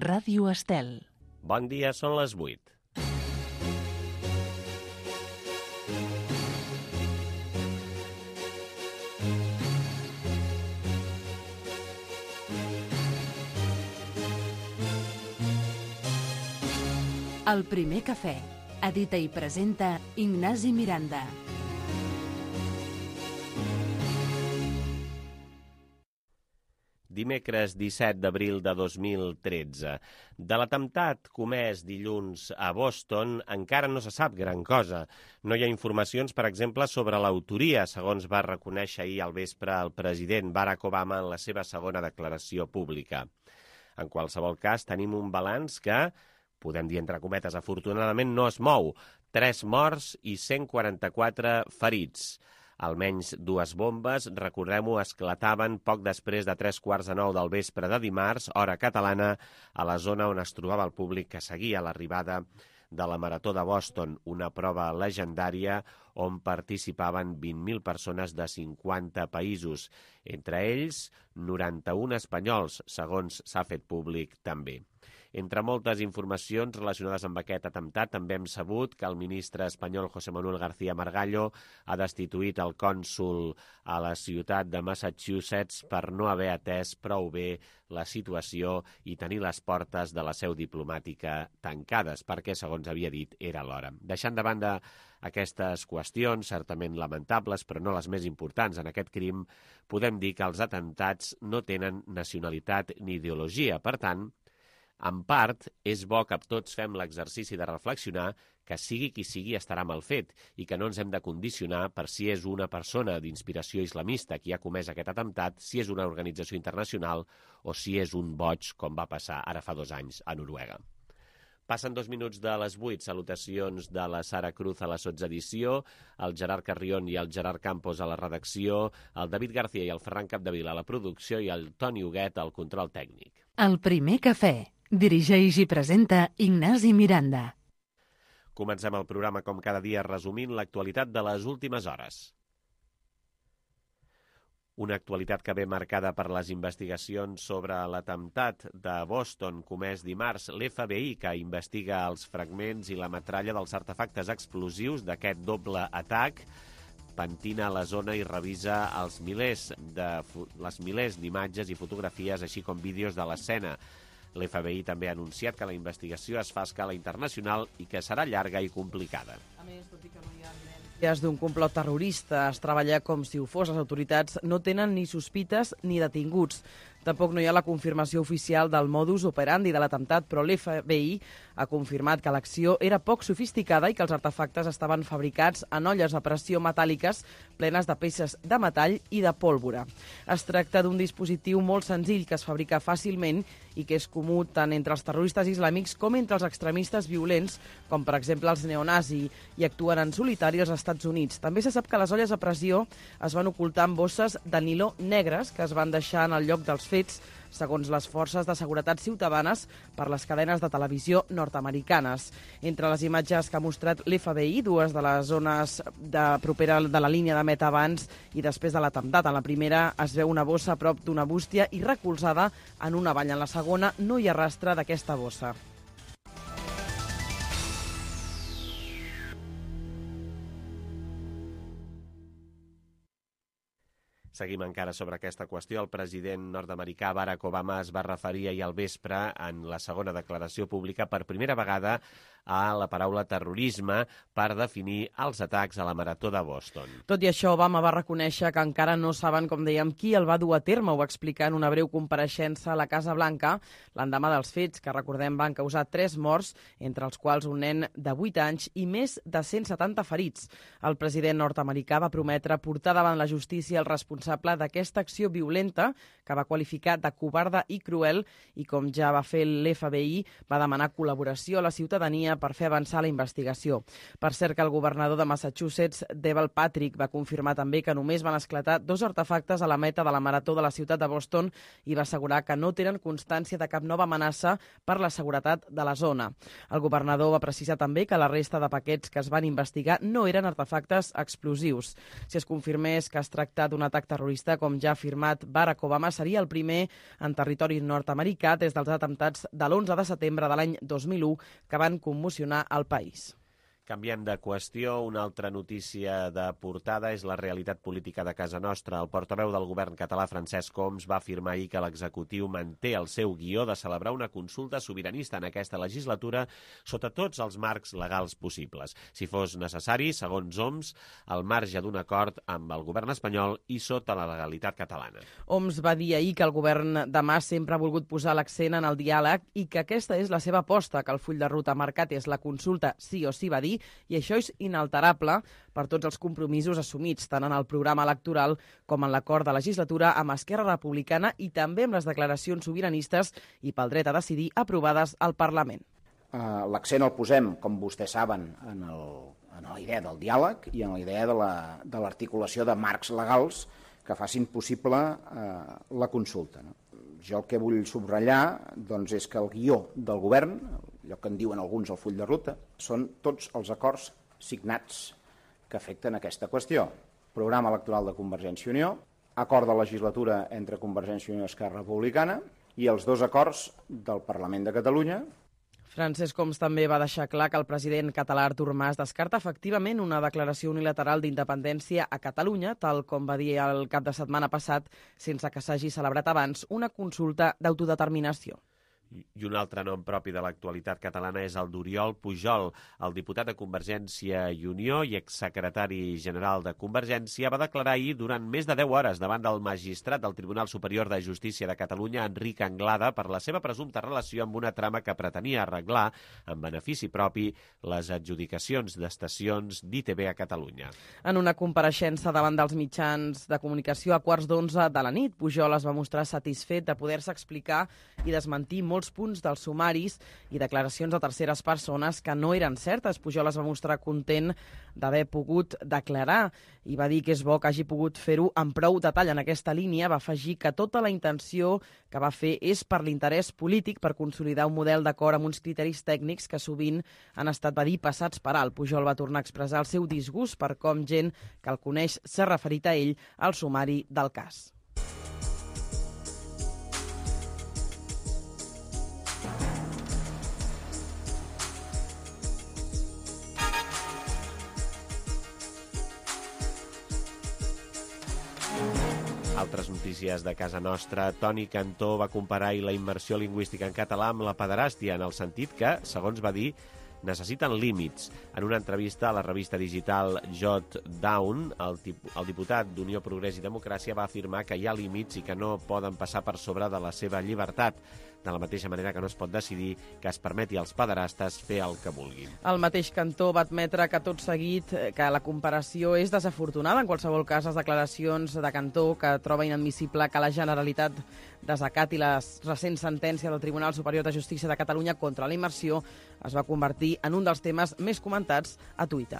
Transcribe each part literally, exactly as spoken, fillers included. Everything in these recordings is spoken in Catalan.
Ràdio Estel. Bon dia, són les vuit. El primer cafè. Edita i presenta Ignasi Miranda. Dimecres disset d'abril de dos mil tretze. De l'atemptat comès dilluns a Boston encara no se sap gran cosa. No hi ha informacions, per exemple, sobre l'autoria, segons va reconèixer ahir al vespre el president Barack Obama en la seva segona declaració pública. En qualsevol cas, tenim un balanç que, podem dir entre cometes, afortunadament no es mou. Tres morts i cent quaranta-quatre ferits. Almenys dues bombes, recordem-ho, esclataven poc després de tres quarts de nou del vespre de dimarts, hora catalana, a la zona on es trobava el públic que seguia l'arribada de la Marató de Boston, una prova legendària on participaven vint mil persones de cinquanta països, entre ells noranta-un espanyols, segons s'ha fet públic també. Entre moltes informacions relacionades amb aquest atemptat, també hem sabut que el ministre espanyol José Manuel García Margallo ha destituït el cònsol a la ciutat de Massachusetts per no haver atès prou bé la situació i tenir les portes de la seu diplomàtica tancades, perquè, segons havia dit, era l'hora. Deixant de banda aquestes qüestions, certament lamentables, però no les més importants en aquest crim, podem dir que els atemptats no tenen nacionalitat ni ideologia. Per tant, en part, és bo que tots fem l'exercici de reflexionar que sigui qui sigui estarà mal fet i que no ens hem de condicionar per si és una persona d'inspiració islamista qui ha comès aquest atemptat, si és una organització internacional o si és un boig, com va passar ara fa dos anys a Noruega. Passen dos minuts de les vuit. Salutacions de la Sara Cruz a la sotsedició, el Gerard Carrion i el Gerard Campos a la redacció, el David García i el Ferran Capdevila a la producció i el Toni Huguet al control tècnic. El primer cafè. Dirigeix i presenta Ignasi Miranda. Comencem el programa com cada dia resumint l'actualitat de les últimes hores. Una actualitat que ve marcada per les investigacions sobre l'atemptat de Boston comès dimarts. L'F B I, que investiga els fragments i la metralla dels artefactes explosius d'aquest doble atac, pentina la zona i revisa els milers de, les milers d'imatges i fotografies, així com vídeos de l'escena. L'F B I també ha anunciat que la investigació es fa a escala internacional i que serà llarga i complicada. A més, tot i que no hi ha evidències d'un complot terrorista, es treballa com si ho fos. Les autoritats no tenen ni sospites ni detinguts. Tampoc no hi ha la confirmació oficial del modus operandi de l'atemptat, però l'F B I ha confirmat que l'acció era poc sofisticada i que els artefactes estaven fabricats en olles a pressió metàl·liques plenes de peces de metall i de pólvora. Es tracta d'un dispositiu molt senzill que es fabrica fàcilment i que és comú tant entre els terroristes islàmics com entre els extremistes violents, com per exemple els neonazi, i actuen en solitari als Estats Units. També se sap que les olles a pressió es van ocultar en bosses de niló negres que es van deixar en el lloc dels fets, segons les forces de seguretat ciutadanes, per les cadenes de televisió nord-americanes. Entre les imatges que ha mostrat l'F B I, dues de les zones de propera de la línia de meta abans i després de l'atemptat. En la primera es veu una bossa a prop d'una bústia i recolzada en una vall. En la segona no hi ha rastre d'aquesta bossa. Seguim encara sobre aquesta qüestió. El president nord-americà Barack Obama es va referir ahir al vespre en la segona declaració pública per primera vegada a la paraula terrorisme per definir els atacs a la Marató de Boston. Tot i això, Obama va reconèixer que encara no saben, com dèiem, qui el va dur a terme. Ho va explicar en una breu compareixença a la Casa Blanca l'endemà dels fets, que recordem van causar tres morts, entre els quals un nen de vuit anys i més de cent setanta ferits. El president nord-americà va prometre portar davant la justícia el responsable d'aquesta acció violenta, que va qualificar de covarda i cruel, i com ja va fer l'F B I, va demanar col·laboració a la ciutadania línia per fer avançar la investigació. Per cert que el governador de Massachusetts, Deval Patrick, va confirmar també que només van esclatar dos artefactes a la meta de la marató de la ciutat de Boston i va assegurar que no tenen constància de cap nova amenaça per la seguretat de la zona. El governador va precisar també que la resta de paquets que es van investigar no eren artefactes explosius. Si es confirmés que es tracta d'un atac terrorista, com ja ha afirmat Barack Obama, seria el primer en territori nord-americà des dels atemptats de l'onze de setembre de l'any dos mil u que van commocionar el país. Canviem de qüestió, una altra notícia de portada és la realitat política de casa nostra. El portaveu del govern català, Francesc Homs, va afirmar ahir que l'executiu manté el seu guió de celebrar una consulta sobiranista en aquesta legislatura sota tots els marcs legals possibles. Si fos necessari, segons Homs, al marge d'un acord amb el govern espanyol i sota la legalitat catalana. Homs va dir ahir que el govern de Mas sempre ha volgut posar l'accent en el diàleg i que aquesta és la seva aposta, que el full de ruta marcat és la consulta sí o sí, va dir, i això és inalterable per tots els compromisos assumits, tant en el programa electoral com en l'acord de legislatura amb Esquerra Republicana i també amb les declaracions sobiranistes i pel dret a decidir aprovades al Parlament. Uh, L'accent el posem, com vostès saben, en, el, en la idea del diàleg i en la idea de l'articulació la, de, de marcs legals que facin possible uh, la consulta. No? Jo el que vull subratllar doncs, és que el guió del govern, allò que en diuen alguns el full de ruta, són tots els acords signats que afecten aquesta qüestió. Programa electoral de Convergència i Unió, acord de legislatura entre Convergència i Unió i Esquerra Republicana i els dos acords del Parlament de Catalunya. Francesc Homs també va deixar clar que el president català Artur Mas descarta efectivament una declaració unilateral d'independència a Catalunya, tal com va dir el cap de setmana passat, sense que s'hagi celebrat abans una consulta d'autodeterminació. I un altre nom propi de l'actualitat catalana és el d'Oriol Pujol. El diputat de Convergència i Unió i exsecretari general de Convergència va declarar ahir durant més de deu hores davant del magistrat del Tribunal Superior de Justícia de Catalunya, Enric Anglada, per la seva presumpta relació amb una trama que pretenia arreglar, en benefici propi, les adjudicacions d'estacions d'I T V a Catalunya. En una compareixença davant dels mitjans de comunicació a quarts d'onze de la nit, Pujol es va mostrar satisfet de poder-se explicar i desmentir molt punts dels sumaris i declaracions de terceres persones que no eren certes. Pujol es va mostrar content d'haver pogut declarar i va dir que és bo que hagi pogut fer-ho amb prou detall en aquesta línia. Va afegir que tota la intenció que va fer és per l'interès polític, per consolidar un model d'acord amb uns criteris tècnics que sovint han estat, va dir, passats per alt. Pujol va tornar a expressar el seu disgust per com gent que el coneix s'ha referit a ell al sumari del cas. Altres notícies de casa nostra. Toni Cantó va comparar la immersió lingüística en català amb la pederàstia, en el sentit que, segons va dir, necessiten límits. En una entrevista a la revista digital Jot Down, el, el diputat d'Unió Progrés i Democràcia va afirmar que hi ha límits i que no poden passar per sobre de la seva llibertat, de la mateixa manera que no es pot decidir que es permeti als pederastes fer el que vulguin. El mateix Cantó va admetre que tot seguit que la comparació és desafortunada. En qualsevol cas, les declaracions de Cantó, que troba inadmissible que la Generalitat desacati la recent sentència del Tribunal Superior de Justícia de Catalunya contra la immersió, es va convertir en un dels temes més comentats a Twitter.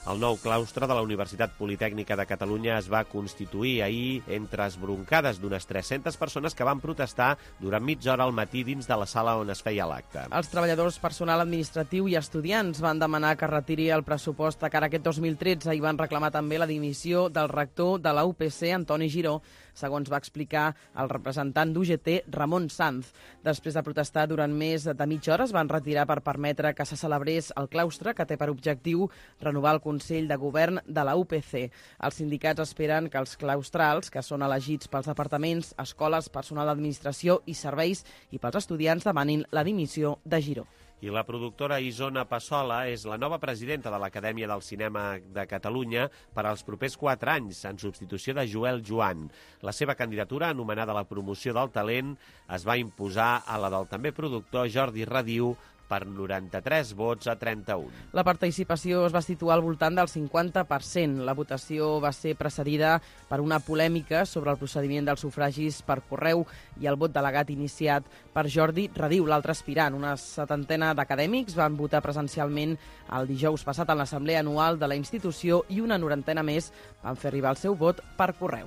El nou claustre de la Universitat Politècnica de Catalunya es va constituir ahir entre esbroncades d'unes tres-centes persones que van protestar durant mitja hora al matí dins de la sala on es feia l'acte. Els treballadors, personal administratiu i estudiants van demanar que retiri el pressupost de cara a aquest dos mil tretze i van reclamar també la dimissió del rector de la U P C, Antoni Giró, segons va explicar el representant d'U G T, Ramon Sanz. Després de protestar durant més de mitja hora, es van retirar per permetre que se celebrés el claustre, que té per objectiu renovar el Consell de Govern de la U P C. Els sindicats esperen que els claustrals, que són elegits pels departaments, escoles, personal d'administració i serveis i pels estudiants, demanin la dimissió de Giró. I la productora Isona Passola és la nova presidenta de l'Acadèmia del Cinema de Catalunya per als propers quatre anys, en substitució de Joel Joan. La seva candidatura, anomenada la promoció del talent, es va imposar a la del també productor Jordi Radiu per noranta-tres vots a trenta-un. La participació es va situar al voltant del cinquanta per cent. La votació va ser precedida per una polèmica sobre el procediment dels sufragis per correu i el vot delegat iniciat per Jordi Radiu, l'altre aspirant. Una setantena d'acadèmics van votar presencialment el dijous passat en l'assemblea anual de la institució i una norantena més van fer arribar el seu vot per correu.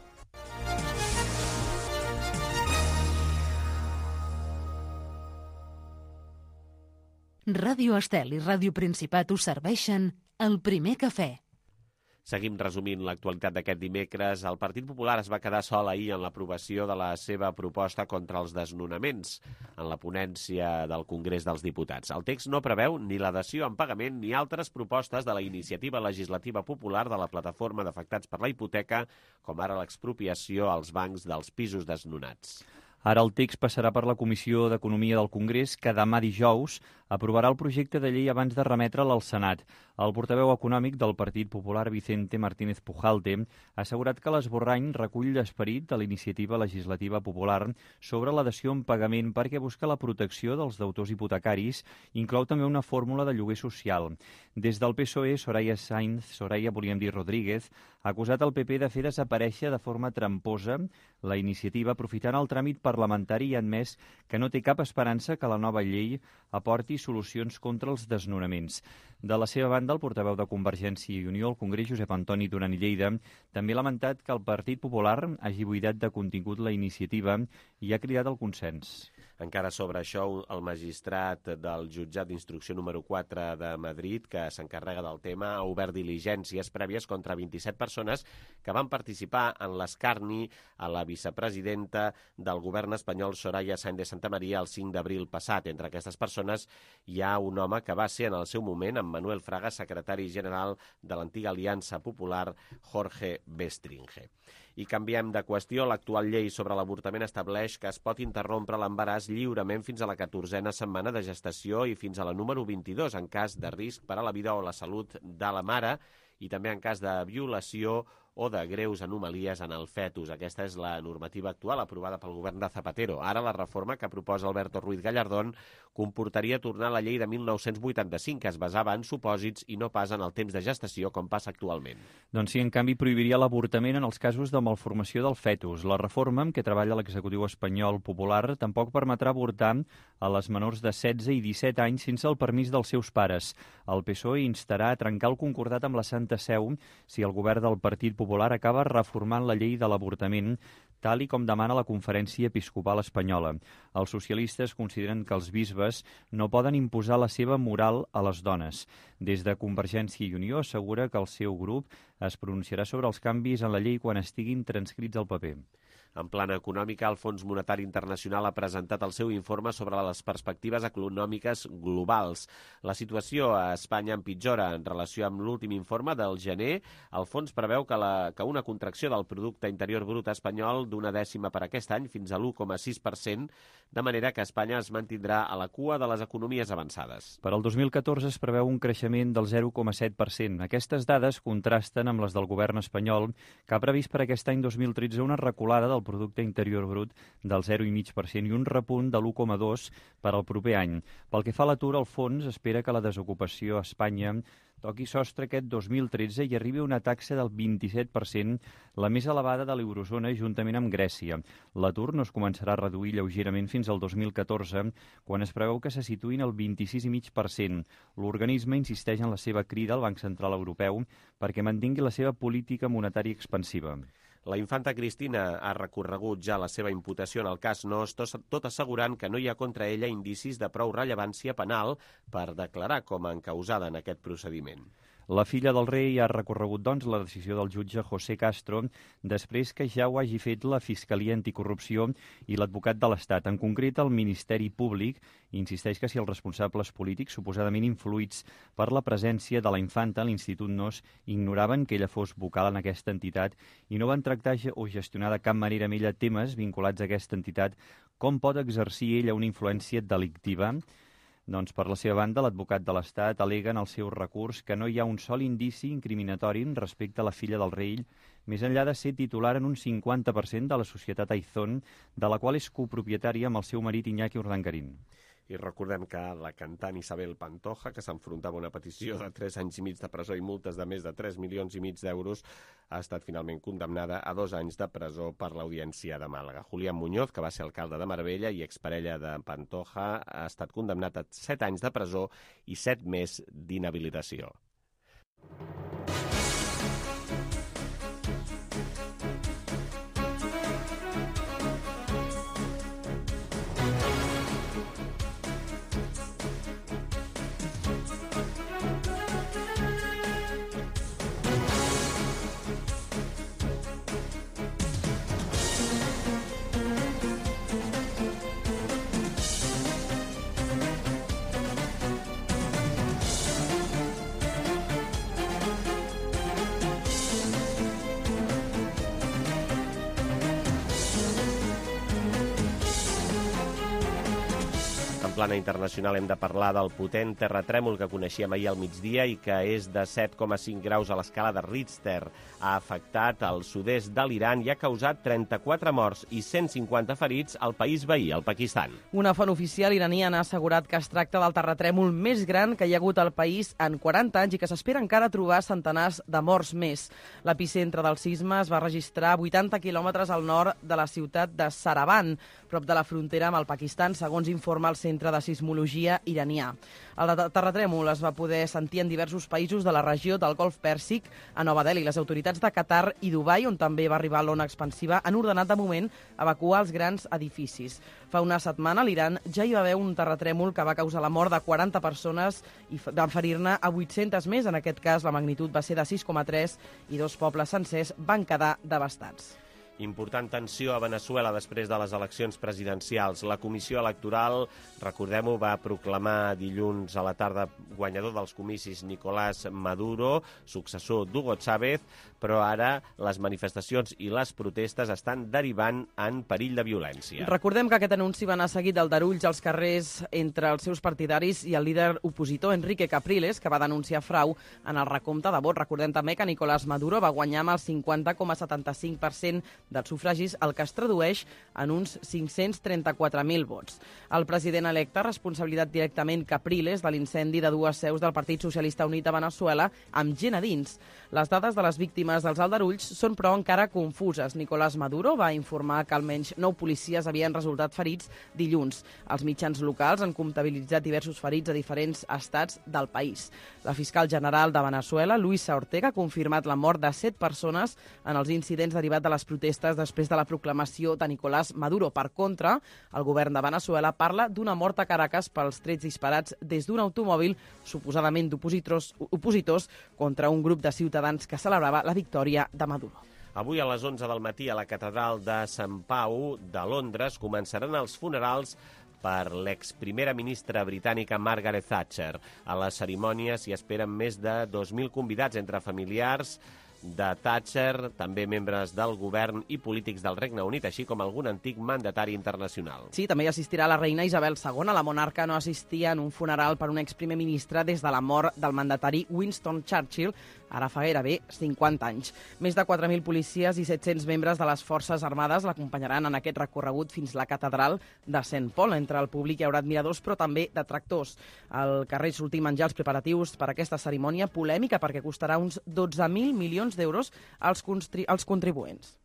Ràdio Estel i Ràdio Principat us serveixen el primer cafè. Seguim resumint l'actualitat d'aquest dimecres. El Partit Popular es va quedar sol ahir en l'aprovació de la seva proposta contra els desnonaments en la ponència del Congrés dels Diputats. El text no preveu ni la dació en pagament ni altres propostes de la iniciativa legislativa popular de la plataforma d'afectats per la hipoteca, com ara l'expropiació als bancs dels pisos desnonats. Ara el text passarà per la Comissió d'Economia del Congrés, que demà dijous aprovarà el projecte de llei abans de remetre'l al Senat. El portaveu econòmic del Partit Popular, Vicente Martínez Pujalte, ha assegurat que l'esborrany recull l'esperit de la iniciativa legislativa popular sobre la dació en pagament perquè busca la protecció dels deutors hipotecaris i inclou també una fórmula de lloguer social. Des del P S O E, Soraya Sainz, Soraya volíem dir Rodríguez, ha acusat el P P de fer desaparèixer de forma tramposa la iniciativa aprofitant el tràmit parlamentari i ha admès que no té cap esperança que la nova llei aporti solucions contra els desnonaments. De la seva banda, el portaveu de Convergència i Unió al Congrés, Josep Antoni Duran i Lleida, també ha lamentat que el Partit Popular hagi buidat de contingut la iniciativa i ha cridat el consens. Encara sobre això, el magistrat del jutjat d'instrucció número quatre de Madrid, que s'encarrega del tema, ha obert diligències prèvies contra vint-i-set persones que van participar en l'escarni a la vicepresidenta del govern espanyol, Soraya Sáenz de Santamaría, el cinc d'abril passat. Entre aquestes persones hi ha un home que va ser en el seu moment, en Manuel Fraga, secretari general de l'antiga Aliança Popular, Jorge Bestringe. I canviem de qüestió. L'actual llei sobre l'avortament estableix que es pot interrompre l'embaràs lliurement fins a la catorzena setmana de gestació i fins a la número vint-i-dos en cas de risc per a la vida o la salut de la mare i també en cas de violació o de greus anomalies en el fetus. Aquesta és la normativa actual aprovada pel govern de Zapatero. Ara la reforma que proposa Alberto Ruiz Gallardón comportaria tornar a la llei de mil nou-cents vuitanta-cinc, que es basava en supòsits i no pas en el temps de gestació, com passa actualment. Doncs sí, en canvi, prohibiria l'avortament en els casos de malformació del fetus. La reforma, amb què treballa l'executiu espanyol popular, tampoc permetrà avortar a les menors de setze i disset anys sense el permís dels seus pares. El P S O E instarà a trencar el concordat amb la Santa Seu si el govern del Partit Popular acaba reformant la llei de l'avortament, tal i com demana la Conferència Episcopal Espanyola. Els socialistes consideren que els bisbes no poden imposar la seva moral a les dones. Des de Convergència i Unió assegura que el seu grup es pronunciarà sobre els canvis en la llei quan estiguin transcrits al paper. En plana econòmica, el Fons Monetari Internacional ha presentat el seu informe sobre les perspectives econòmiques globals. La situació a Espanya empitjora en relació amb l'últim informe del gener. El fons preveu que, la, que una contracció del producte interior brut espanyol d'una dècima per aquest any fins a l'u coma sis per cent, de manera que Espanya es mantindrà a la cua de les economies avançades. Per al dos mil catorze es preveu un creixement del zero coma set per cent. Aquestes dades contrasten amb les del govern espanyol, que ha previst per aquest any dos mil tretze una reculada del producte interior brut del zero coma cinc per cent i un repunt de l'u coma dos per cent per al proper any. Pel que fa a l'atur, el fons espera que la desocupació a Espanya toqui sostre aquest dos mil tretze i arribi a una taxa del vint-i-set per cent, la més elevada de l'eurozona juntament amb Grècia. L'atur no es començarà a reduir lleugerament fins al dos mil catorze, quan es preveu que se situïn al vint-i-sis coma cinc per cent. L'organisme insisteix en la seva crida al Banc Central Europeu perquè mantingui la seva política monetària expansiva. La infanta Cristina ha recorregut ja la seva imputació en el cas Nóos, tot assegurant que no hi ha contra ella indicis de prou rellevància penal per declarar com a encausada en aquest procediment. La filla del rei ha recorregut, doncs, la decisió del jutge José Castro després que ja ho hagi fet la Fiscalia Anticorrupció i l'advocat de l'Estat. En concret, el Ministeri Públic insisteix que si els responsables polítics suposadament influïts per la presència de la infanta a l'Institut Nóos ignoraven que ella fos vocal en aquesta entitat i no van tractar o gestionar de cap manera amb ella temes vinculats a aquesta entitat, com pot exercir ella una influència delictiva? Doncs, per la seva banda, l'advocat de l'Estat al·lega en el seu recurs que no hi ha un sol indici incriminatori respecte a la filla del rei, més enllà de ser titular en un cinquanta per cent de la societat Aizón, de la qual és copropietària amb el seu marit Iñaki Urdangarín. I recordem que la cantant Isabel Pantoja, que s'enfrontava a una petició de tres anys i mig de presó i multes de més de tres milions i mig d'euros, ha estat finalment condemnada a dos anys de presó per l'Audiència de Màlaga. Julián Muñoz, que va ser alcalde de Marbella i exparella de Pantoja, ha estat condemnat a set anys de presó i set més d'inhabilitació. En plana internacional hem de parlar del potent terratrèmol que coneixíem ahir al migdia i que és de set coma cinc graus a l'escala de Richter. Ha afectat el sud-est de l'Iran i ha causat trenta-quatre morts i cent cinquanta ferits al país veí, el Pakistan. Una font oficial iraniana ha assegurat que es tracta del terratrèmol més gran que hi ha hagut al país en quaranta anys i que s'espera encara trobar centenars de morts més. L'epicentre del sisme es va registrar a vuitanta quilòmetres al nord de la ciutat de Saravan, prop de la frontera amb el Pakistan, segons informa el Centre de Sismologia iranià. El terratrèmol es va poder sentir en diversos països de la regió del Golf Pèrsic. A Nova Delhi, les autoritats de Qatar i Dubai, on també va arribar l'ona expansiva, han ordenat de moment evacuar els grans edificis. Fa una setmana a l'Iran ja hi va haver un terratrèmol que va causar la mort de quaranta persones i van ferir-ne a vuit-centes més. En aquest cas, la magnitud va ser de sis coma tres i dos pobles sencers van quedar devastats. Important tensió a Veneçuela després de les eleccions presidencials. La Comissió Electoral, recordem-ho, va proclamar dilluns a la tarda guanyador dels comicis Nicolás Maduro, successor d'Hugo Chávez, però ara les manifestacions i les protestes estan derivant en perill de violència. Recordem que aquest anunci va anar seguit d'aldarulls als carrers entre els seus partidaris i el líder opositor Enrique Capriles, que va denunciar frau en el recompte de vots. Recordem també que Nicolás Maduro va guanyar amb el cinquanta coma setanta-cinc per cent dels sufragis, el que es tradueix en uns cinc-cents trenta-quatre mil vots. El president electe ha responsabilitzat directament Capriles de l'incendi de dues seus del Partit Socialista Unit de Veneçuela amb gent a dins. Les dades de les víctimes dels aldarulls són, però, encara confuses. Nicolás Maduro va informar que almenys nou policies havien resultat ferits dilluns. Els mitjans locals han comptabilitzat diversos ferits a diferents estats del país. La fiscal general de Veneçuela, Luisa Ortega, ha confirmat la mort de set persones en els incidents derivats de les protestes després de la proclamació de Nicolás Maduro. Per contra, el govern de Veneçuela parla d'una mort a Caracas pels trets disparats des d'un automòbil suposadament d'opositors opositors contra un grup de ciutadans que celebrava la victòria de Maduro. Avui a les onze del matí a la catedral de Sant Pau de Londres començaran els funerals per l'exprimera ministra britànica Margaret Thatcher. A la cerimònia s'hi esperen més de dos mil convidats entre familiars de Thatcher, també membres del govern i polítics del Regne Unit, així com algun antic mandatari internacional. Sí, també hi assistirà la reina Isabel segona. La monarca no assistia en un funeral per un exprimer ministre des de la mort del mandatari Winston Churchill, ara fa gairebé cinquanta anys. Més de quatre mil policies i set-cents membres de les Forces Armades l'acompanyaran en aquest recorregut fins la catedral de Saint Paul. Entre el públic hi haurà admiradors, però també detractors. Al carrer sortim menjar els preparatius per aquesta cerimònia polèmica perquè costarà uns dotze mil milions d'euros als, als contribuents.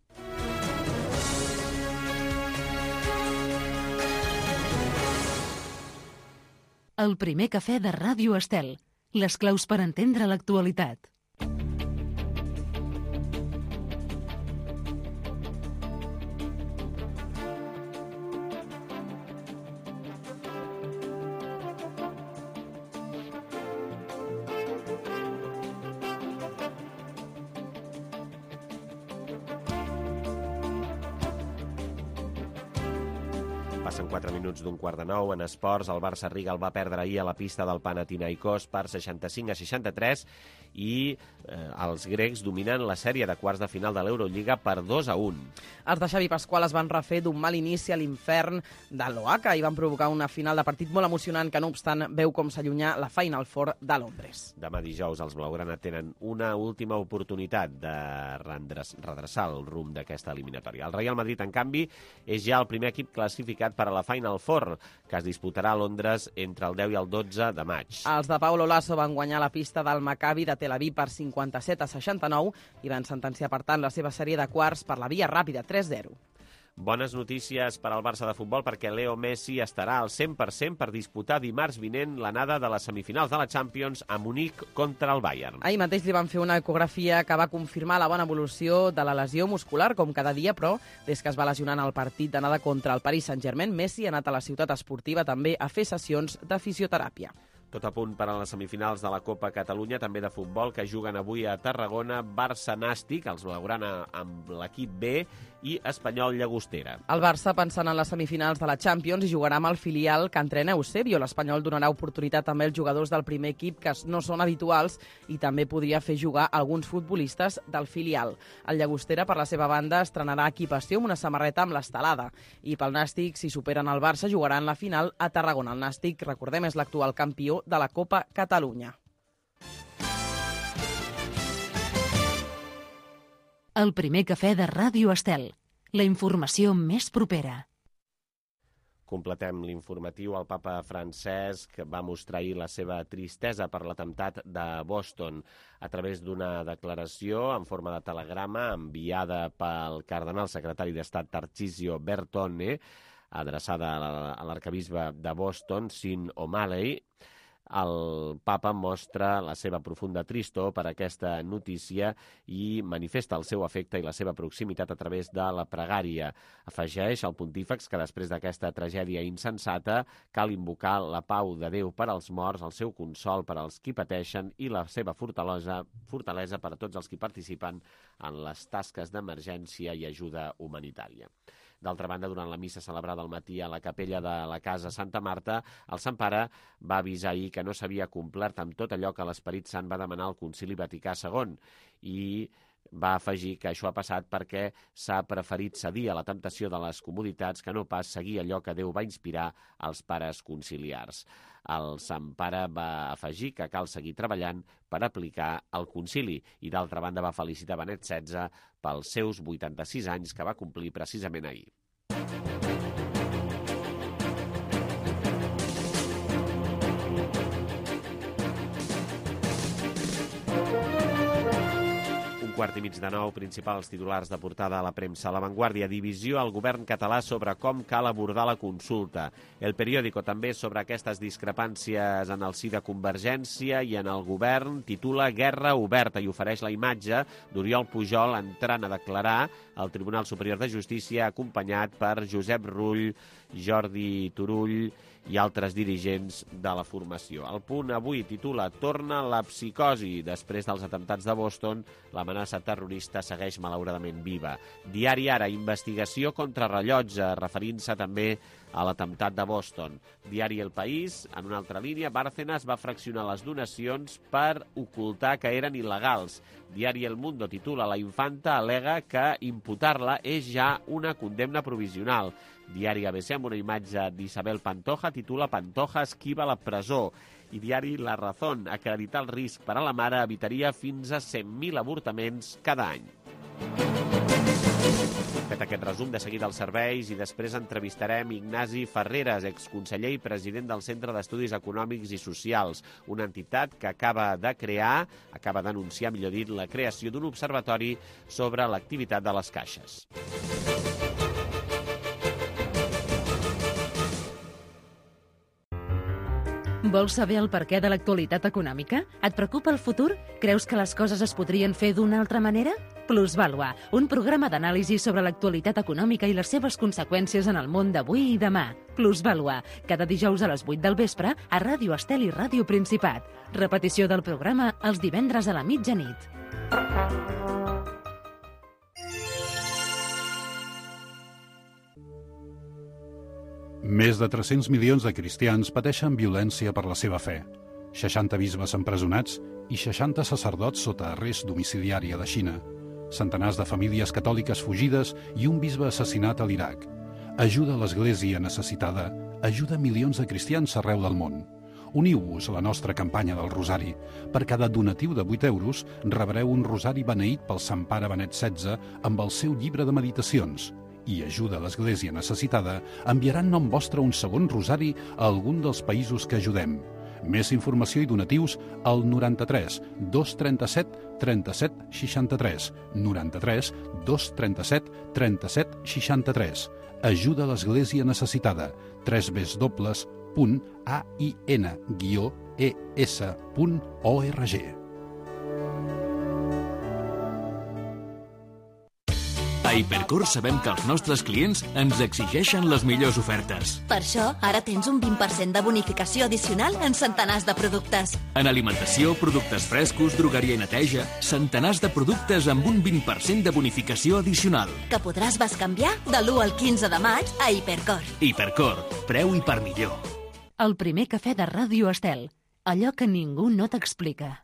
El primer cafè de Ràdio Estel. Les claus per entendre l'actualitat. Passen quatre minuts d'un quart de nou. En esports, el Barça Riga el va perdre ahir a la pista del Panathinaikos per seixanta-cinc a seixanta-tres i eh, els grecs dominen la sèrie de quarts de final de l'Eurolliga per dos a un. Els de Xavi Pasqual es van refer d'un mal inici a l'infern de l'Oaca i van provocar una final de partit molt emocionant que, no obstant, veu com s'allunya la Final Four de Londres. Demà dijous els blaugrana tenen una última oportunitat de redreçar el rumb d'aquesta eliminatòria. El Real Madrid, en canvi, és ja el primer equip classificat per per a la Final Four, que es disputarà a Londres entre el deu i el dotze de maig. Els de Paulo Lasso van guanyar la pista del Maccabi de Tel Aviv per cinquanta-set a seixanta-nou i van sentenciar, per tant, la seva sèrie de quarts per la via ràpida, tres zero. Bones notícies per al Barça de futbol perquè Leo Messi estarà al cent per cent per disputar dimarts vinent l'anada de les semifinals de la Champions a Munic contra el Bayern. Ahir mateix li van fer una ecografia que va confirmar la bona evolució de la lesió muscular, com cada dia, però des que es va lesionar en el partit d'anada contra el Paris Saint-Germain, Messi ha anat a la ciutat esportiva també a fer sessions de fisioteràpia. Tot a punt per a les semifinals de la Copa Catalunya, també de futbol, que juguen avui a Tarragona, Barça-Nàstic, els blaugrana amb l'equip B, i Espanyol-Llagostera. El Barça, pensant en les semifinals de la Champions, jugarà amb el filial que entrena Eusebio. L'Espanyol donarà oportunitat també als jugadors del primer equip, que no són habituals, i també podria fer jugar alguns futbolistes del filial. El Llagostera, per la seva banda, estrenarà equipació amb una samarreta amb l'estelada. I pel Nàstic, si superen el Barça, jugaran la final a Tarragona. El Nàstic, recordem, és l'actual campió de la Copa Catalunya. El primer cafè de Ràdio Estel. La informació més propera. Completem l'informatiu. El papa Francesc va mostrar ahir la seva tristesa per l'atemptat de Boston a través d'una declaració en forma de telegrama enviada pel cardenal secretari d'Estat Tarcisio Bertone, adreçada a l'arquebisbe de Boston, Sean O'Malley. El papa mostra la seva profunda tristor per aquesta notícia i manifesta el seu afecte i la seva proximitat a través de la pregària. Afegeix el pontífex que després d'aquesta tragèdia insensata cal invocar la pau de Déu per als morts, el seu consol per als qui pateixen i la seva fortalesa, fortalesa per a tots els qui participen en les tasques d'emergència i ajuda humanitària. D'altra banda, durant la missa celebrada al matí a la capella de la Casa Santa Marta, el Sant Pare va avisar ahir que no s'havia complert amb tot allò que l'Esperit Sant va demanar al Concili Vaticà segon i va afegir que això ha passat perquè s'ha preferit cedir a la temptació de les comoditats que no pas seguir allò que Déu va inspirar als pares conciliars. El Sant Pare va afegir que cal seguir treballant per aplicar el concili i, d'altra banda, va felicitar Benet setze pels seus vuitanta-sis anys que va complir precisament ahir. Quart i mig de nou, principals titulars de portada a la premsa. La Vanguardia, divisió al govern català sobre com cal abordar la consulta. El Periódico també sobre aquestes discrepàncies en el si de Convergència i en el govern titula Guerra oberta i ofereix la imatge d'Oriol Pujol entrant a declarar al Tribunal Superior de Justícia acompanyat per Josep Rull, Jordi Turull i altres dirigents de la formació. El Punt avui titula Torna la psicosi. Després dels atemptats de Boston, l'amenaça terrorista segueix malauradament viva. Diari Ara, investigació contra rellotge, referint-se també a l'atemptat de Boston. Diari El País, en una altra línia, Bárcenas va fraccionar les donacions per ocultar que eren il·legals. Diari El Mundo titula La infanta al·lega que imputar-la és ja una condemna provisional. Diari A B C, amb una imatge d'Isabel Pantoja, titula Pantoja esquiva la presó. I diari La Razón, acreditar el risc per a la mare evitaria fins a cent mil avortaments cada any. Fet aquest resum, de seguida als serveis i després entrevistarem Ignasi Ferreres, exconseller i president del Centre d'Estudis Econòmics i Socials, una entitat que acaba de crear, acaba d'anunciar, millor dit, la creació d'un observatori sobre l'activitat de les caixes. Vols saber el perquè de l'actualitat econòmica? Et preocupa el futur? Creus que les coses es podrien fer d'una altra manera? Plusvàlua, un programa d'anàlisi sobre l'actualitat econòmica i les seves conseqüències en el món d'avui i demà. Plusvàlua, cada dijous a les vuit del vespre a Ràdio Estel i Ràdio Principat. Repetició del programa els divendres a la mitjanit. Més de tres-cents milions de cristians pateixen violència per la seva fe. seixanta bisbes empresonats i seixanta sacerdots sota arrest domiciliari a la Xina. Centenars de famílies catòliques fugides i un bisbe assassinat a l'Iraq. Ajuda a l'Església necessitada, ajuda milions de cristians arreu del món. Uniu-vos a la nostra campanya del Rosari. Per cada donatiu de vuit euros rebreu un rosari beneït pel Sant Pare Benet setze amb el seu llibre de meditacions. i Ajuda a l'Església Necessitada enviaran nom vostre un segon rosari a algun dels països que ajudem. Més informació i donatius al noranta-tres dos trenta-set trenta-set seixanta-tres, noranta-tres dos trenta-set trenta-set seixanta-tres. Ajuda a l'Església Necessitada, tres ves dobles punt a i ena guió e essa punt org. A Hipercor sabem que els nostres clients ens exigeixen les millors ofertes. Per això, ara tens un vint per cent de bonificació addicional en centenars de productes. En alimentació, productes frescos, drogueria i neteja, centenars de productes amb un vint per cent de bonificació addicional. Que podràs bescanviar de l'u al quinze de maig a Hipercor. Hipercor, preu i per millor. El primer cafè de Ràdio Estel. Allò que ningú no t'explica.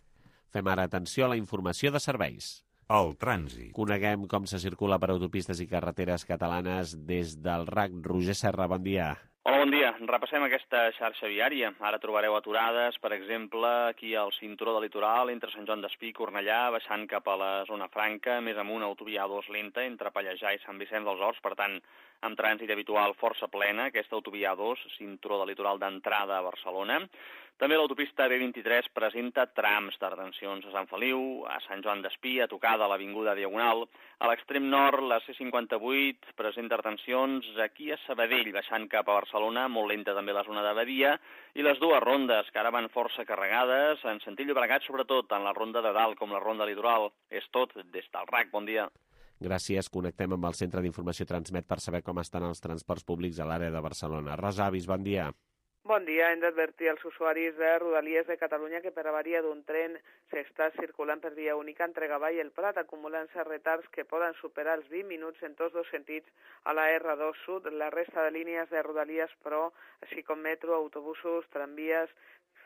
Fem ara atenció a la informació de serveis. El trànsit. Coneguem com se circula per autopistes i carreteres catalanes des del R A C. Roger Serra, bon dia. Hola, bon dia. Repassem aquesta xarxa viària. Ara trobareu aturades, per exemple, aquí al cinturó del litoral, entre Sant Joan d'Espí i Cornellà, baixant cap a la zona franca, més amunt autovia A dos lenta, entre Pallejà i Sant Vicenç dels Horts, per tant, amb trànsit habitual força plena, aquesta autovia A dos, cinturó del litoral d'entrada a Barcelona. També l'autopista B vint-i-tres presenta trams de retencions a Sant Feliu, a Sant Joan d'Espí, a tocar de l'Avinguda Diagonal. A l'extrem nord, la C cinquanta-vuit presenta retencions aquí a Sabadell, baixant cap a Barcelona, molt lenta també la zona de Badia, i les dues rondes, que ara van força carregades, en sentit Llobregat, sobretot en la ronda de dalt, com la ronda litoral. És tot des del R A C. Bon dia. Gràcies. Connectem amb el Centre d'Informació Transmet per saber com estan els transports públics a l'àrea de Barcelona. Rosa Avis, bon dia. Bon dia. Hem d'advertir als usuaris de Rodalies de Catalunya que per avaria d'un tren s'està circulant per via única entre Gavà i el Prat, acumulant-se retards que poden superar els vint minuts en tots dos sentits a la R dos Sud. La resta de línies de Rodalies, però, així com metro, autobusos, tramvies,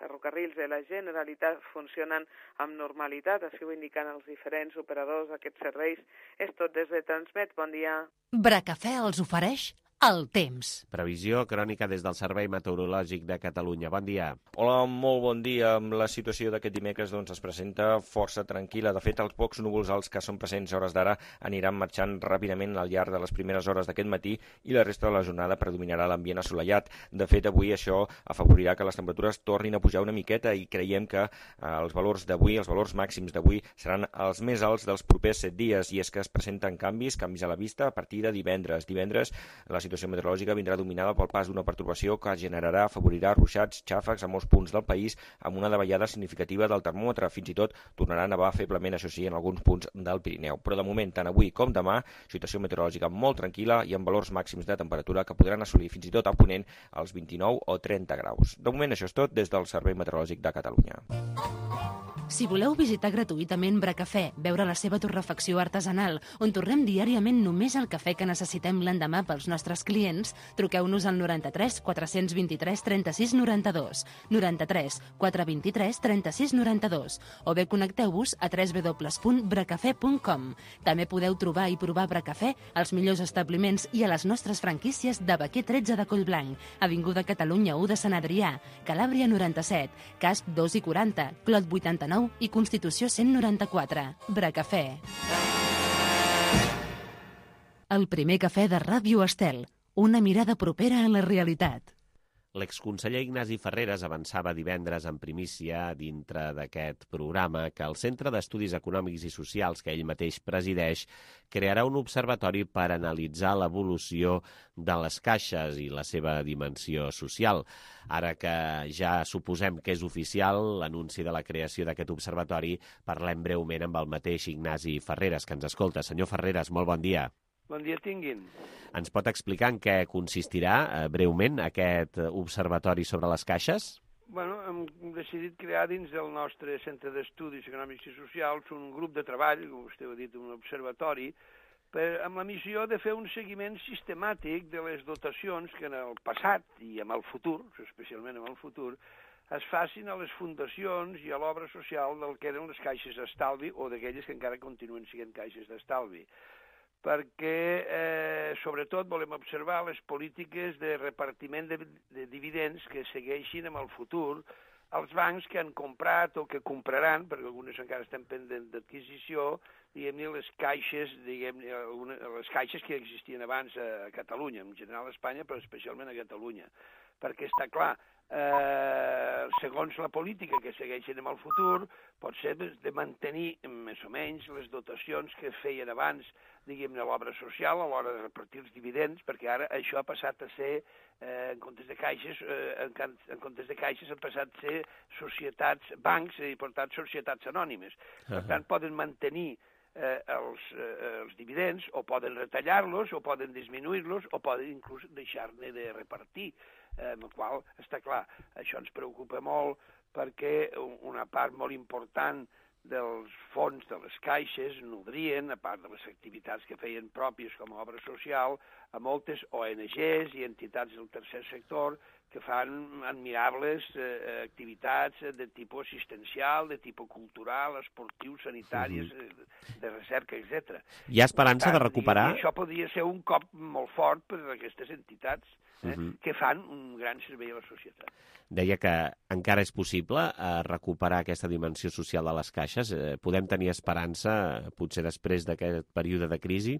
ferrocarrils de la Generalitat funcionen amb normalitat, així ho indiquen els diferents operadors d'aquests serveis. És tot des de Transmet. Bon dia. Bracafè els ofereix el temps. Previsió crònica des del Servei Meteorològic de Catalunya. Bon dia. Hola, molt bon dia. La situació d'aquest dimecres doncs, es presenta força tranquil·la. De fet, els pocs núvols alts que són presents a hores d'ara aniran marxant ràpidament al llarg de les primeres hores d'aquest matí i la resta de la jornada predominarà l'ambient assolellat. De fet, avui això afavorirà que les temperatures tornin a pujar una miqueta i creiem que eh, els valors d'avui, els valors màxims d'avui, seran els més alts dels propers set dies, i és que es presenten canvis, canvis a la vista a partir de divendres. Divendres la situació situació meteorològica vindrà dominada pel pas d'una pertorbació que generarà, afavorirà ruixats, xàfecs a molts punts del país amb una davallada significativa del termòmetre. Fins i tot tornarà a nevar feblement, això sí, en alguns punts del Pirineu. Però de moment, tant avui com demà, situació meteorològica molt tranquil·la i amb valors màxims de temperatura que podran assolir fins i tot a Ponent els vint-i-nou o trenta graus. De moment això és tot des del Servei Meteorològic de Catalunya. Si voleu visitar gratuïtament Bracafè, veure la seva torrefacció artesanal, on torrem diàriament només el cafè que necessitem l'endemà pels nostres clients, truqueu-nos al noranta-tres quatre vint-i-tres trenta-sis noranta-dos, noranta-tres quatre vint-i-tres trenta-sis noranta-dos, o bé connecteu-vos a w w w punt bracafè punt com. També podeu trobar i provar Bracafè als millors establiments i a les nostres franquícies de Baquer tretze de Collblanc, Avinguda Catalunya u de Sant Adrià, Calàbria noranta-set, Casp dos i quaranta, Clot vuitanta-nou i Constitució cent noranta-quatre. Bracafè. El primer cafè de Ràdio Estel. Una mirada propera a la realitat. L'exconseller Ignasi Ferreres avançava divendres en primícia dintre d'aquest programa que el Centre d'Estudis Econòmics i Socials que ell mateix presideix crearà un observatori per analitzar l'evolució de les caixes i la seva dimensió social. Ara que ja suposem que és oficial l'anunci de la creació d'aquest observatori, parlem breument amb el mateix Ignasi Ferreres, que ens escolta. Senyor Ferreres, molt bon dia. Bon dia tinguin. Ens pot explicar en què consistirà, eh, breument, aquest observatori sobre les caixes? Bueno, hem decidit crear dins del nostre Centre d'Estudis Econòmics i Socials un grup de treball, com vostè ha dit, un observatori, per, amb la missió de fer un seguiment sistemàtic de les dotacions que en el passat i en el futur, especialment en el futur, es facin a les fundacions i a l'obra social del que eren les caixes d'estalvi o d'aquelles que encara continuen sent caixes d'estalvi. perquè, eh, sobretot, volem observar les polítiques de repartiment de, de dividends que segueixin en el futur els bancs que han comprat o que compraran, perquè algunes encara estan pendents d'adquisició, diguem-ne, les caixes, diguem-ne, les caixes que existien abans a Catalunya, en general a Espanya, però especialment a Catalunya. Perquè està clar, eh, segons la política que segueixen en el futur, pot ser de mantenir més o menys les dotacions que feien abans, diguem-ne, l'obra social a l'hora de repartir els dividends, perquè ara això ha passat a ser, eh, en comptes de caixes, eh, en, en comptes de caixes han passat a ser societats, bancs i per tant societats anònimes. Per uh-huh. tant, poden mantenir eh, els, eh, els dividends, o poden retallar-los, o poden disminuir-los, o poden inclús deixar-ne de repartir, eh, amb el qual, està clar, això ens preocupa molt, perquè una part molt important dels fons de les caixes nodrien, a part de les activitats que feien pròpies com a obra social, a moltes O N Ges i entitats del tercer sector que fan admirables eh, activitats de tipus assistencial, de tipus cultural, esportiu, sanitàries, mm-hmm. de recerca, etcètera. Hi ha esperança tant, de recuperar? Això podria ser un cop molt fort per a aquestes entitats eh, mm-hmm. que fan un gran servei a la societat. Deia que encara és possible eh, recuperar aquesta dimensió social de les caixes. Eh, podem tenir esperança, potser després d'aquest període de crisi?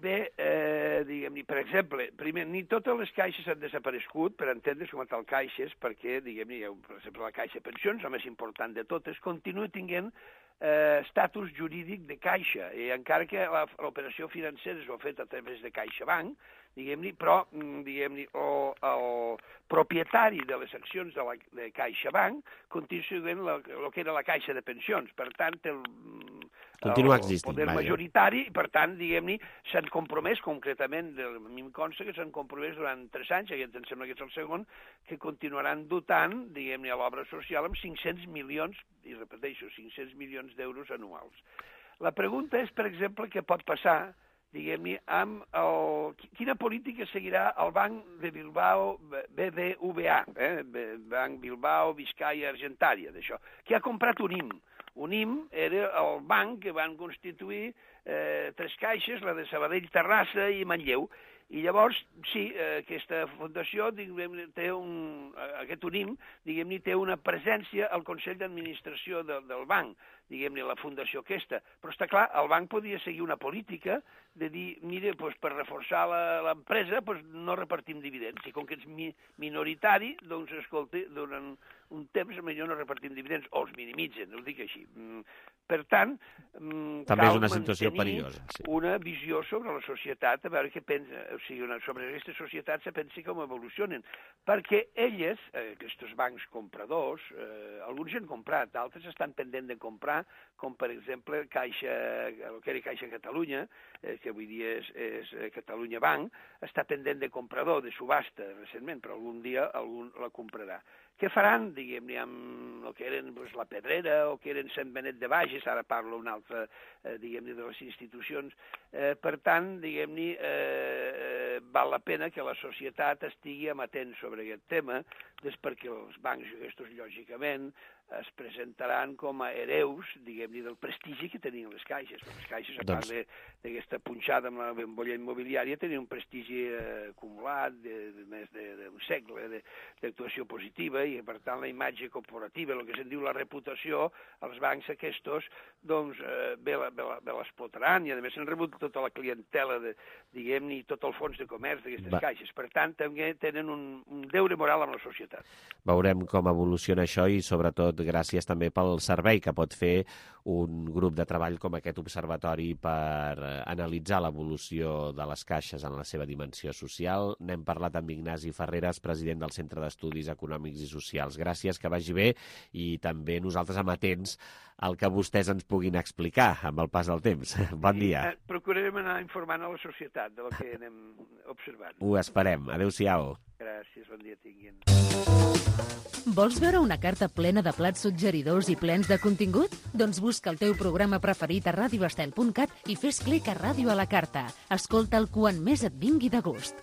Bé, eh, diguem-ne, per exemple, primer, ni totes les caixes han desaparegut, per entendre's com a tal caixes, perquè, diguem-ne, per exemple, la caixa de pensions, la més important de totes, continua tenint eh, estatus jurídic de caixa, i encara que l'operació financera s'ho ha fet a través de CaixaBank, diguem-ne, però, diguem-ne, el, el propietari de les accions de, la, de CaixaBank continua sent el que era la caixa de pensions, per tant, el, Continua el existint, poder vaja. majoritari, i per tant, diguem-ne, s'han compromès concretament, a mi em consta que s'han compromès durant tres anys, aquest em sembla que és el segon, que continuaran dotant, diguem-ne, a l'obra social amb cinc-cents milions, i repeteixo, cinc-cents milions d'euros anuals. La pregunta és, per exemple, què pot passar, diguem-ne, amb el... Quina política seguirà el Banc de Bilbao, B B V A, eh? Banc Bilbao, Vizcaya, Argentària, d'això, que ha comprat un I M. Un I M era el banc que van constituir eh, tres caixes, la de Sabadell, Terrassa i Manlleu. I llavors, sí, aquesta fundació, diguem-ne, té un, aquest U N I M, diguem-ne, té una presència al Consell d'Administració de, del banc, diguem-ne, la fundació aquesta. Però està clar, el banc podia seguir una política de dir, mire, doncs, per reforçar l'empresa, doncs, no repartim dividends. I com que ets mi, minoritari, doncs, escolta, durant un temps millor no repartim dividends, o els minimitzen, ho dic així. Per tant, també és una situació perillosa, sí. Una visió sobre la societat, a veure què pensa, o sigui, una, sobre aquesta societat se pensi com evolucionen, perquè elles, eh, aquests bancs compradors, eh, alguns ja han comprat, d'altres estan pendents de comprar, com per exemple Caixa, el que era Caixa Catalunya, eh, que avui dia és, és Catalunya Banc, està pendent de comprador, de subhasta recentment, però algun dia algun la comprarà. Què faran, diguem-ne, amb el que eren doncs, la Pedrera o que eren Sant Benet de Bages, ara parlo una altra, eh, diguem-ne, de les institucions. Eh, per tant, diguem-ne, eh, val la pena que la societat estigui amatent sobre aquest tema, des perquè els bancs aquests, lògicament, es presentaran com a hereus, diguem-ne, del prestigi que tenien les caixes. Les caixes, a part doncs... d'aquesta punxada amb la bombolla immobiliària, tenien un prestigi eh, acumulat de, de més d'un segle d'actuació positiva, i per tant la imatge corporativa, el que se'n diu la reputació, els bancs aquests, doncs, eh, bé l'explotaran, i a més han rebut tota la clientela, de, diguem-ne, i tot el fons de comerç d'aquestes Va. caixes. Per tant, també tenen un, un deure moral amb la societat. Veurem com evoluciona això i, sobretot, gràcies també pel servei que pot fer un grup de treball com aquest observatori per analitzar l'evolució de les caixes en la seva dimensió social. N'hem parlat amb Ignasi Ferreres, president del Centre d'Estudis Econòmics i Socials. Gràcies, que vagi bé, i també nosaltres amatents al que vostès ens puguin explicar amb el pas del temps. Bon dia. Sí, procurarem anar informant a la societat del que anem observant. Ho esperem. Adéu-siau. Gràcies, bon dia tinguin. Vols veure una carta plena de plats suggeridors i plens de contingut? Doncs busca el teu programa preferit a radio estel punt cat i fes clic a Ràdio a la Carta. Escolta'l quan més et vingui de gust.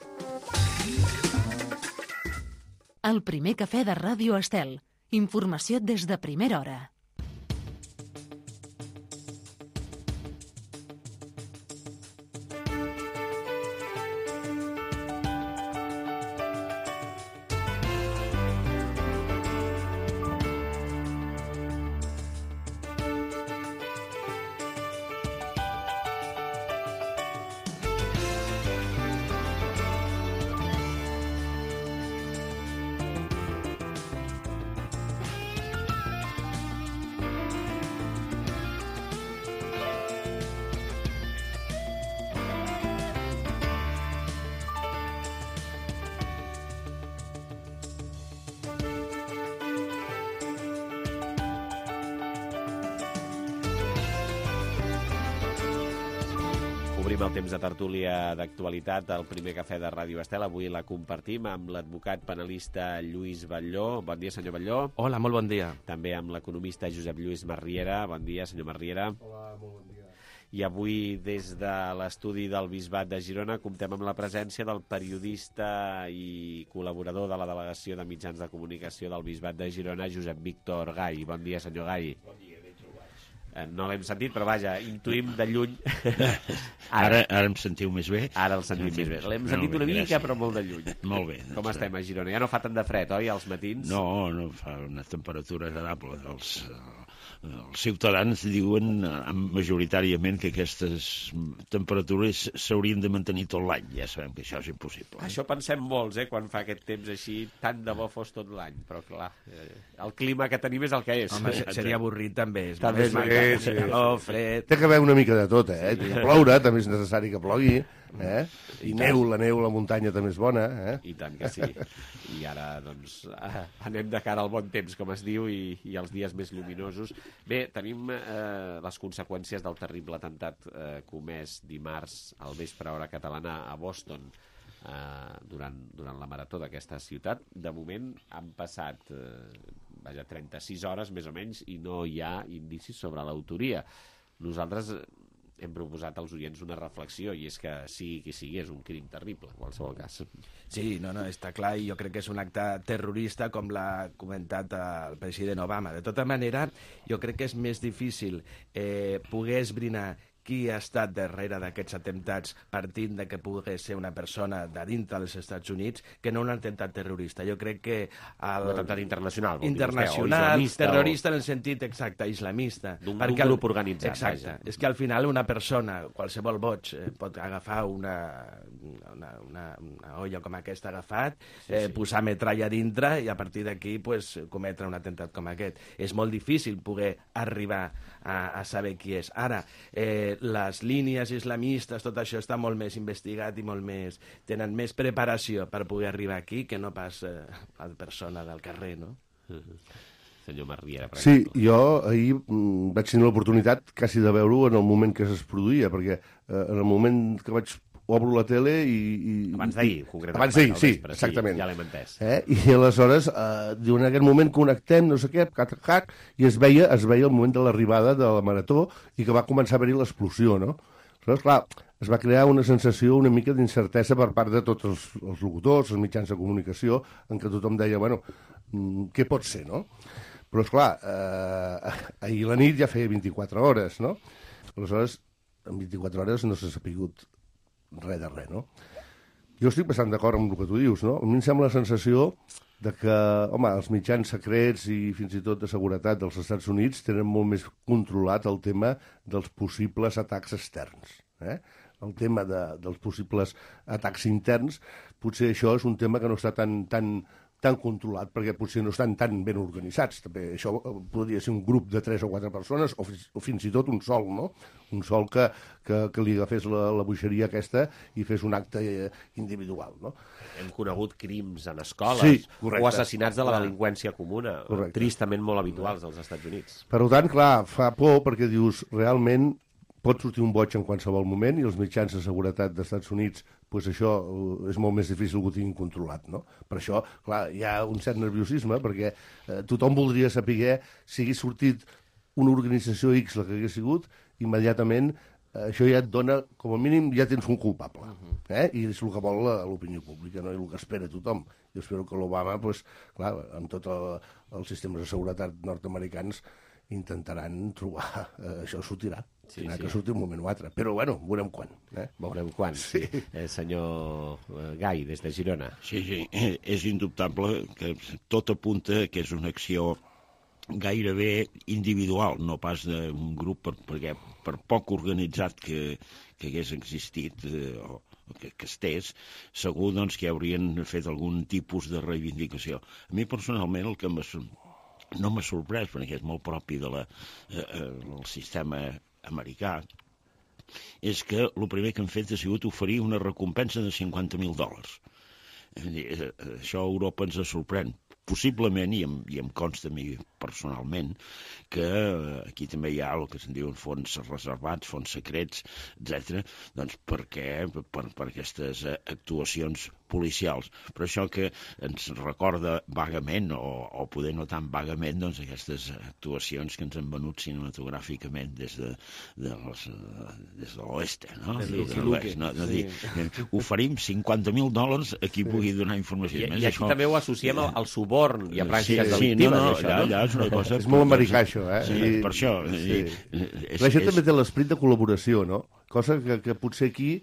El primer cafè de Ràdio Estel. Informació des de primera hora. Obrim el temps de tertúlia d'actualitat, el primer cafè de Ràdio Estel. Avui la compartim amb l'advocat penalista Lluís Batlló. Bon dia, senyor Batlló. Hola, molt bon dia. També amb l'economista Josep Lluís Marriera. Bon dia, senyor Marriera. Hola, molt bon dia. I avui, des de l'estudi del Bisbat de Girona, comptem amb la presència del periodista i col·laborador de la Delegació de Mitjans de Comunicació del Bisbat de Girona, Josep Víctor Gai. Bon dia, senyor Gai. Bon dia. No l'hem sentit, però vaja, intuïm de lluny. Ara, ara em sentiu més bé? Ara el sentim més bé. L'hem sentit una mica, però molt de lluny. Molt bé. Com estem a Girona? Ja no fa tant de fred, oi, als matins? No, no fa una temperatura agradable. Els, els ciutadans diuen majoritàriament que aquestes temperatures s'haurien de mantenir tot l'any. Ja sabem que això és impossible. Eh? Això pensem molts, eh, quan fa aquest temps així, tant de bo fos tot l'any. Però, clar, el clima que tenim és el que és. Home, seria avorrit, també. També és sí, sí, calor, fred... Té que haver una mica de tot, eh? Sí. Ploure, també és necessari que plogui, eh? I neu, la neu, la muntanya també és bona, eh? I tant que sí. I ara, doncs, anem de cara al bon temps, com es diu, i, i els dies més lluminosos. Bé, tenim eh, les conseqüències del terrible atemptat eh, comès dimarts al vespre hora catalana a Boston, eh, durant, durant la marató d'aquesta ciutat. De moment han passat... Eh, vaja, trenta-sis hores, més o menys, i no hi ha indicis sobre l'autoria. Nosaltres hem proposat als oients una reflexió, i és que sigui qui sigui, és un crim terrible, en qualsevol cas. Sí, no, no, està clar, i jo crec que és un acte terrorista, com l'ha comentat el president Obama. De tota manera, jo crec que és més difícil eh, poder esbrinar qui ha estat darrere d'aquests atemptats partint de que pugui ser una persona de dintre dels Estats Units que no un atemptat terrorista. Jo crec que... El... Un atemptat internacional. Internacional, vostè, terrorista o... en el sentit exacte, islamista. D'un grup organitzat. Exacte. Vaja. És que al final una persona, qualsevol boig, eh, pot agafar una, una, una, una olla com aquesta agafat, sí, eh, sí. posar metralla dintre i a partir d'aquí pues, cometre un atemptat com aquest. És molt difícil poder arribar a, a saber qui és. Ara, eh, les línies islamistes, tot això està molt més investigat i molt més... tenen més preparació per poder arribar aquí que no pas eh, la persona del carrer, no? Mm-hmm. Senyor Marriera, per Sí, exemple. jo ahir mm, vaig tenir l'oportunitat quasi de veure-ho en el moment que es produïa, perquè eh, en el moment que vaig obro la tele i... i abans d'ahir, concretament. Abans d'ahir, sí, vespre, exactament. Sí, ja l'hem entès. Eh? I aleshores, eh, en aquest moment connectem, no sé què, cac, cac, i es veia, es veia el moment de l'arribada de la marató i que va començar a haver-hi l'explosió, no? Aleshores, clar, es va crear una sensació una mica d'incertesa per part de tots els, els locutors, els mitjans de comunicació, en què tothom deia, bueno, què pot ser, no? Però, esclar, eh, ahir la nit ja feia vint-i-quatre hores, no? Aleshores, en vint-i-quatre hores no s'ha sapigut res de res, no? Jo estic bastant d'acord amb el que tu dius, no? A mi em sembla la sensació de que, home, els mitjans secrets i fins i tot de seguretat dels Estats Units tenen molt més controlat el tema dels possibles atacs externs, eh? El tema de, dels possibles atacs interns, potser això és un tema que no està tan, tan, tan controlat, perquè potser no estan tan ben organitzats. També això podria ser un grup de tres o quatre persones, o, o fins i tot un sol, no? Un sol que, que, que li agafés la, la boixeria aquesta i fes un acte individual, no? Hem conegut crims en escoles, sí, correcte, o assassinats de la delinqüència comuna, correcte, tristament molt habituals als Estats Units. Per tant, clar, fa por perquè dius, realment pot sortir un boig en qualsevol moment i els mitjans de seguretat dels Estats Units, pues això és molt més difícil que ho tinguin controlat, no? Per això, clar, hi ha un cert nerviosisme, perquè eh, tothom voldria saber si hagués sortit una organització X, la que hagués sigut, immediatament eh, això ja et dona, com a mínim, ja tens un culpable, eh? I és el que vol l'opinió pública, no? I el que espera tothom. Jo espero que l'Obama, pues, clar, amb tots el, els sistemes de seguretat nord-americans, intentaran trobar... Eh, això sortirà. Sí, sí. Que surti un moment o altre. Però, bueno, veurem quan. Eh? Veurem quan. Sí. El senyor Gai, des de Girona. Sí, sí, és indubtable que tot apunta que és una acció gairebé individual, no pas d'un grup, per, perquè per poc organitzat que, que hagués existit eh, o que, que estés, segur doncs, que haurien fet algun tipus de reivindicació. A mi, personalment, el que no m'ha sorprès, perquè és molt propi de la, eh, del sistema americà, és que el primer que han fet ha sigut oferir una recompensa de cinquanta mil dòlars. Això a Europa ens sorprèn possiblement, i em, i em consta a mi personalment, que aquí també hi ha el que se'n diuen fons reservats, fons secrets, etcètera, doncs perquè, per, per aquestes actuacions policials. Però això que ens recorda vagament, o, o poder no tan vagament, doncs aquestes actuacions que ens han venut cinematogràficament des de, de les, des de l'oeste, no? Des I de l'oest, no? no sí. dir, oferim cinquanta mil dòlars a qui pugui donar informació. I, i aquí això... també ho associem al, al suborn i a pràctiques sí, delictives. Sí, no, no, això, allà, no? allà és una cosa... És molt americà, això, eh? Sí, I, per això. Sí. I, és, la gent és... també té l'esperit de col·laboració, no? Cosa que, que potser aquí...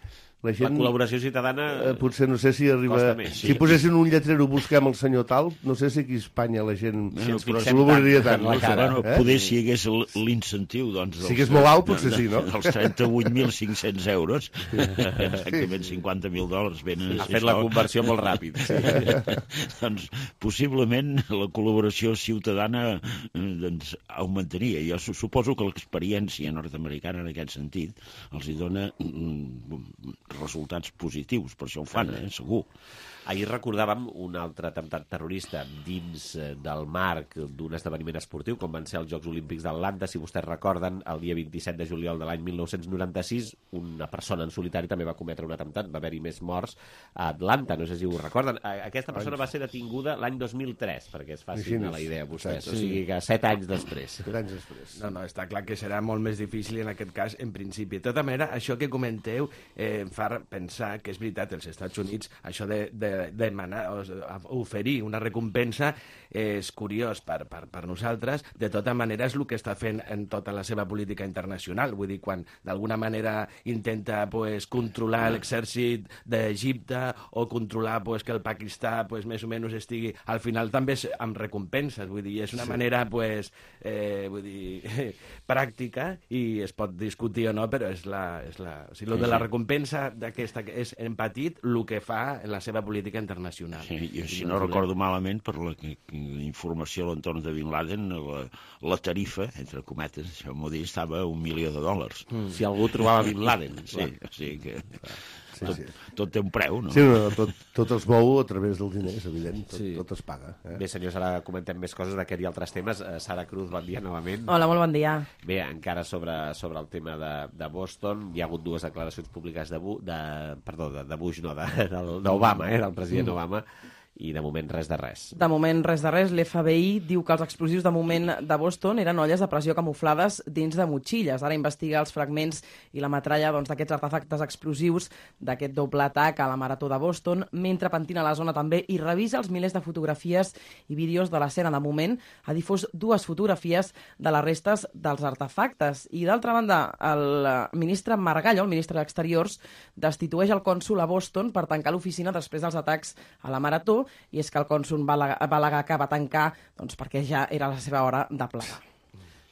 La, gent, la col·laboració ciutadana eh, potser no sé si arriba... més, sí. Si posessin un lletrero busquem el senyor tal, no sé si aquí a Espanya la gent si ens col·laboraria tant. tant cara, bueno, eh? Poder si hi hagués l'incentiu, doncs... Si hagués molt alt, potser sí, no? Els trenta-vuit mil cinc-cents euros, exactament cinquanta mil dòlars venen... Ha fet la conversió molt ràpid. Sí. Doncs possiblement la col·laboració ciutadana doncs, augmentaria. Jo suposo que l'experiència nord-americana en aquest sentit els hi dona resultats positius, per això ho fan, eh, segur. Ahir recordàvem un altre atemptat terrorista dins del marc d'un esdeveniment esportiu, com van ser els Jocs Olímpics d'Atlanta. Si vostès recorden, el dia vint-i-set de juliol de l'any mil nou-cents noranta-sis, una persona en solitari també va cometre un atemptat, va haver-hi més morts a Atlanta, no sé si ho recorden. Aquesta persona va ser detinguda l'any dos mil tres, perquè es facin a la idea vostès, sí. O sigui que set anys després. Set anys després. No, no, està clar que serà molt més difícil en aquest cas, en principi. De tota manera, això que comenteu eh, em fa pensar que és veritat, els Estats Units, això de, de demanar, oferir una recompensa és curiós per, per, per nosaltres. De tota manera és el que està fent en tota la seva política internacional. Vull dir, quan d'alguna manera intenta pues, controlar l'exèrcit d'Egipte o controlar pues, que el Pakistà pues, més o menys estigui... Al final també és amb recompenses. Vull dir, és una sí. manera pues, eh, vull dir, pràctica i es pot discutir o no, però és la... És la o sigui, lo de la recompensa d'aquesta és en petit el que fa en la seva política internacional. Sí, jo, si no recordo malament, per la informació a l'entorn de Bin Laden, la, la tarifa, entre cometes, això m'ho dir, estava a un milió de dòlars. Mm. Si algú trobava Bin Laden. Sí, o sigui que... Sí, tot, sí. tot té un preu, no? Sí, no, tot, tot es mou a través del diner, és evident, tot, sí. tot es paga. Eh? Bé, senyors, ara comentem més coses d'aquest i altres temes. Uh, Sara Cruz, bon dia novament. Hola, molt bon dia. Bé, encara sobre, sobre el tema de, de Boston, hi ha hagut dues declaracions públiques de, de, perdó, de, de Bush, no, d'Obama, eh, del president mm. Obama, i de moment res de res. De moment res de res. L'F B I diu que els explosius de moment de Boston eren olles de pressió camuflades dins de motxilles. Ara investiga els fragments i la metralla doncs, d'aquests artefactes explosius d'aquest doble atac a la Marató de Boston, mentre pentina la zona també i revisa els milers de fotografies i vídeos de l'escena. De moment ha difós dues fotografies de les restes dels artefactes. I d'altra banda, el ministre Margallo, el ministre d'Exteriors, destitueix el cònsol a Boston per tancar l'oficina després dels atacs a la Marató, i és que el cònsol va al·legar que va tancar doncs, perquè ja era la seva hora de plegar.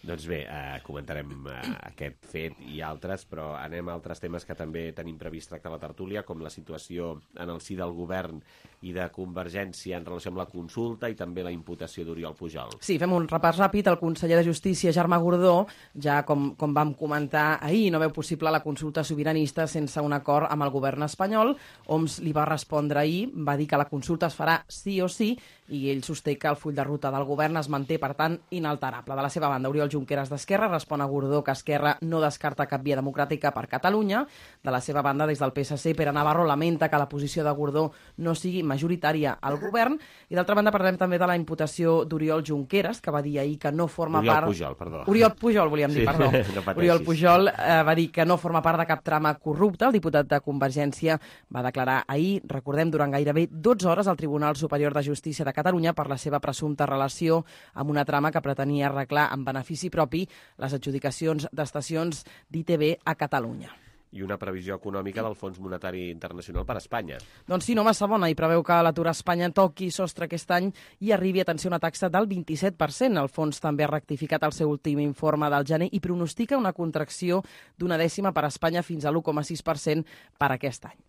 Doncs bé, eh, comentarem eh, aquest fet i altres, però anem a altres temes que també tenim previst tractar a la tertúlia, com la situació en el si del govern i de Convergència en relació amb la consulta i també la imputació d'Oriol Pujol. Sí, fem un repàs ràpid. El conseller de Justícia, Germà Gordó, ja com, com vam comentar ahir, no veu possible la consulta sobiranista sense un acord amb el govern espanyol. Homs li va respondre ahir, va dir que la consulta es farà sí o sí, i ell sosté que el full de ruta del govern es manté, per tant, inalterable. De la seva banda, Oriol Junqueras d'Esquerra respon a Gordó que Esquerra no descarta cap via democràtica per Catalunya. De la seva banda, des del P S C, Pere Navarro lamenta que la posició de Gordó no sigui majoritària al govern. I d'altra banda, parlem també de la imputació d'Oriol Junqueras, que va dir ahir que no forma Oriol part... Oriol Pujol, perdó. Oriol Pujol, volíem dir, sí, perdó. No Oriol Pujol eh, va dir que no forma part de cap trama corrupta. El diputat de Convergència va declarar ahir, recordem, durant gairebé dotze hores al Tribunal Superior de Justícia de Catalunya per la seva presumpta relació amb una trama que pretenia arreglar en benefici propi les adjudicacions d'estacions d'I T V a Catalunya. I una previsió econòmica del Fons Monetari Internacional per a Espanya. Doncs sí, no massa bona, i preveu que l'atur a Espanya toqui sostre aquest any i arribi, atenció, una taxa del vint-i-set per cent. El fons també ha rectificat el seu últim informe del gener i pronostica una contracció d'una dècima per a Espanya fins a l'u coma sis per cent per aquest any.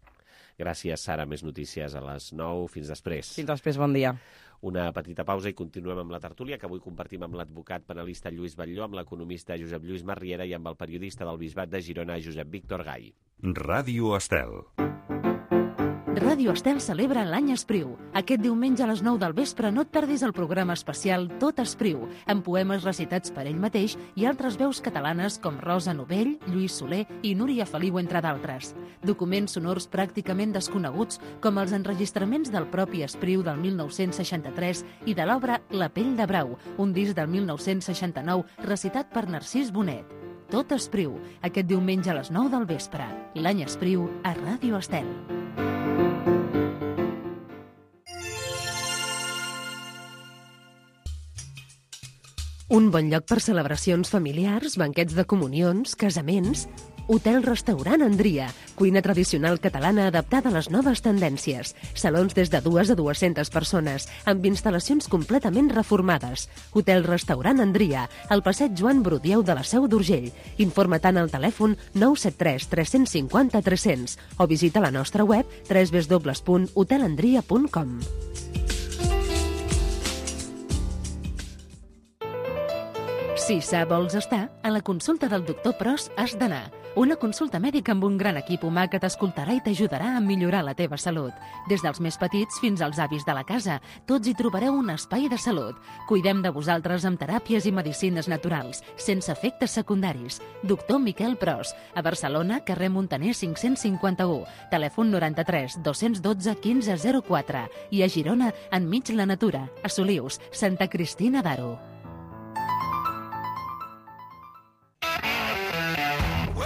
Gràcies, Sara. Més notícies a les nou. Fins després. Fins després, bon dia. Una petita pausa i continuem amb la tertúlia, que avui compartim amb l'advocat penalista Lluís Batlló, amb l'economista Josep Lluís Marriera i amb el periodista del Bisbat de Girona, Josep Víctor Gai. Ràdio Estel. Ràdio Estel celebra l'any Espriu. Aquest diumenge a les nou del vespre no et perdis el programa especial Tot Espriu, amb poemes recitats per ell mateix i altres veus catalanes com Rosa Novell, Lluís Soler i Núria Feliu, entre d'altres. Documents sonors pràcticament desconeguts, com els enregistraments del propi Espriu del mil nou-cents seixanta-tres i de l'obra La pell de brau, un disc del mil nou-cents seixanta-nou recitat per Narcís Bonet. Tot Espriu, aquest diumenge a les nou del vespre. L'any Espriu a Ràdio Estel. Un bon lloc per celebracions familiars, banquets de comunions, casaments... Hotel-restaurant Andria, cuina tradicional catalana adaptada a les noves tendències. Salons des de dues a dues-centes persones, amb instal·lacions completament reformades. Hotel-restaurant Andria, al passeig Joan Brudieu de la Seu d'Urgell. Informa tant al telèfon nou set tres tres cinc zero tres cents o visita la nostra web w w w punt hotel andria punt com. Si sa vols estar, a la consulta del doctor Pros has d'anar. Una consulta mèdica amb un gran equip humà que t'escoltarà i t'ajudarà a millorar la teva salut. Des dels més petits fins als avis de la casa, tots hi trobareu un espai de salut. Cuidem de vosaltres amb teràpies i medicines naturals, sense efectes secundaris. Doctor Miquel Pros, a Barcelona, carrer Montaner cinc-cents cinquanta-u, telèfon noranta-tres dos-cents dotze quinze zero quatre i a Girona, enmig la natura, a Solius, Santa Cristina d'Aro.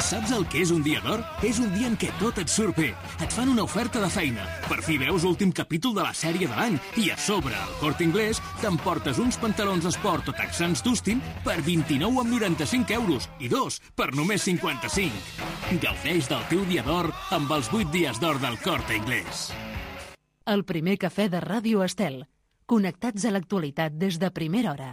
Saps el que és un dia d'or? És un dia en què tot et surt bé. Et fan una oferta de feina. Per fi veus l'últim capítol de la sèrie de l'any. I a sobre, al Corte Inglés, t'emportes uns pantalons esport o texans Dustin per vint-i-nou amb noranta-cinc euros i dos per només cinquanta-cinc. Gaudeix del teu dia d'or amb els vuit dies d'or del Corte Inglés. El primer cafè de Ràdio Estel. Connectats a l'actualitat des de primera hora.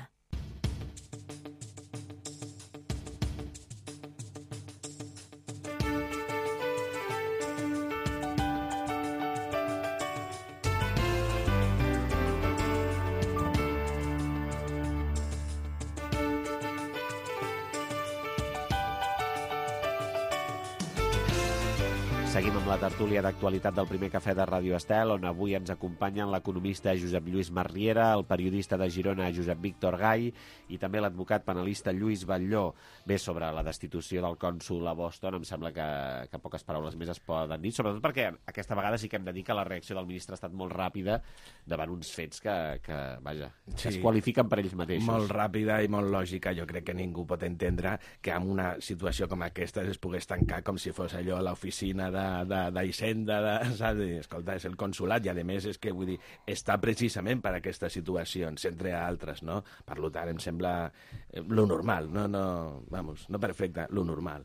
Seguim amb la tertúlia d'actualitat del primer cafè de Ràdio Estel, on avui ens acompanyen l'economista Josep Lluís Marriera, el periodista de Girona Josep Víctor Gai i també l'advocat penalista Lluís Batlló. Bé, sobre la destitució del cònsol a Boston, em sembla que, que poques paraules més es poden dir, sobretot perquè aquesta vegada sí que hem de dir que la reacció del ministre ha estat molt ràpida davant uns fets que, que vaja, que Sí. es qualifiquen per ells mateixos. Molt ràpida i molt lògica. Jo crec que ningú pot entendre que en una situació com aquesta es pogués tancar com si fos allò l'oficina de d'Hisenda, de, saps? Escolta, és el consulat i, a més, és que, vull dir, està precisament per aquestes situacions, entre altres, no? Per tant, em sembla eh, lo normal, no, no, vamos, no perfecte, lo normal.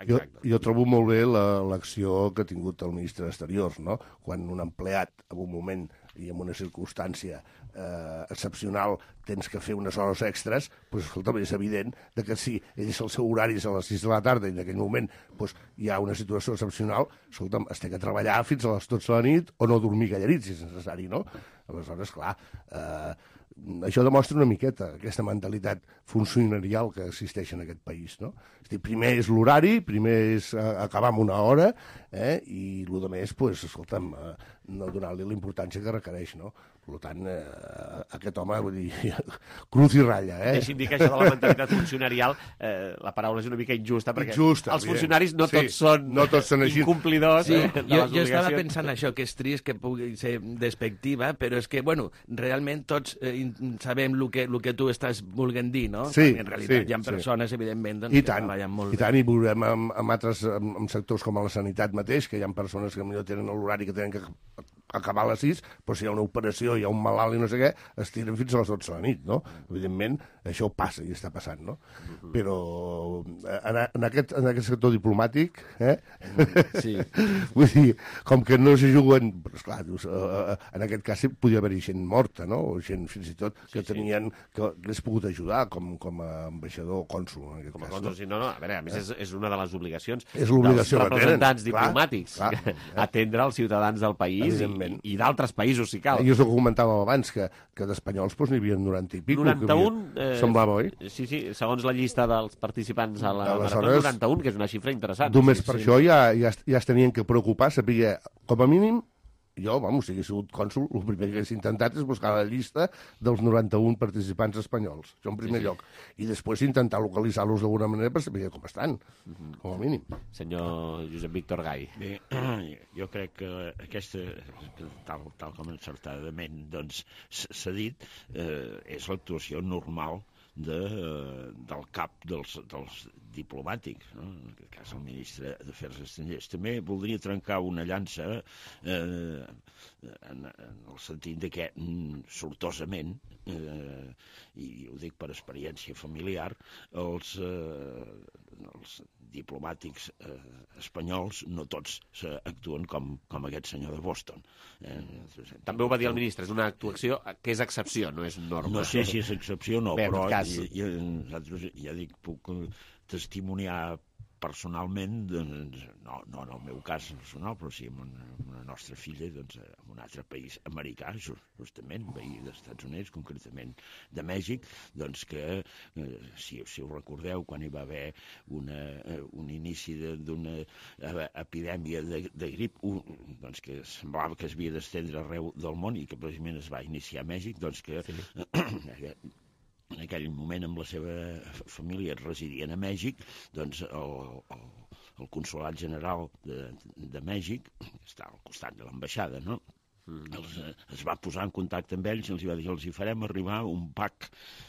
Jo, jo trobo molt bé la- l'acció que ha tingut el ministre d'Exteriors, no? Quan un empleat, en un moment i en una circumstància eh, excepcional, tens que fer unes hores extres, doncs, escolta'm, és evident de que si ells el seu horari és a les sis de la tarda i en aquell moment doncs, hi ha una situació excepcional, escolta'm, es té que treballar fins a les dotze de la nit o no dormir gallarits, si és necessari, no? Aleshores, clar, eh, això demostra una miqueta aquesta mentalitat funcionarial que existeix en aquest país, no? És a dir, primer és l'horari, primer és eh, acabar amb una hora, eh, i el que més, pues, escolta'm, eh, no donar-li la importància que requereix, no? Per tant, eh, aquest home, vull dir, cruz i ratlla, eh? Deixi'm dir que això de la mentalitat funcionarial, eh, la paraula és una mica injusta, perquè Injusta, els evident. funcionaris no Sí, tots són, no tots són així. incomplidors Sí, eh, de jo, les jo estava obligacions. pensant això, que és trist que pugui ser despectiva, però és que, bueno, realment tots eh, in- sabem el que, el que tu estàs volent dir, no? Sí, Perquè en realitat sí, hi ha sí. persones, evidentment, doncs, I que tant, treballen molt i tant, i veurem en, en altres en, en sectors com a la sanitat mateix, que hi ha persones que potser tenen l'horari que tenen que acabar a les sis, però si hi ha una operació, hi ha un malalt i no sé què, es tiren fins a les dotze de la nit, no? Evidentment, això passa i està passant, no? Però en, en, aquest, en aquest sector diplomàtic, eh? Sí. Vull dir, com que no se juguen... Però, esclar, dius, eh, en aquest cas sí podia haver-hi gent morta, no? O gent, fins i tot, que Sí, sí. tenien... que hagués pogut ajudar com, com a ambaixador o cònsul, en aquest Com a cas. cònsol, sí, no, no, a veure, a més és, és una de les obligacions És l'obligació dels que tenen, representants clar, diplomàtics, clar. atendre els ciutadans del país i, i d'altres països, si cal. I és el que comentàvem abans, que, que d'espanyols doncs, n'hi havia noranta i pico. que noranta-un, havia... Semblava, oi? Sí, sí, segons la llista dels participants a la Aleshores, marató, noranta-un, que és una xifra interessant. Només Sí, per sí. això ja, ja, es- ja es tenien que preocupar, saber, com a mínim, jo, vamos, si hagués sigut cònsul, el primer que hagués intentat és buscar la llista dels noranta-un participants espanyols, això en primer sí, sí. lloc. I després intentar localitzar-los d'alguna manera per saber com estan, mm-hmm. com a mínim. Senyor Josep Víctor Gai. Bé, jo crec que aquesta, tal, tal com encertadament doncs, s'ha dit, eh, és l'actuació normal de, del cap dels, dels diplomàtics, no? En aquest cas el ministre d'Afers Estrangers. També voldria trencar una llança eh, en, en el sentit de que, sortosament, eh, i ho dic per experiència familiar, els, eh, els diplomàtics eh, espanyols no tots actuen com, com aquest senyor de Boston. Eh, També ho va dir el ministre, és una actuació que és excepció, no és norma. No sé si és excepció o no, Bé, però cas... ja, ja, ja dic, puc testimoniar personalment, doncs, no, no en el meu cas personal, però sí amb una, amb una nostra filla, doncs, en un altre país americà, justament, veí dels Estats Units, concretament de Mèxic, doncs que, eh, si, si ho recordeu, quan hi va haver una, eh, un inici d'una epidèmia de, de grip, un, doncs que semblava que es havia d'estendre arreu del món i que precisament es va iniciar a Mèxic, doncs que... Sí. En aquell moment amb la seva família residien a Mèxic, doncs el, el, el Consolat General de, de Mèxic, que està al costat de l'ambaixada, no? Els, es va posar en contacte amb ells i els va dir els hi farem arribar un pack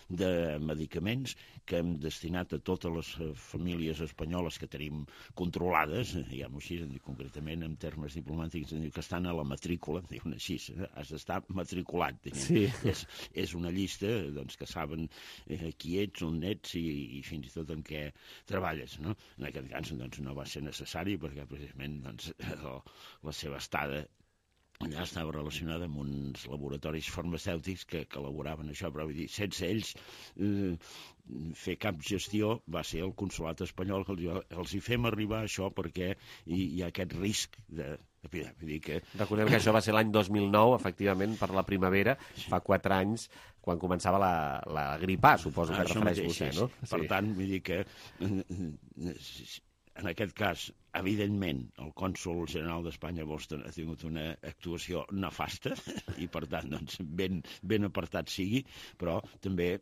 de medicaments que hem destinat a totes les famílies espanyoles que tenim controlades, diguem-ho així, concretament en termes diplomàtics, que estan a la matrícula, diuen així, has d'estar matriculat. Sí. És, és una llista doncs, que saben eh, qui ets, on ets i, i fins i tot en què treballes. No? En aquest cas doncs, no va ser necessari perquè precisament doncs, la seva estada allà estava relacionada amb uns laboratoris farmacèutics que, que elaboraven això, però vull dir, sense ells eh, fer cap gestió va ser el consolat espanyol que els, els hi fem arribar això perquè hi, hi ha aquest risc de... Vull dir que... Recordem que això va ser l'any dos mil nou, efectivament, per la primavera, sí. Fa quatre anys, quan començava la, la gripa, suposo que ah, refereix mateix, vostè, no? Per sí. tant, vull dir que... En aquest cas, evidentment, el cònsol general d'Espanya a Boston ha tingut una actuació nefasta i, per tant, doncs, ben, ben apartat sigui, però també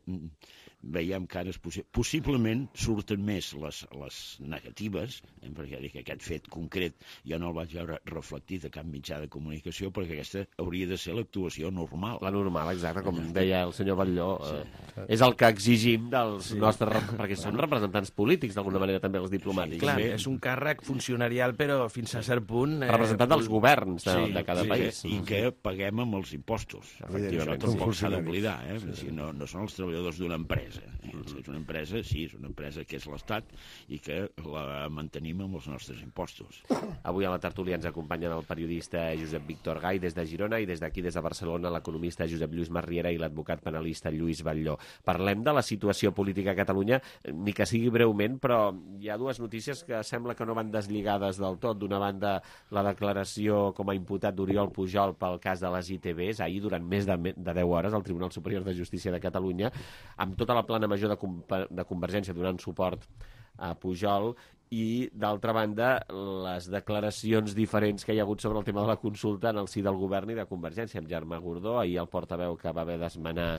veiem que ara possi possiblement surten més les, les negatives, eh, perquè dic, aquest fet concret jo no el vaig veure reflectit a cap mitjà de comunicació, perquè aquesta hauria de ser l'actuació normal. La normal, exacte, com deia el senyor Batlló. Sí. Eh, és el que exigim dels sí. nostres... perquè són representants polítics, d'alguna manera, també els diplomàtics. Sí, clar, sí. És un càrrec funcionarial, però fins a cert punt... Eh, Representant dels governs de, sí, de cada sí, país. I que paguem amb els impostos. Efectivament, això tampoc s'ha d'oblidar, eh? Sí. No, no són els treballadors d'una empresa. Mm-hmm. És una empresa, sí, és una empresa que és l'Estat i que la mantenim amb els nostres impostos. Avui a la tertúlia ens acompanyen el periodista Josep Víctor Gai des de Girona i des d'aquí, des de Barcelona, l'economista Josep Lluís Masriera i l'advocat penalista Lluís Batlló. Parlem de la situació política a Catalunya, ni que sigui breument, però hi ha dues notícies que sembla que no van deslligades del tot. D'una banda, la declaració com a imputat d'Oriol Pujol pel cas de les I T Bs, ahir durant més de, de deu hores al Tribunal Superior de Justícia de Catalunya, amb tota la plana major de, de Convergència donant suport a Pujol, i d'altra banda les declaracions diferents que hi ha hagut sobre el tema de la consulta en el si del govern i de Convergència, amb Germà Gordó, ahir el portaveu que va haver d'esmenar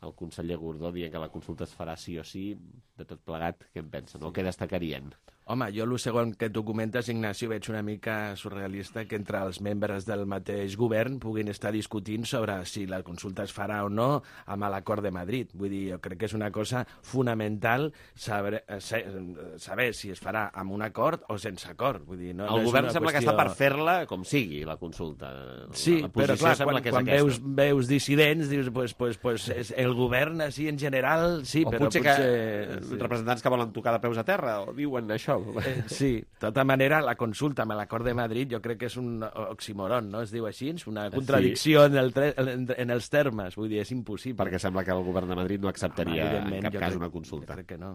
el conseller Gordó dient que la consulta es farà sí o sí. De tot plegat, què en pensen? O què destacarien? Home, jo el segon que tu comentes, Ignacio, veig una mica surrealista que entre els membres del mateix govern puguin estar discutint sobre si la consulta es farà o no amb l'acord de Madrid. Vull dir, jo crec que és una cosa fonamental saber, saber si es farà amb un acord o sense acord. Vull dir, no, el no govern sembla qüestió... que està per fer-la com sigui, la consulta. Sí, la però clar, quan, que quan veus, veus dissidents, dius, pues, pues, pues, el govern així en general, sí, o però potser... potser... que sí. Representants que volen tocar de peus a terra, o diuen això. Eh, sí, de tota manera, la consulta amb l'acord de Madrid jo crec que és un oxímoron, no? Es diu així, és una contradicció sí. en, el en, en els termes, vull dir, és impossible. Perquè sembla que el govern de Madrid no acceptaria ah, en cap cas crec, una consulta. Jo crec que no.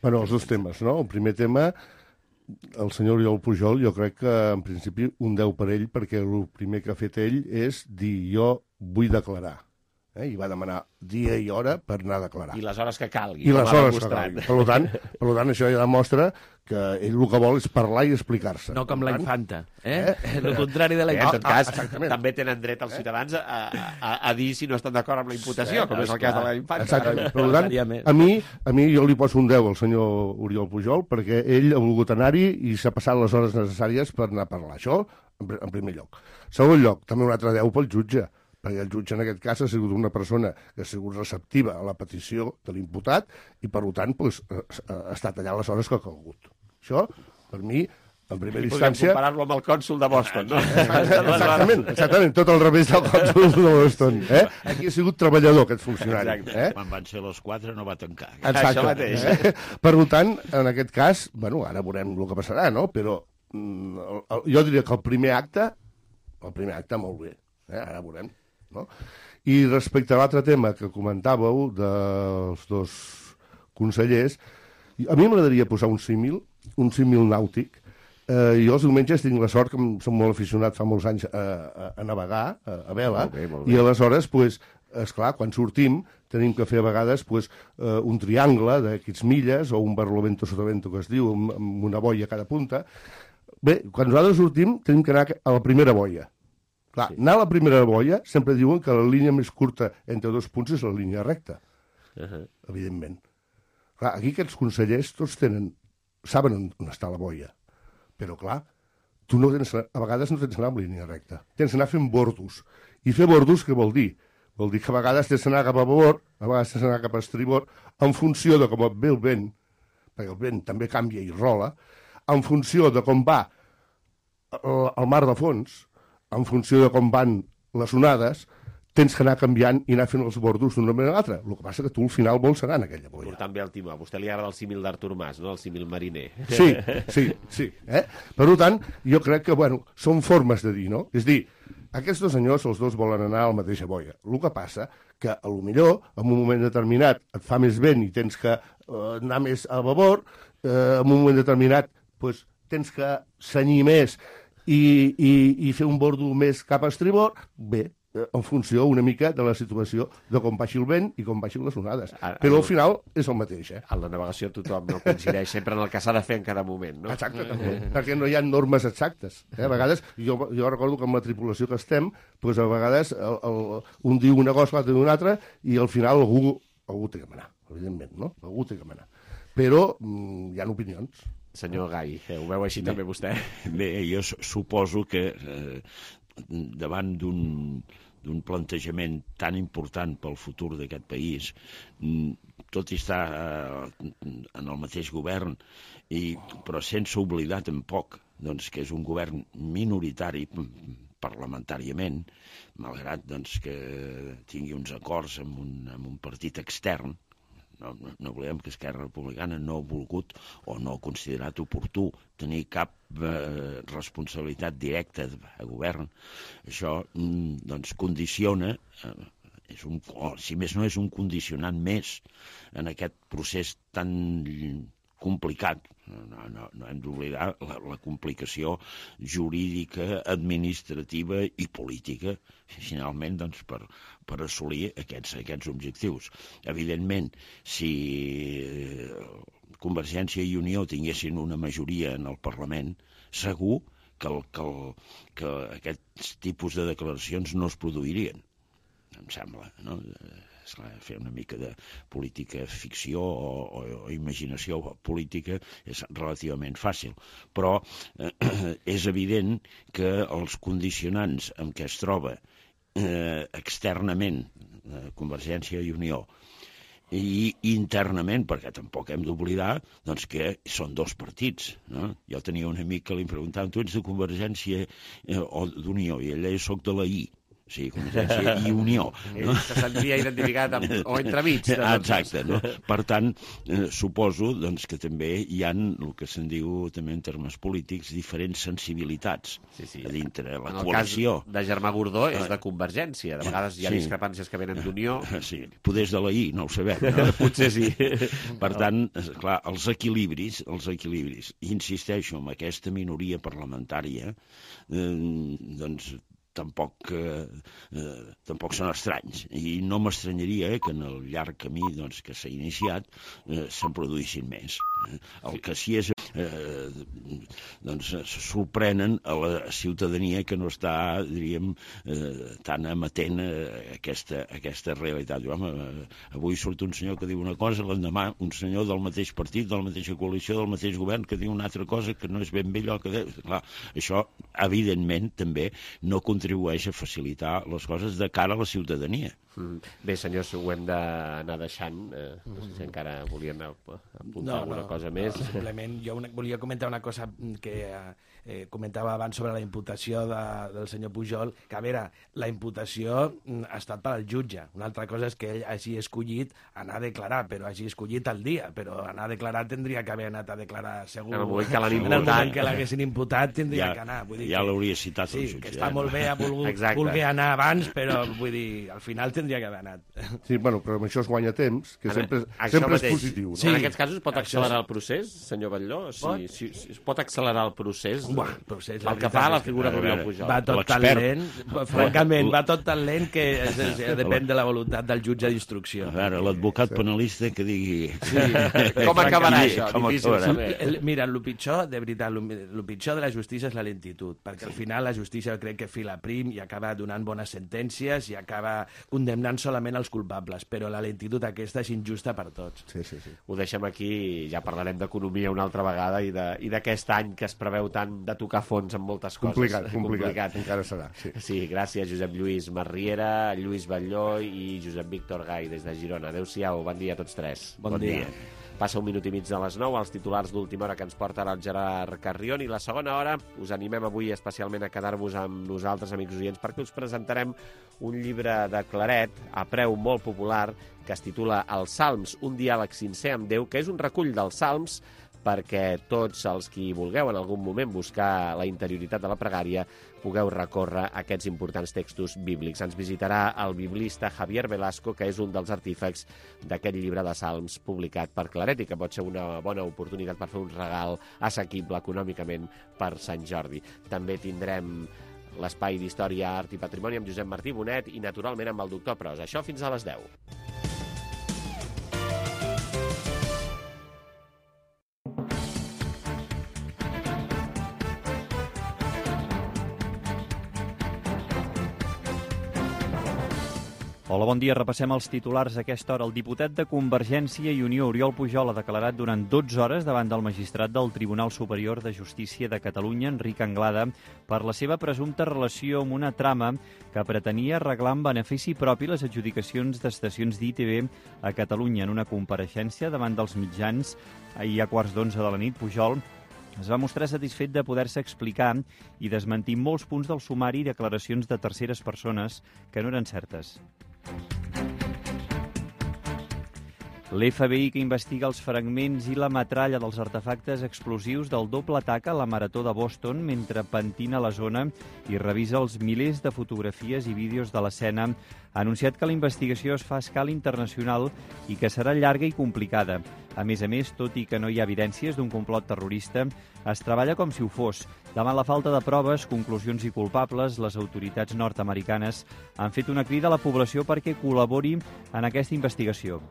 Bueno, els dos temes, no? El primer tema, el senyor Oriol Pujol, jo crec que en principi un deu per ell, perquè el primer que ha fet ell és dir jo vull declarar. eh, i va demanar dia i hora per anar a declarar. I les hores que calgui. I les hores que calgui. Per tant, per tant, això ja demostra que ell el que vol és parlar i explicar-se. No com la tant, infanta, eh? eh? El contrari de la Eh, infanta. en tot cas, exactament. també tenen dret els ciutadans a, a, a dir si no estan d'acord amb la imputació, com és el cas de la infanta. Exactament. Per tant, a mi, a mi jo li poso un deu al senyor Oriol Pujol, perquè ell ha volgut anar-hi i s'ha passat les hores necessàries per anar a parlar. Això, en, en primer lloc. Segon lloc, també un altre deu pel jutge, perquè el jutge en aquest cas ha sigut una persona que ha sigut receptiva a la petició de l'imputat i, per tant, doncs, ha estat allà les hores que ha calgut. Això, per mi, en primera I instància... podem comparar-lo amb el cònsol de Boston, no? Exactament, exactament, tot al revés del cònsol de Boston. Eh? Aquí ha sigut treballador, aquest funcionari. Eh? Quan van ser les quatre no va tancar. Exacte. Això mateix. Eh? Per tant, en aquest cas, bueno, ara veurem el que passarà, no? Però mm, el, el, jo diria que el primer acte, el primer acte molt bé, eh? Ara veurem. No? I respecte a l'altre tema que comentàveu dels dos consellers, a mi m'agradaria posar un símil, un símil nàutic. Eh, jo els diumenges tinc la sort, que som molt aficionat fa molts anys a, a, a navegar, a, a vela, molt bé, molt bé. I aleshores, pues, esclar, quan sortim tenim que fer a vegades pues, eh, un triangle d'aquests milles o un barlovento sotavento que es diu, amb, amb una boia a cada punta. Bé, quan nosaltres sortim tenim que anar a la primera boia. Clar, sí. Anar a la primera boia sempre diuen que la línia més curta entre dos punts és la línia recta, uh -huh. evidentment. Clar, aquí aquests consellers tots tenen, saben on, on està la boia, però clar, tu no tens, a vegades no tens anar en línia recta, tens d'anar fent bordos. I fer bordos què vol dir? Vol dir que a vegades tens d'anar cap a babord, a vegades tens d'anar cap a estribord, en funció de com et ve el vent, perquè el vent també canvia i rola, en funció de com va el, el mar de fons, en funció de com van les onades, tens que anar canviant i anar fent els bordos d'una manera o l'altra. El que passa que tu al final vols anar en aquella boia. Portant bé el timó. A vostè li agrada el símil d'Artur Mas, no? El símil mariner. Sí, sí, sí. Eh? Per tant, jo crec que, bueno, són formes de dir, no? És dir, aquests dos senyors, els dos volen anar a la mateixa boia. El que passa que, a lo millor, en un moment determinat et fa més vent i tens que eh, anar més a babord, eh, en un moment determinat pues, tens que senyir més I, i, i fer un bordo més cap a estribord, bé, en funció una mica de la situació de com baixi el vent i com baixin les onades. A, a, Però al final és el mateix, eh? A la navegació tothom no coincideix sempre en el que s'ha de fer en cada moment, no? Exacte, també, perquè no hi ha normes exactes. Eh? A vegades, jo, jo recordo que amb la tripulació que estem, doncs a vegades el, el, un diu una cosa, l'altre diu una altra, i al final algú, algú té que manar, evidentment, no? Algú té que manar. Però mm, hi ha opinions. Senyor Gai, eh, ho veu així bé, també vostè? Bé, jo suposo que eh, davant d'un d'un plantejament tan important pel futur d'aquest país, tot i estar eh, en el mateix govern, i, però sense oblidar tampoc doncs, que és un govern minoritari parlamentàriament, malgrat doncs, que tingui uns acords amb un, amb un partit extern. No, no, no oblidem que Esquerra Republicana no ha volgut o no ha considerat oportú tenir cap eh, responsabilitat directa a govern. Això mm, doncs condiciona, eh, és un, o, si més no és un condicionant més en aquest procés tan complicat. No, no, no hem d'oblidar la, la complicació jurídica, administrativa i política, finalment, doncs, per, per assolir aquests, aquests objectius. Evidentment, si Convergència i Unió tinguessin una majoria en el Parlament, segur que, el, que, el, que aquests tipus de declaracions no es produirien, em sembla, no? Esclar, fer una mica de política ficció o, o, o imaginació política és relativament fàcil, però eh, és evident que els condicionants amb què es troba eh, externament eh, Convergència i Unió i internament, perquè tampoc hem d'oblidar doncs, que són dos partits. No? Jo tenia un amic que li preguntava, tu ets de Convergència eh, o d'Unió? I ella, jo soc de la I. Sí, Convergència i Unió. No? Se sentia identificat amb, o entremig. Exacte. No? Per tant, eh, suposo doncs, que també hi ha el que se'n diu també en termes polítics diferents sensibilitats sí, sí. a dintre la en coalició. En el cas de Germà Gordó és de Convergència. De vegades hi ha sí. discrepàncies que venen d'Unió. Sí, poder és de la I, no ho sabem. No? Potser sí. Per tant, clar, els equilibris, els equilibris, insisteixo, amb aquesta minoria parlamentària, eh, doncs tampoc, eh, eh, tampoc són estranys. I no m'estranyaria eh, que en el llarg camí doncs, que s'ha iniciat eh, se'n produïssin més. Eh. El que sí és eh, doncs sorprenen a la ciutadania que no està, diríem, eh, tan amatent a aquesta, a aquesta realitat. Home, avui surt un senyor que diu una cosa, l'endemà un senyor del mateix partit, de la mateixa coalició, del mateix govern, que diu una altra cosa que no és ben bé allò que deu. Clar, això, evidentment, també no contribueix a facilitar les coses de cara a la ciutadania. Mm. Bé, senyors, ho hem d'anar deixant. Eh, no sé si encara volien apuntar no, alguna no, cosa més. No, simplement jo una, volia comentar una cosa que eh, comentava abans sobre la imputació de, del senyor Pujol, que a veure, la imputació ha estat per al jutge. Una altra cosa és que ell hagi escollit anar a declarar, però hagi escollit el dia, però anar a declarar tindria que haver anat a declarar segur. En el moment que l'han imputat. En el moment que l'haguessin imputat tindria ja, que anar. Vull dir ja que, l'hauria citat sí, el jutge. Que està ja, molt bé, ha volgut, volgut anar abans, però vull dir, al final tindria que haver anat. Sí, bueno, però amb això es guanya temps, que en, sempre, sempre és positiu. No? Sí. En aquests casos pot accelerar és... el procés, senyor Batlló? Pot? Si, si, si es pot accelerar el procés? Bueno, el procés el que fa la figura d'Oriol Pujol. Va tot tan lent, francament, va tot tan lent que és, és, depèn de la voluntat del jutge d'instrucció. A veure, l'advocat penalista que digui... Sí, com acabarà això? Com Difícil acabarà. El, mira, el pitjor, de veritat, el pitjor de la justícia és la lentitud, perquè al final la justícia crec que fila prim i acaba donant bones sentències i acaba condemnant solament els culpables, però la lentitud aquesta és injusta per tots. Sí, sí, sí. Ho deixem aquí, ja parlarem d'economia una altra vegada i d'aquest any que es preveu tant de tocar fons en moltes coses. Complicat, complicat, complicat. Encara serà. Sí. sí, gràcies Josep Lluís Marriera, Lluís Batlló i Josep Víctor Gai des de Girona. Adéu-siau, bon dia a tots tres. Bon, bon dia. dia. Passa un minut i mig de les nou, els titulars d'última hora que ens porta ara el Gerard Carrion, i la segona hora us animem avui especialment a quedar-vos amb nosaltres, amics oients, perquè us presentarem un llibre de Claret a preu molt popular que es titula Els Salms, un diàleg sincer amb Déu, que és un recull dels Salms perquè tots els qui vulgueu en algun moment buscar la interioritat de la pregària pugueu recórrer aquests importants textos bíblics. Ens visitarà el biblista Javier Velasco, que és un dels artífecs d'aquest llibre de Salms publicat per Claret i que pot ser una bona oportunitat per fer un regal assequible econòmicament per Sant Jordi. També tindrem l'espai d'Història, Art i Patrimoni amb Josep Martí Bonet i, naturalment, amb el doctor Pros. Això fins a les deu. Hola, bon dia. Repassem els titulars a aquesta hora. El diputat de Convergència i Unió, Oriol Pujol, ha declarat durant dotze hores davant del magistrat del Tribunal Superior de Justícia de Catalunya, Enric Anglada, per la seva presumpta relació amb una trama que pretenia arreglar en benefici propi les adjudicacions d'estacions d'I T V a Catalunya. En una compareixença davant dels mitjans ahir a quarts d'onze de la nit, Pujol es va mostrar satisfet de poder-se explicar i desmentir molts punts del sumari i declaracions de terceres persones que no eren certes. L'F B I, que investiga els fragments i la metralla dels artefactes explosius del doble atac a la Marató de Boston mentre pentina la zona i revisa els milers de fotografies i vídeos de l'escena, ha anunciat que la investigació es fa a escala internacional i que serà llarga i complicada. A més a més, tot i que no hi ha evidències d'un complot terrorista, es treballa com si ho fos. Davant la falta de proves, conclusions i culpables, les autoritats nord-americanes han fet una crida a la població perquè col·labori en aquesta investigació.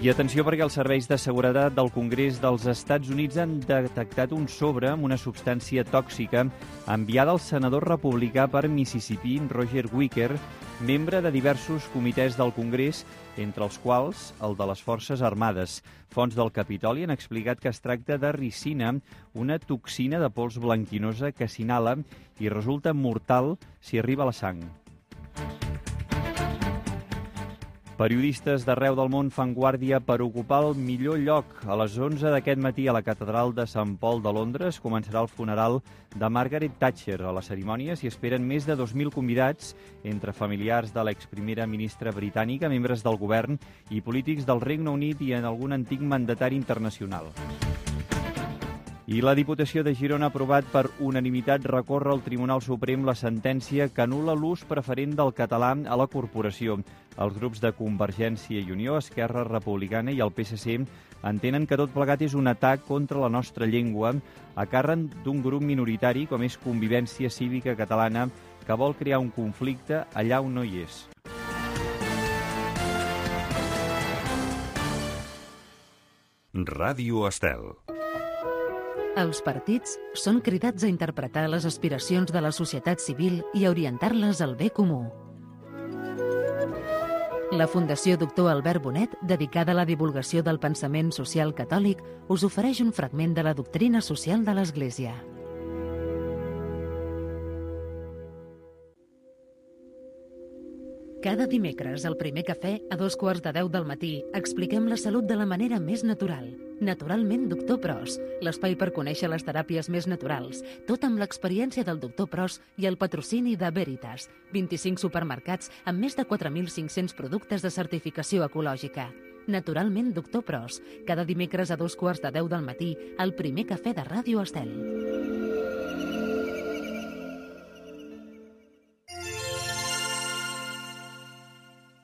I atenció, perquè els serveis de seguretat del Congrés dels Estats Units han detectat un sobre amb una substància tòxica enviada al senador republicà per Mississippi, Roger Wicker, membre de diversos comitès del Congrés, entre els quals el de les Forces Armades. Fonts del Capitoli han explicat que es tracta de ricina, una toxina de pols blanquinosa que s'inhala i resulta mortal si arriba a la sang. Periodistes d'arreu del món fan guàrdia per ocupar el millor lloc. A les onze d'aquest matí a la catedral de Sant Paul de Londres començarà el funeral de Margaret Thatcher. A la cerimònia s'hi esperen més de dos mil convidats, entre familiars de l'exprimera ministra britànica, membres del govern i polítics del Regne Unit i en algun antic mandatari internacional. I la Diputació de Girona ha aprovat per unanimitat recórrer al Tribunal Suprem la sentència que anul·la l'ús preferent del català a la corporació. Els grups de Convergència i Unió, Esquerra Republicana i el P S C entenen que tot plegat és un atac contra la nostra llengua a càrrec d'un grup minoritari com és Convivència Cívica Catalana, que vol crear un conflicte allà on no hi és. Ràdio Estel. Els partits són cridats a interpretar les aspiracions de la societat civil i a orientar-les al bé comú. La Fundació Doctor Albert Bonet, dedicada a la divulgació del pensament social catòlic, us ofereix un fragment de la doctrina social de l'Església. Cada dimecres, al primer cafè, a dos quarts de deu del matí, expliquem la salut de la manera més natural. Naturalment, doctor Pros, l'espai per conèixer les teràpies més naturals, tot amb l'experiència del doctor Pros i el patrocini de Veritas, vint-i-cinc supermercats amb més de quatre mil cinc-cents productes de certificació ecològica. Naturalment, doctor Pros, cada dimecres a dos quarts de deu del matí, al primer cafè de Ràdio Estel.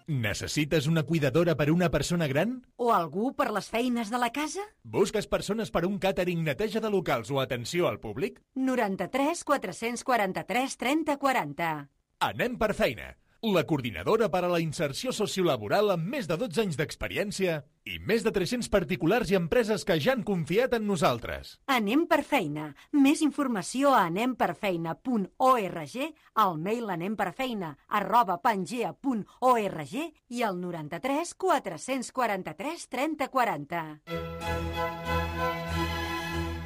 Necessites una cuidadora per una persona gran? O algú per les feines de la casa? Busques persones per un càtering, neteja de locals o atenció al públic? noranta-tres quatre-cents quaranta-tres trenta quaranta. Anem per feina. La coordinadora per a la inserció sociolaboral amb més de dotze anys d'experiència i més de tres-cents particulars i empreses que ja han confiat en nosaltres. Anem per feina. Més informació a anem per feina punt org, al mail anemperfeina arroba pangea punt org i al noranta-tres quatre-cents quaranta-tres trenta quaranta.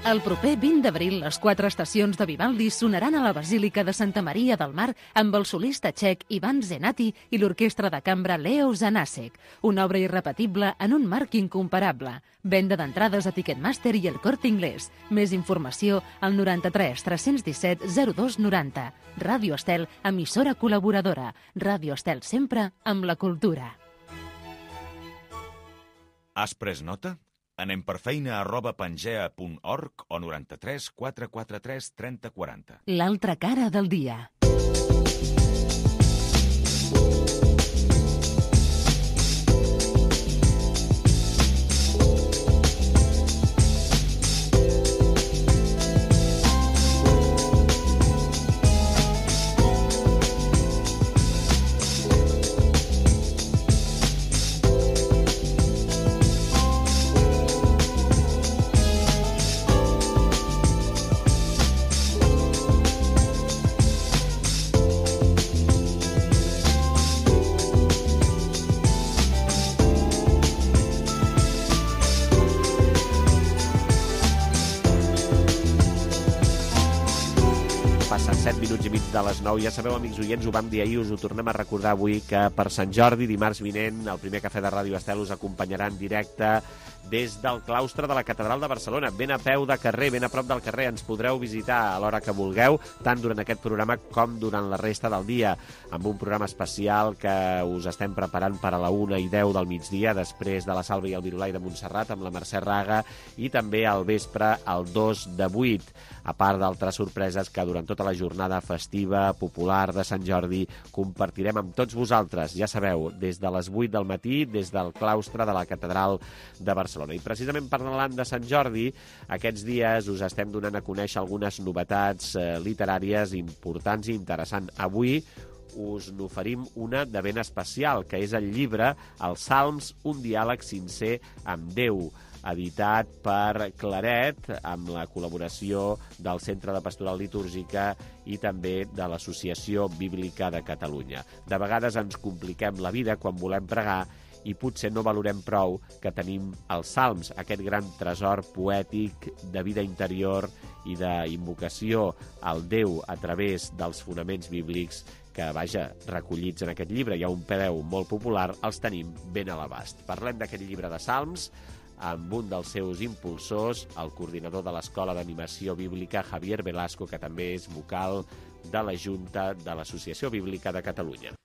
El proper vint d'abril, les quatre estacions de Vivaldi sonaran a la Basílica de Santa Maria del Mar amb el solista txec Ivan Zenati i l'orquestra de cambra Leo Zanasek, una obra irrepetible en un marc incomparable. Venda d'entrades a Ticketmaster i el Corte Inglés. Més informació al noranta-tres tres-cents disset zero dos noranta. Ràdio Estel, emissora col·laboradora. Ràdio Estel sempre amb la cultura. Has pres nota? Anem per feina arroba pangea punt org o noranta-tres quatre quatre tres trenta quaranta. L'altra cara del dia. De les nou. Ja sabeu, amics oients, ho vam dir ahir, us ho tornem a recordar avui, que per Sant Jordi, dimarts vinent, el primer cafè de Ràdio Estel us acompanyarà en directe des del claustre de la Catedral de Barcelona, ben a peu de carrer, ben a prop del carrer. Ens podreu visitar a l'hora que vulgueu, tant durant aquest programa com durant la resta del dia, amb un programa especial que us estem preparant per a la una i deu del migdia, després de la Salva i el Virulai de Montserrat, amb la Mercè Raga, i també al vespre, al dos de vuit, a part d'altres sorpreses que durant tota la jornada festiva, popular de Sant Jordi, compartirem amb tots vosaltres, ja sabeu, des de les vuit del matí, des del claustre de la Catedral de Barcelona. I precisament parlant de Sant Jordi, aquests dies us estem donant a conèixer algunes novetats eh, literàries importants i interessants. Avui us n'oferim una de ben especial, que és el llibre Els Salms, un diàleg sincer amb Déu, editat per Claret, amb la col·laboració del Centre de Pastoral Litúrgica i també de l'Associació Bíblica de Catalunya. De vegades ens compliquem la vida quan volem pregar i potser no valorem prou que tenim els salms, aquest gran tresor poètic de vida interior i d'invocació al Déu a través dels fonaments bíblics que, vaja, recollits en aquest llibre. Hi ha un preu molt popular, els tenim ben a l'abast. Parlem d'aquest llibre de salms amb un dels seus impulsors, el coordinador de l'Escola d'Animació Bíblica, Javier Velasco, que també és vocal de la Junta de l'Associació Bíblica de Catalunya.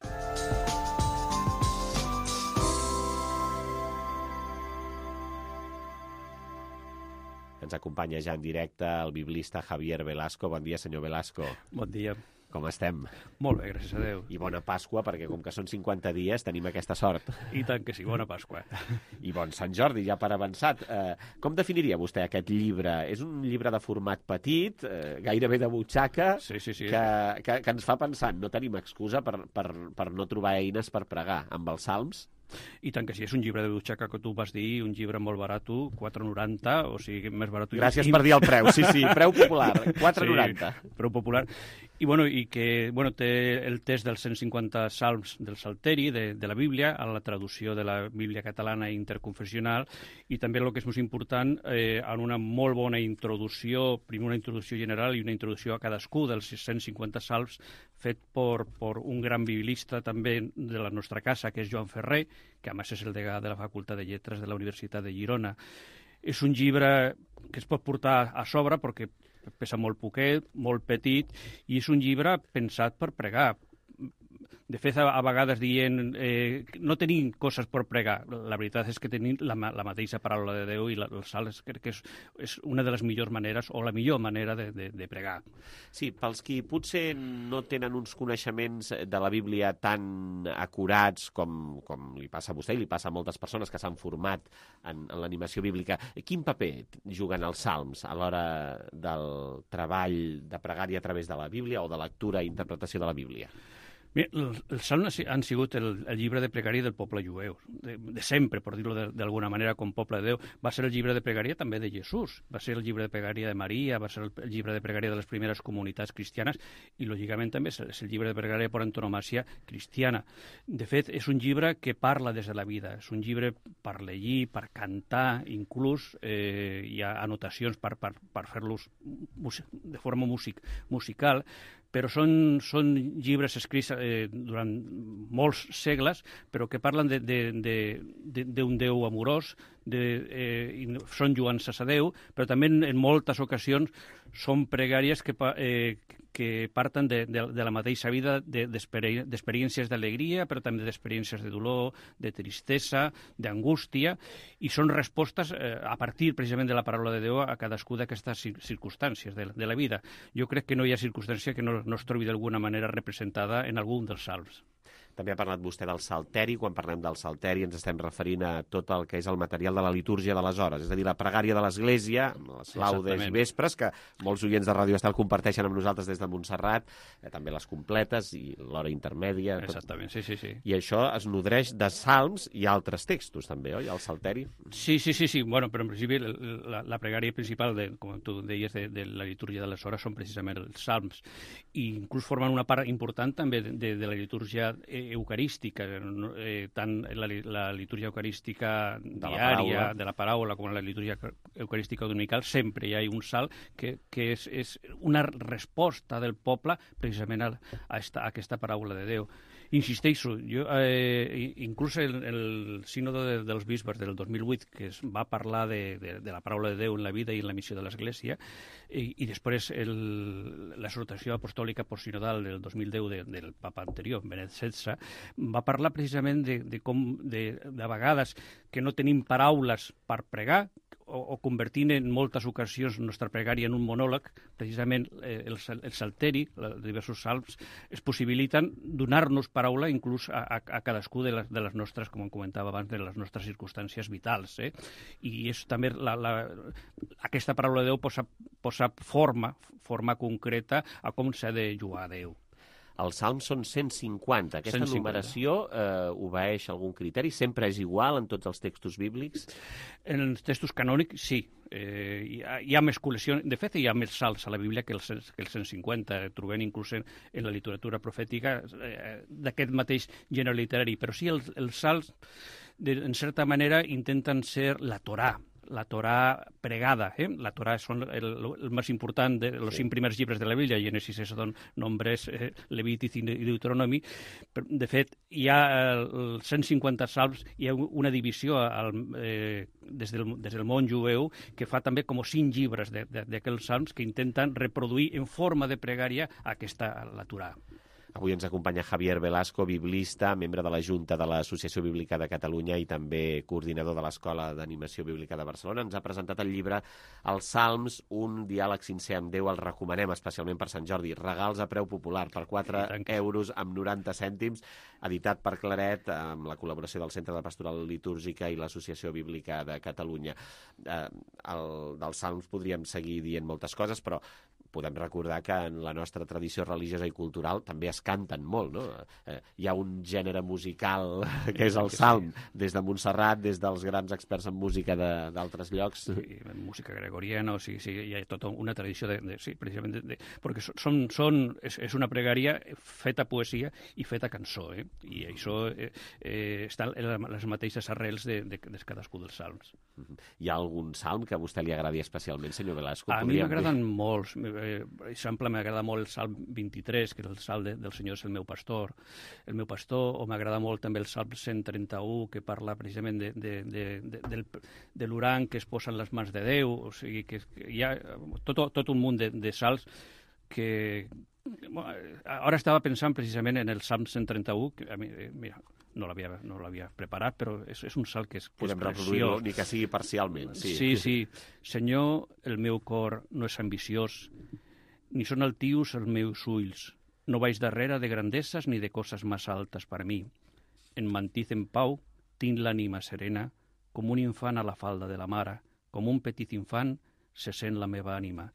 que ens acompanya ja en directe el biblista Javier Velasco. Bon dia, senyor Velasco. Bon dia. Com estem? Molt bé, gràcies a Déu. I bona Pasqua, perquè com que són cinquanta dies tenim aquesta sort. I tant que sí, bona Pasqua. I bon Sant Jordi, ja per avançat. Eh, com definiria vostè aquest llibre? És un llibre de format petit, eh, gairebé de butxaca, sí, sí, sí. Que, que, que ens fa pensar, no tenim excusa per, per, per no trobar eines per pregar amb els salms? I tant que sí, és un llibre de butxaca que tu vas dir, un llibre molt barat, quatre noranta, o sigui, més barat... Gràcies per dir el preu, sí, sí, preu popular, quatre noranta. Sí, preu popular. I, bueno, i que bueno, té el text dels cent cinquanta salms del Salteri, de, de la Bíblia, a la traducció de la Bíblia catalana interconfessional, i també el que és més important, eh, en una molt bona introducció, primer una introducció general i una introducció a cadascú dels cent cinquanta salms, fet per, per un gran biblista també de la nostra casa, que és Joan Ferrer, que a més és el degà de la Facultat de Lletres de la Universitat de Girona. És un llibre que es pot portar a sobre perquè pesa molt poquet, molt petit, i és un llibre pensat per pregar. De fet, a vegades dient eh, no tenim coses per pregar. La veritat és que tenim la, la mateixa paraula de Déu i la, el salt crec que és, és una de les millors maneres, o la millor manera de, de, de pregar. Sí, pels qui potser no tenen uns coneixements de la Bíblia tan acurats com, com li passa a vostè i li passa a moltes persones que s'han format en, en l'animació bíblica, quin paper juguen els salms a l'hora del treball de pregària a través de la Bíblia o de lectura i interpretació de la Bíblia? Mira, els salms han sigut el, el llibre de pregària del poble jueu, de, de sempre, per dir-ho d'alguna manera, com poble de Déu. Va ser el llibre de pregària també de Jesús, va ser el llibre de pregària de Maria, va ser el, el llibre de pregària de les primeres comunitats cristianes i, lògicament, també és el llibre de pregària per antonomàsia cristiana. De fet, és un llibre que parla des de la vida, és un llibre per llegir, per cantar, inclús eh, hi ha anotacions per, per, per fer-los de forma music, musical, però són, són llibres escrits eh, durant molts segles, però que parlen d'un de, de, de, Déu amorós, de, eh, són lluances a Déu, però també en, en moltes ocasions són pregàries que, eh, que parten de, de, de la mateixa vida, d'experiències d'alegria, però també d'experiències de dolor, de tristesa, d'angústia, i són respostes eh, a partir precisament de la paraula de Déu a cadascú d'aquestes circumstàncies de, de la vida. Jo crec que no hi ha circumstància que no, no es trobi d'alguna manera representada en algun dels salms. També ha parlat vostè del Salteri. Quan parlem del Salteri ens estem referint a tot el que és el material de la litúrgia de les hores, és a dir, la pregària de l'Església, les laudes i vespres, que molts oients de Ràdio Estel comparteixen amb nosaltres des de Montserrat, eh, també les completes i l'hora intermèdia. Exactament, tot. sí, sí, sí. I això es nodreix de salms i altres textos, també, oi, al Salteri? Sí, sí, sí, sí. Bueno, però en principi la, la pregària principal, de, com tu deies, de, de la litúrgia de les hores són precisament els salms, i inclús formen una part important també de, de, de la litúrgia eucarística, eh, tant la, la litúrgia eucarística de diària, la de la paraula, com la litúrgia eucarística dominical, sempre hi ha un salt que, que és, és una resposta del poble precisament a, a, esta, a aquesta paraula de Déu. Insisteixo, jo, eh, inclús el, el sínodo de, dels bisbes del dos mil vuit, que es va parlar de, de, de la paraula de Déu en la vida i en la missió de l'Església, i, i després l'exhortació apostòlica postsinodal del dos mil deu de, del papa anterior, Benet setze, va parlar precisament de, de com de, de vegades que no tenim paraules per pregar, o, o convertint en moltes ocasions nostra pregària en un monòleg, precisament eh, el, el salteri, els diversos salms, es possibiliten donar-nos paraula inclús a, a, a cadascú de les, de les nostres, com comentava abans, de les nostres circumstàncies vitals. Eh? I és també la, la, aquesta paraula de Déu posa, posa forma, forma concreta a com s'ha de jugar a Déu. Els salms són cent cinquanta. Aquesta cent cinquanta. Numeració eh, obeeix algun criteri? Sempre és igual en tots els textos bíblics? En els textos canònics, sí. Eh, hi, ha, hi ha més col·leccions. De fet, hi ha més salms a la Bíblia que els, que els cent cinquanta. Trobem inclús en, en la literatura profètica eh, d'aquest mateix gènere literari. Però sí, els, els salms, de, en certa manera, intenten ser la Torà. La Torà pregada, eh? La Torà són el, el més important de los sí. cinc primers llibres de la Bíblia, Génesis, Éxodo, Nombres, eh, Levític i Deuteronomi. De fet, hi ha els cent cinquanta salms, hi ha una divisió al, eh, des, del, des del món jueu que fa també com cinc llibres d'aquells salms que intenten reproduir en forma de pregària aquesta la Torà. Avui ens acompanya Javier Velasco, biblista, membre de la Junta de l'Associació Bíblica de Catalunya i també coordinador de l'Escola d'Animació Bíblica de Barcelona. Ens ha presentat el llibre Els Salms, un diàleg sincer amb Déu. El recomanem especialment per Sant Jordi. Regals a preu popular per quatre euros amb noranta cèntims, editat per Claret, amb la col·laboració del Centre de Pastoral Litúrgica i l'Associació Bíblica de Catalunya. Eh, el, dels Salms podríem seguir dient moltes coses, però podem recordar que en la nostra tradició religiosa i cultural també es canten molt, no? Eh, hi ha un gènere musical que és el salm, des de Montserrat, des dels grans experts en música d'altres llocs. Sí, música gregoriana, o sigui, sí, hi ha tota una tradició, de, de, sí, precisament, de, de, perquè són, són, és, és una pregària feta poesia i feta cançó, eh? I això eh, eh, està en les mateixes arrels de, de, de cadascú dels salms. Hi ha algun salm que a vostè li agradi especialment, senyor Velasco? A mi m'agraden molts. Per exemple, m'agrada molt el Salm vint-i-tres, que és el Salm de, del Senyor és el meu pastor, el meu pastor, o m'agrada molt també el Salm cent trenta-u, que parla precisament de, de, de, de, del, de l'urang que es posa en les mans de Déu. O sigui, que, que hi ha tot, tot un munt de, de salms que... Bueno, ara estava pensant precisament en el Salm cent trenta-u, que a mi, mira, no l'havia no l'havia preparat, però és, és un salt que és, que Podem és reproduir-lo, ni que sigui parcialment. Sí. sí, sí. Senyor, el meu cor no és ambiciós, ni són altius els meus ulls. No vaig darrere de grandesses ni de coses massa altes per a mi. En mantís en pau, tinc l'ànima serena, com un infant a la falda de la mare, com un petit infant se sent la meva ànima.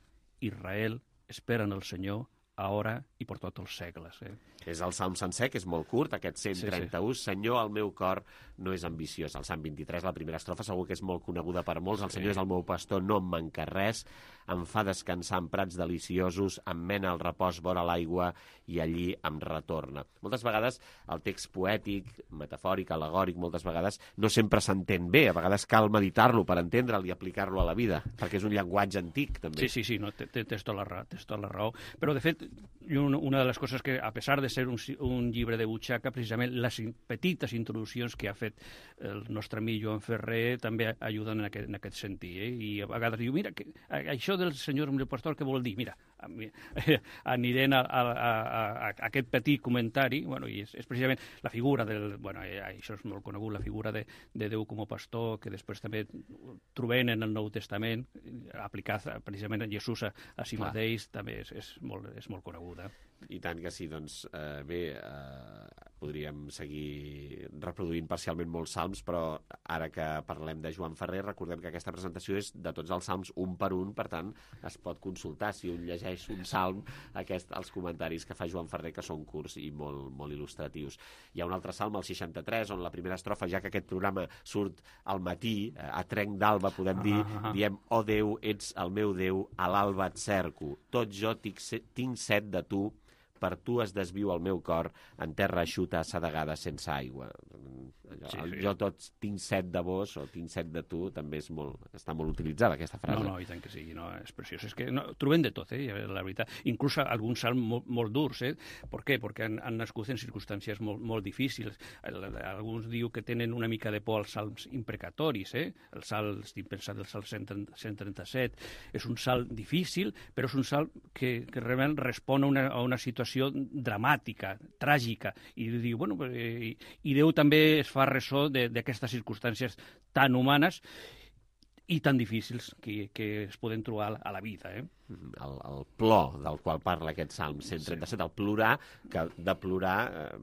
Israel espera en el Senyor, ara i per tots els segles. Eh? És el Salm sencer, que és molt curt, aquest cent trenta-u. Sí, sí. Senyor, el meu cor no és ambiciós. El Salm vint-i-tres, la primera estrofa, segur que és molt coneguda per molts. El Senyor sí. és el meu pastor, no em manca res. Em fa descansar en prats deliciosos, em mena al repòs vora l'aigua i allí em retorna. Moltes vegades el text poètic, metafòric, al·legòric, moltes vegades no sempre s'entén bé. A vegades cal meditar-lo per entendre'l i aplicar-lo a la vida, perquè és un llenguatge antic, també. Sí, sí, sí, no, tens tota la raó, tens tota la raó. Però, de fet, una de les coses que, a pesar de ser un, un llibre de butxaca, precisament les petites introduccions que ha fet el nostre amic Joan Ferrer també ajuden en aquest, en aquest sentit. Eh? I a vegades diu, mira, que, això del senyor el pastor, què vol dir? Mira, anirem a, a, a, a aquest petit comentari, bueno, i és, és precisament la figura del... Bueno, això és molt conegut, la figura de, de Déu com a pastor, que després també trobem en el Nou Testament, aplicat precisament a Jesús a, a si Clar. mateix, també és, és, molt, és molt coneguda. I tant que sí, doncs eh, bé, eh, podríem seguir reproduint parcialment molts salms, però ara que parlem de Joan Ferrer, recordem que aquesta presentació és de tots els salms un per un, per tant, es pot consultar si un llegeix un salm, aquest, els comentaris que fa Joan Ferrer, que són curts i molt, molt il·lustratius. Hi ha un altre salm, el seixanta-tres, on la primera estrofa, ja que aquest programa surt al matí, eh, a trenc d'alba, podem dir, ah, ah. diem, oh Déu, ets el meu Déu, a l'alba et cerco, tot jo tinc, tinc set de tu, per tu es desviu el meu cor en terra eixuta, assedegada, sense aigua. Sí, sí. Jo tot tinc set de vos o tinc set de tu, també és molt, està molt utilitzada aquesta frase. No, no, i tant que sí, no, és preciós. És que no, trobem de tot, eh, la veritat. Inclús alguns salms molt, molt durs, eh? Per què? Perquè han, han nascut en circumstàncies molt, molt difícils. Alguns diu que tenen una mica de por als salms imprecatoris, eh? El salt, estic pensant el salt cent trenta-set, és un salt difícil, però és un salt que, que realment respon a una, a una situació dramàtica, tràgica, i diu, bueno, i, i Déu també es fa ressò d'aquestes circumstàncies tan humanes i tan difícils que, que es poden trobar a la vida. Eh? El, el plor del qual parla aquest Salm cent trenta-set, sí. El plorar, que de plorar, eh,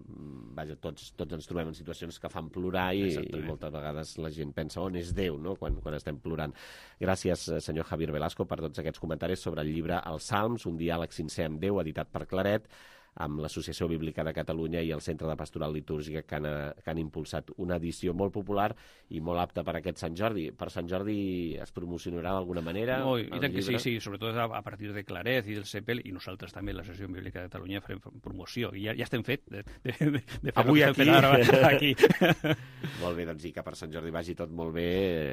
vaja, tots, tots ens trobem en situacions que fan plorar i, i moltes vegades la gent pensa on és Déu, no?, quan, quan estem plorant. Gràcies, senyor Javier Velasco, per tots aquests comentaris sobre el llibre Els Salms, un diàleg sincer amb Déu, editat per Claret, amb l'Associació Bíblica de Catalunya i el Centre de Pastoral Litúrgica, que han, que han impulsat una edició molt popular i molt apta per aquest Sant Jordi. Per Sant Jordi es promocionarà d'alguna manera? No, i tant que sí, sí, sobretot a partir de Claret i del CEPEL, i nosaltres també, l'Associació Bíblica de Catalunya, farem promoció. I ja, ja estem fet de, de, de, de fer Avui aquí. Ara, aquí. Molt bé, doncs, i que per Sant Jordi vagi tot molt bé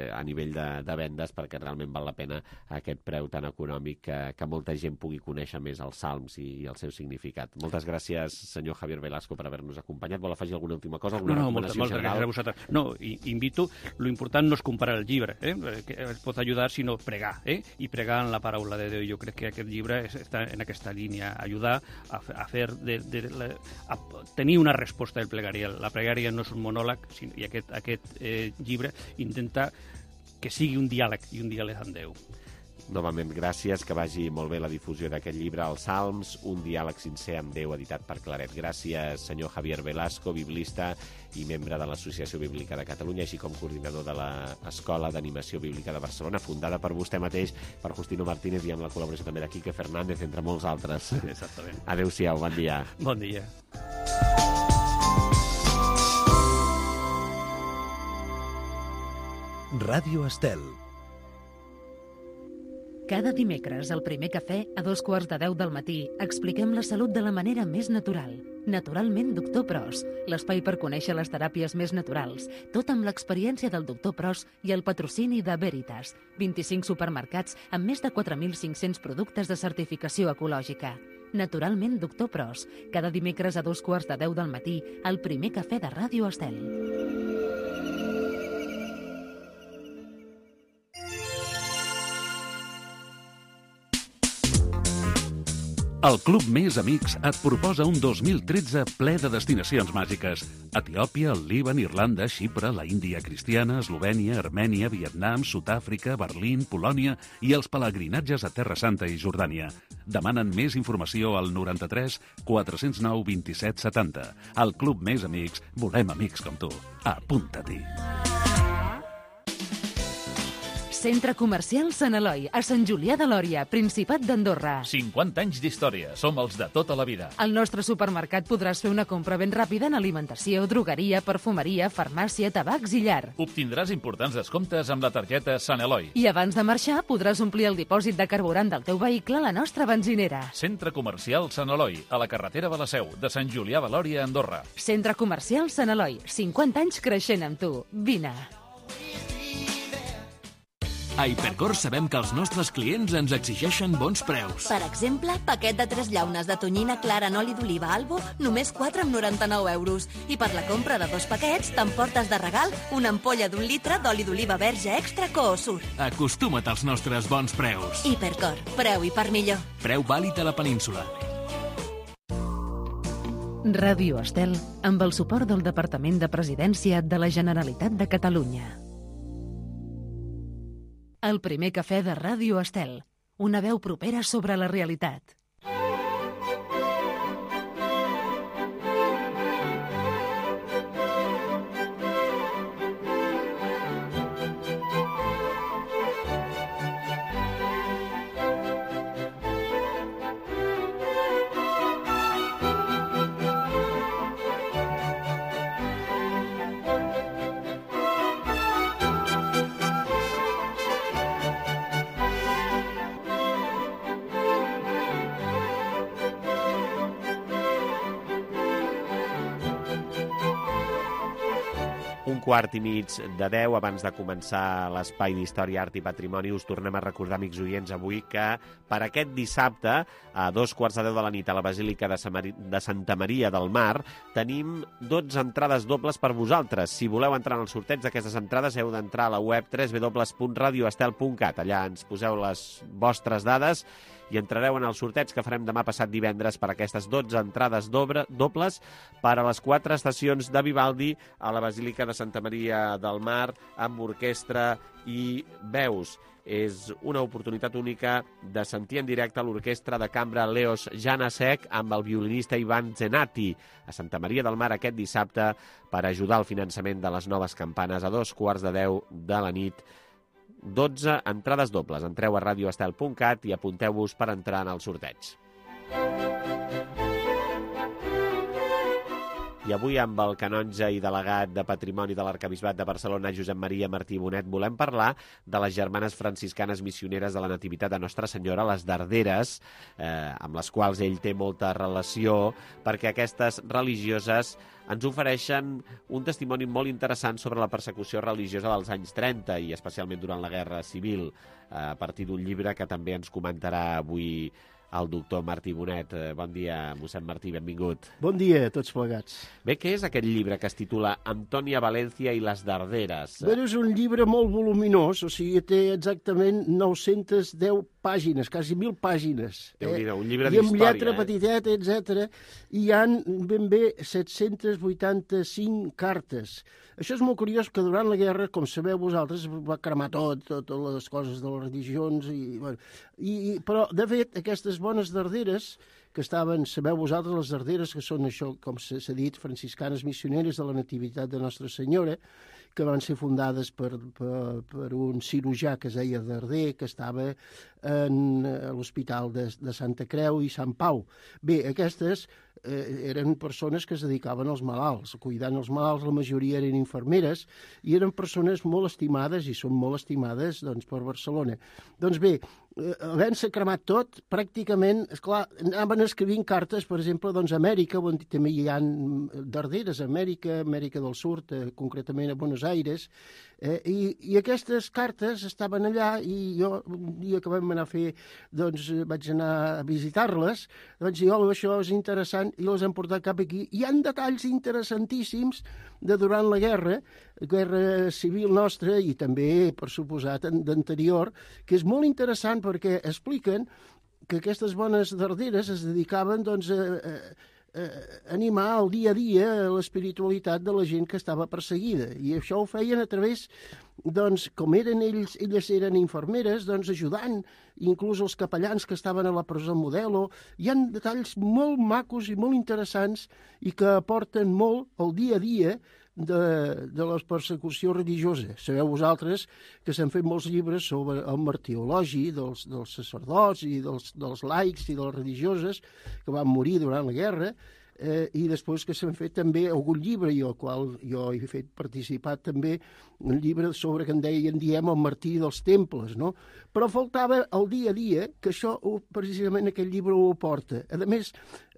a nivell de, de vendes, perquè realment val la pena aquest preu tan econòmic que, que molta gent pugui conèixer més els salms i, i el seu significat. Moltes Moltes gràcies, senyor Javier Velasco, per haver-nos acompanyat. Vol afegir alguna última cosa? Alguna No, no, moltes, moltes gràcies a vosaltres. No, i, invito, lo important no és comparar el llibre, eh? que es pot ajudar, sinó pregar, eh? i pregar en la paraula de Déu. Jo crec que aquest llibre està en aquesta línia, ajudar a, a fer de, de, de, a tenir una resposta del plegària. La pregària no és un monòleg, sinó, i aquest, aquest eh, llibre intenta que sigui un diàleg, i un diàleg amb Déu. Novament, gràcies, que vagi molt bé la difusió d'aquest llibre, Els Salms, un diàleg sincer amb Déu, editat per Claret. Gràcies, senyor Javier Velasco, biblista i membre de l'Associació Bíblica de Catalunya, així com coordinador de l'Escola d'Animació Bíblica de Barcelona, fundada per vostè mateix, per Justino Martínez, i amb la col·laboració també de Quique Fernández, entre molts altres. Exactament. Adéu-siau, bon dia. Bon dia. Ràdio Estel. Cada dimecres, al primer cafè, a dos quarts de deu del matí, expliquem la salut de la manera més natural. Naturalment, doctor Pros, l'espai per conèixer les teràpies més naturals, tot amb l'experiència del doctor Pros i el patrocini de Veritas, vint-i-cinc supermercats amb més de quatre mil cinc-cents productes de certificació ecològica. Naturalment, doctor Pros, cada dimecres a dos quarts de deu del matí, al primer cafè de Ràdio Estel. El Club Més Amics et proposa un dos mil tretze ple de destinacions màgiques. Etiòpia, el Líban, Irlanda, Xipre, la Índia cristiana, Eslovènia, Armènia, Vietnam, Sud-àfrica, Berlín, Polònia i els pelegrinatges a Terra Santa i Jordània. Demanen més informació al noranta-tres quatre zero nou vint-i-set setanta. Al Club Més Amics volem amics com tu. Apunta-t'hi. Centre Comercial Sant Eloi, a Sant Julià de Lòria, Principat d'Andorra. cinquanta anys d'història. Som els de tota la vida. Al nostre supermercat podràs fer una compra ben ràpida en alimentació, drogueria, perfumeria, farmàcia, tabacs i llar. Obtindràs importants descomptes amb la targeta Sant Eloi. I abans de marxar podràs omplir el dipòsit de carburant del teu vehicle a la nostra benzinera. Centre Comercial Sant Eloi, a la carretera de la Seu, de Sant Julià de Lòria, Andorra. Centre Comercial Sant Eloi, cinquanta anys creixent amb tu. Vine. A Hipercor sabem que els nostres clients ens exigeixen bons preus. Per exemple, paquet de tres llaunes de tonyina clara en oli d'oliva Albo, només quatre coma noranta-nou euros. I per la compra de dos paquets, t'emportes de regal una ampolla d'un litre d'oli d'oliva verge extra Coosur. Acostuma't als nostres bons preus. Hipercor, preu i per millor. Preu vàlid a la península. Ràdio Estel, amb el suport del Departament de Presidència de la Generalitat de Catalunya. El primer cafè de Ràdio Estel, una veu propera sobre la realitat. Quart i mig de deu, abans de començar l'espai d'Història, Art i Patrimoni, us tornem a recordar, amics oients, avui que per aquest dissabte, a dos quarts de deu de la nit, a la Basílica de Santa Maria del Mar, tenim dotze entrades dobles per vosaltres. Si voleu entrar en el sorteig d'aquestes entrades, heu d'entrar a la web w w w punt radio estel punt cat. Allà ens poseu les vostres dades i entrareu en el sorteig que farem demà passat divendres per aquestes dotze entrades dobles per a les quatre estacions de Vivaldi a la Basílica de Santa Maria del Mar amb orquestra i veus. És una oportunitat única de sentir en directe l'orquestra de cambra Leos Janacek amb el violinista Ivan Zenati a Santa Maria del Mar aquest dissabte per ajudar al finançament de les noves campanes a dos quarts de deu de la nit. dotze entrades dobles. Entreu a radio estel punt cat i apunteu-vos per entrar en el sorteig. I avui amb el canonge i delegat de Patrimoni de l'Arquebisbat de Barcelona, Josep Maria Martí Bonet, volem parlar de les germanes franciscanes missioneres de la Nativitat de Nostra Senyora, les Darderes, eh, amb les quals ell té molta relació, perquè aquestes religioses ens ofereixen un testimoni molt interessant sobre la persecució religiosa dels anys trenta i especialment durant la Guerra Civil, a partir d'un llibre que també ens comentarà avui el doctor Martí Bonet. Bon dia, mossèn Martí, benvingut. Bon dia a tots plegats. Bé, què és aquest llibre que es titula Antònia Valencia i les darderes? Bé, és un llibre molt voluminós, o sigui, té exactament nou-centes deu pàgines, quasi mil pàgines. Déu-n'hi-do, un llibre d'història. I amb lletra eh? petiteta, etcètera. I hi ha ben bé set-cents vuitanta-cinc cartes. Això és molt curiós, que durant la guerra, com sabeu vosaltres, va cremar tot, totes les coses de les religions, i, bueno, i, però, de fet, aquestes bones darderes, que estaven, sabeu vosaltres, les darderes, que són això, com s'ha dit, franciscanes missioneres de la Nativitat de Nostra Senyora, que van ser fundades per, per, per un cirurgià que es deia Darder, que estava en l'Hospital de, de Santa Creu i Sant Pau. Bé, aquestes eh, eren persones que es dedicaven als malalts, cuidant els malalts, la majoria eren infermeres, i eren persones molt estimades, i són molt estimades, doncs, per Barcelona. Doncs bé, havent-se cremat tot, pràcticament, esclar, anaven escrivint cartes, per exemple, doncs, a Amèrica, on també hi ha darderes, a Amèrica, Amèrica del Sud, eh, concretament a Buenos Aires, eh, i, i aquestes cartes estaven allà, i jo, un dia que vam anar a fer, doncs, vaig anar a visitar-les, vaig dir, oh, això és interessant, i les hem portat cap aquí. Hi ha detalls interessantíssims de durant la guerra, guerra civil nostra, i també, per suposat, d'anterior, que és molt interessant perquè expliquen que aquestes bones darderes es dedicaven, doncs, a, a, a animar el dia a dia l'espiritualitat de la gent que estava perseguida. I això ho feien a través, doncs, com eren ells, elles eren infermeres, doncs, ajudant inclús els capellans que estaven a la presó Modelo. Hi ha detalls molt macos i molt interessants i que aporten molt al dia a dia de, de la persecució religiosa. Sabeu vosaltres que s'han fet molts llibres sobre el martirologi dels, dels sacerdots i dels, dels laics i de les religioses que van morir durant la guerra, eh, i després que s'han fet també algun llibre, i al qual jo he fet participar també, un llibre sobre que en deien, diem, el martiri dels temples, no? Però faltava el dia a dia, que això precisament aquest llibre ho porta. A més,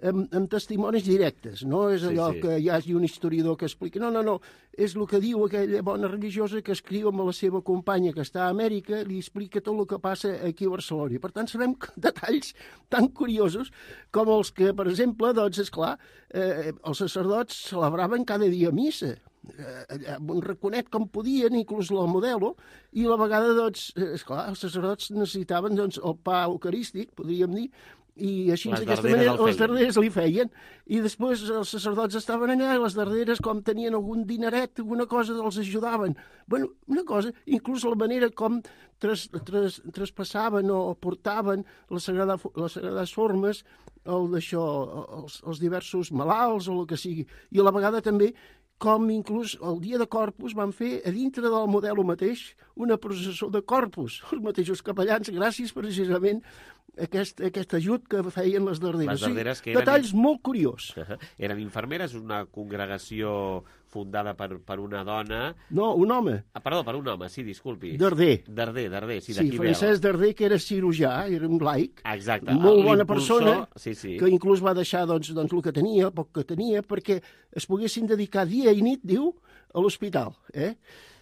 amb, amb testimonis directes, no és allò sí, sí. que hi hagi un historiador que explica, no, no, no, és el que diu aquella bona religiosa que escriu amb la seva companya que està a Amèrica, li explica tot el que passa aquí a Barcelona. I per tant sabem detalls tan curiosos com els que, per exemple, doncs, esclar, eh, els sacerdots celebraven cada dia missa, eh, un raconet com podien, inclús la Modelo, i a la vegada, doncs, esclar, els sacerdots necessitaven, doncs, el pa eucarístic, podríem dir, i així d'aquesta manera les darderes li feien, i després els sacerdots estaven allà i les darderes, com tenien algun dineret, alguna cosa, els ajudaven. Bueno, una cosa, inclús la manera com tras, tras, traspassaven o portaven les, sagrada, les sagrades formes, el d'això, els, els diversos malalts o el que sigui, i a la vegada també com inclús el dia de Corpus van fer a dintre del Modelo mateix una processó de Corpus, els mateixos capellans, gràcies precisament a aquest, aquest ajut que feien les darderes. Les darderes que eren... Detalls molt curiós. Uh-huh. Eren infermeres, una congregació fundada per, per una dona... No, un home. Ah, perdó, per un home, sí, disculpi. Darder. Darder, Darder, sí, sí d'aquí ve. Francesc Darder, que era cirurgià, era un laic. Exacte. Molt bona persona, sí, sí. que inclús va deixar doncs, doncs, el que tenia, el poc que tenia, perquè es poguessin dedicar dia i nit, diu, a l'hospital. Eh?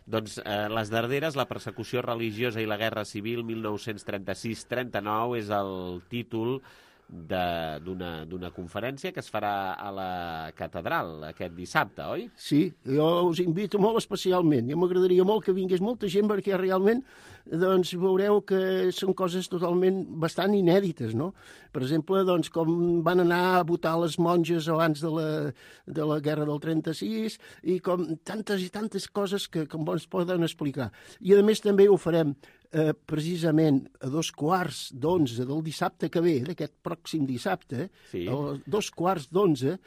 Doncs eh, les darderes, la persecució religiosa i la guerra civil mil nou-cents trenta-sis trenta-nou és el títol d'una conferència que es farà a la catedral aquest dissabte, oi? Sí, jo us invito molt especialment. Jo m'agradaria molt que vingués molta gent perquè realment doncs, veureu que són coses totalment bastant inèdites, no? Per exemple, doncs, com van anar a votar les monges abans de la, de la guerra del trenta-sis i com tantes i tantes coses que, que ens poden explicar. I a més també ho farem Eh, precisament a dos quarts d'onze del dissabte que ve, d'aquest pròxim dissabte, sí. a dos quarts d'onze,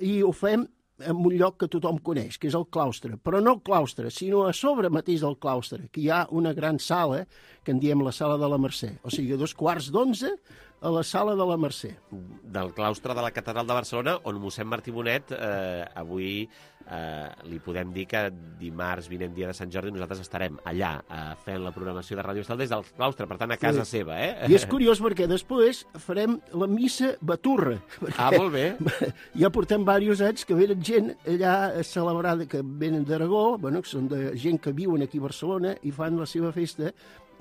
i ho fem en un lloc que tothom coneix, que és el claustre. Però no el claustre, sinó a sobre mateix del claustre, que hi ha una gran sala, que en diem la sala de la Mercè. O sigui, a dos quarts d'onze a la sala de la Mercè. Del claustre de la Catedral de Barcelona, on mossèn Martí Bonet eh, avui eh, li podem dir que dimarts, vinent dia de Sant Jordi, nosaltres estarem allà eh, fent la programació de Ràdio Estel des del claustre, per tant, a casa sí. seva. Eh? I és curiós perquè després farem la missa baturra. Ah, molt bé. Ja portem diversos anys que venen gent allà a celebrar, que venen d'Aragó, bueno, que són de gent que viuen aquí a Barcelona i fan la seva festa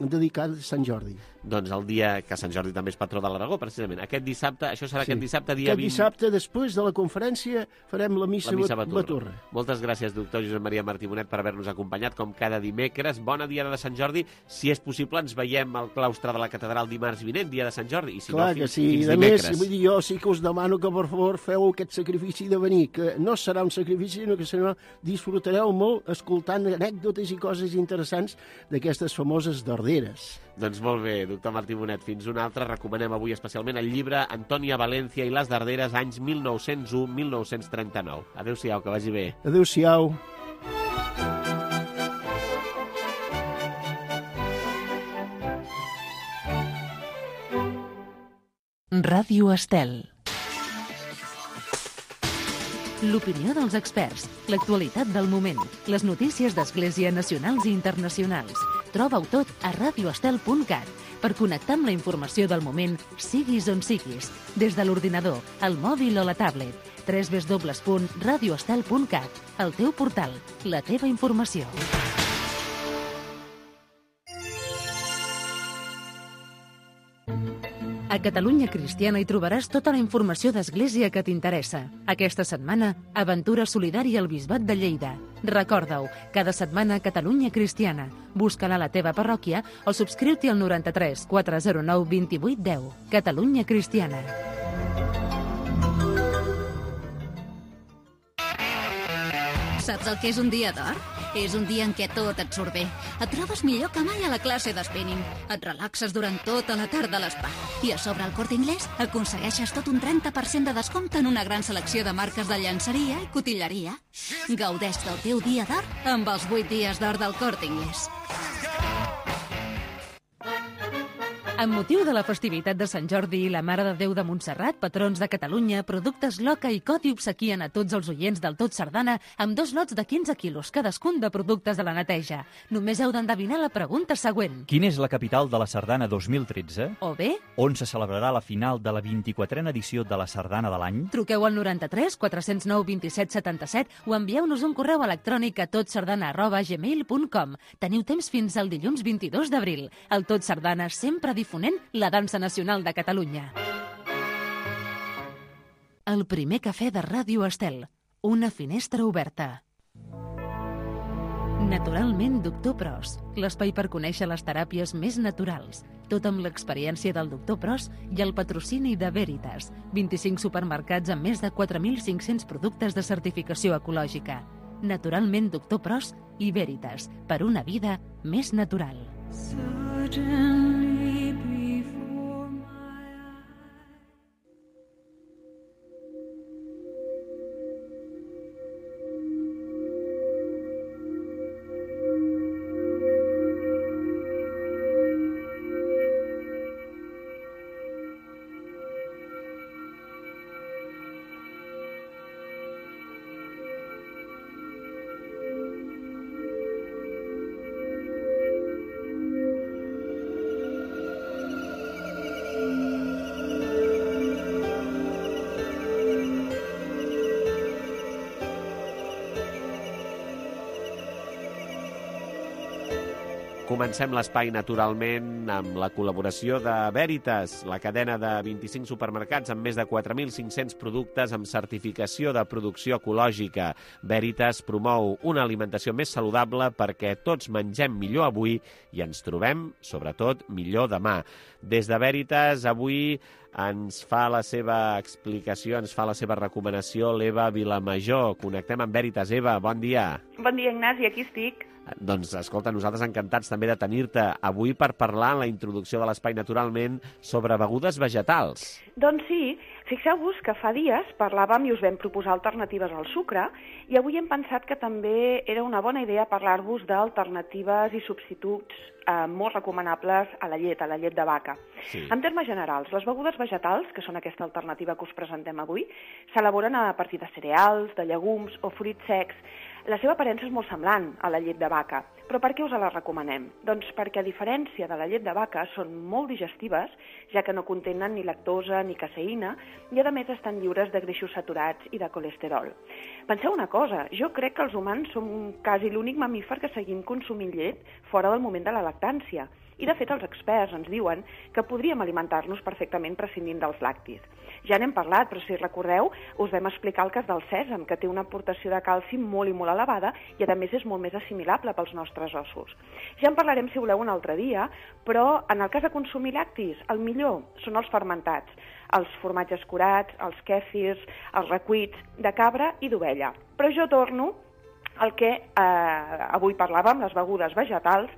dedicat a Sant Jordi. Doncs el dia que Sant Jordi també és patró de l'Aragó, precisament. Aquest dissabte, això serà Sí. aquest dissabte, dia Aquest vint... dissabte, després de la conferència, farem la missa, La missa Baturra. Baturra. Moltes gràcies, doctor Josep Maria Martí Bonet, per haver-nos acompanyat, com cada dimecres. Bona dia de Sant Jordi. Si és possible, ens veiem al claustre de la catedral dimarts vinent, dia de Sant Jordi. I si Clar no, fins, que sí. fins A dimecres. més, vull dir, jo sí que us demano que, per favor, feu aquest sacrifici de venir, que no serà un sacrifici, sinó que sinó disfrutareu molt escoltant anècdotes i coses interessants d'aquestes famoses darderes. Doncs molt bé, doctor Martí Bonet, fins una altra. Recomanem avui especialment el llibre Antònia València i les Darderes, anys mil nou-cents u a mil nou-cents trenta-nou. Adéu-siau, que vagi bé. Adéu-siau. Ràdio Estel. L'opinió dels experts, l'actualitat del moment, les notícies d'Església nacionals i internacionals. Troba-ho tot a radio estel punt cat per connectar amb la informació del moment, siguis on siguis, des de l'ordinador, el mòbil o la tablet. w w w punt radio estel punt cat, el teu portal, la teva informació. A Catalunya Cristiana hi trobaràs tota la informació d'Església que t'interessa. Aquesta setmana, Aventura Solidària al Bisbat de Lleida. Recorda-ho, cada setmana Catalunya Cristiana. Busca-la a la teva parròquia o subscriu-t'hi al noranta-tres quatre zero nou vint vuit deu. Catalunya Cristiana. Saps el que és un dia d'or? És un dia en què tot et surt bé. Et trobes millor que mai a la classe de spinning. Et relaxes durant tota la tarda a l'espa. I a sobre el Corte Inglés aconsegueixes tot un trenta per cent de descompte en una gran selecció de marques de llançeria i cotilleria. Gaudeix del teu dia d'or amb els vuit dies d'or del Corte Inglés. Amb motiu de la festivitat de Sant Jordi i la Mare de Déu de Montserrat, patrons de Catalunya, Productes Loca i Coti obsequien a tots els oients del Tot Sardana amb dos lots de quinze quilos cadascun de productes de la neteja. Només heu d'endevinar la pregunta següent. Quina és la capital de la Sardana dos mil tretze? O bé, On se celebrarà la final de la vint-i-quatrena edició de la Sardana de l'any? truqueu al noranta-tres quatre zero nou vint set setanta-set o envieu-nos un correu electrònic a totsardana arroba gmail punt com. Teniu temps fins al dilluns vint-i-dos d'abril. El Tot Sardana sempre difonent la dansa nacional de Catalunya. El primer cafè de Ràdio Estel. Una finestra oberta. Naturalment, doctor Pros. L'espai per conèixer les teràpies més naturals. Tot amb l'experiència del doctor Pros i el patrocini de Veritas. vint-i-cinc supermercats amb més de quatre mil cinc-cents productes de certificació ecològica. Naturalment, doctor Pros i Veritas. Per una vida més natural. Comencem l'espai, naturalment, amb la col·laboració de Veritas, la cadena de vint-i-cinc supermercats amb més de quatre mil cinc-cents productes amb certificació de producció ecològica. Veritas promou una alimentació més saludable perquè tots mengem millor avui i ens trobem, sobretot, millor demà. Des de Veritas, avui ens fa la seva explicació, ens fa la seva recomanació l'Eva Vilamajor. Connectem amb Veritas. Eva, bon dia. Bon dia, Ignasi, aquí estic. Doncs, escolta, nosaltres encantats també de tenir-te avui per parlar en la introducció de l'espai, naturalment, sobre begudes vegetals. Doncs sí, fixeu-vos que fa dies parlàvem i us vam proposar alternatives al sucre i avui hem pensat que també era una bona idea parlar-vos d'alternatives i substituts eh, molt recomanables a la llet, a la llet de vaca. Sí. En termes generals, les begudes vegetals, que són aquesta alternativa que us presentem avui, s'elaboren a partir de cereals, de llegums o fruits secs. La seva aparença és molt semblant a la llet de vaca, però per què us la recomanem? Doncs perquè, a diferència de la llet de vaca, són molt digestives, ja que no contenen ni lactosa ni caseïna, i a més estan lliures de greixos saturats i de colesterol. Penseu una cosa, jo crec que els humans som quasi l'únic mamífer que seguim consumint llet fora del moment de la lactància, I, de fet, els experts ens diuen que podríem alimentar-nos perfectament prescindint dels làctics. Ja n'hem parlat, però si recordeu, us vam explicar el cas del sèsam, que té una aportació de calci molt i molt elevada i, a més, és molt més assimilable pels nostres ossos. Ja en parlarem, si voleu, un altre dia, però en el cas de consumir làctics, el millor són els fermentats, els formatges curats, els kèfirs, els recuits de cabra i d'ovella. Però jo torno al que eh, avui parlàvem, les begudes vegetals,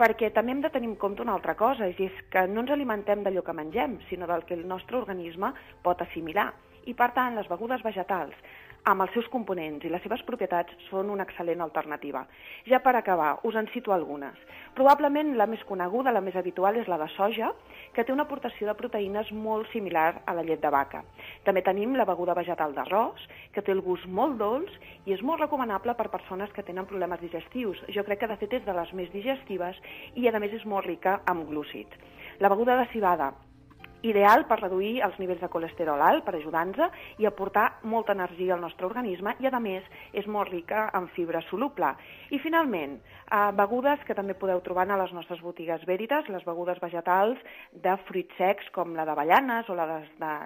perquè també hem de tenir en compte una altra cosa, i és que no ens alimentem d'allò que mengem, sinó del que el nostre organisme pot assimilar. I, per tant, les begudes vegetals, amb els seus components i les seves propietats, són una excel·lent alternativa. Ja per acabar, us en cito algunes. Probablement la més coneguda, la més habitual, és la de soja, que té una aportació de proteïnes molt similar a la llet de vaca. També tenim la beguda vegetal d'arròs, que té el gust molt dolç i és molt recomanable per persones que tenen problemes digestius. Jo crec que, de fet, és de les més digestives i, a més, és molt rica en glúcids. La beguda de civada, ideal per reduir els nivells de colesterol alt, per ajudar-nos i aportar molta energia al nostre organisme i, a més, és molt rica en fibra soluble. I, finalment, eh, begudes que també podeu trobar a les nostres botigues Veritas, les begudes vegetals de fruits secs com la d'avellanes o la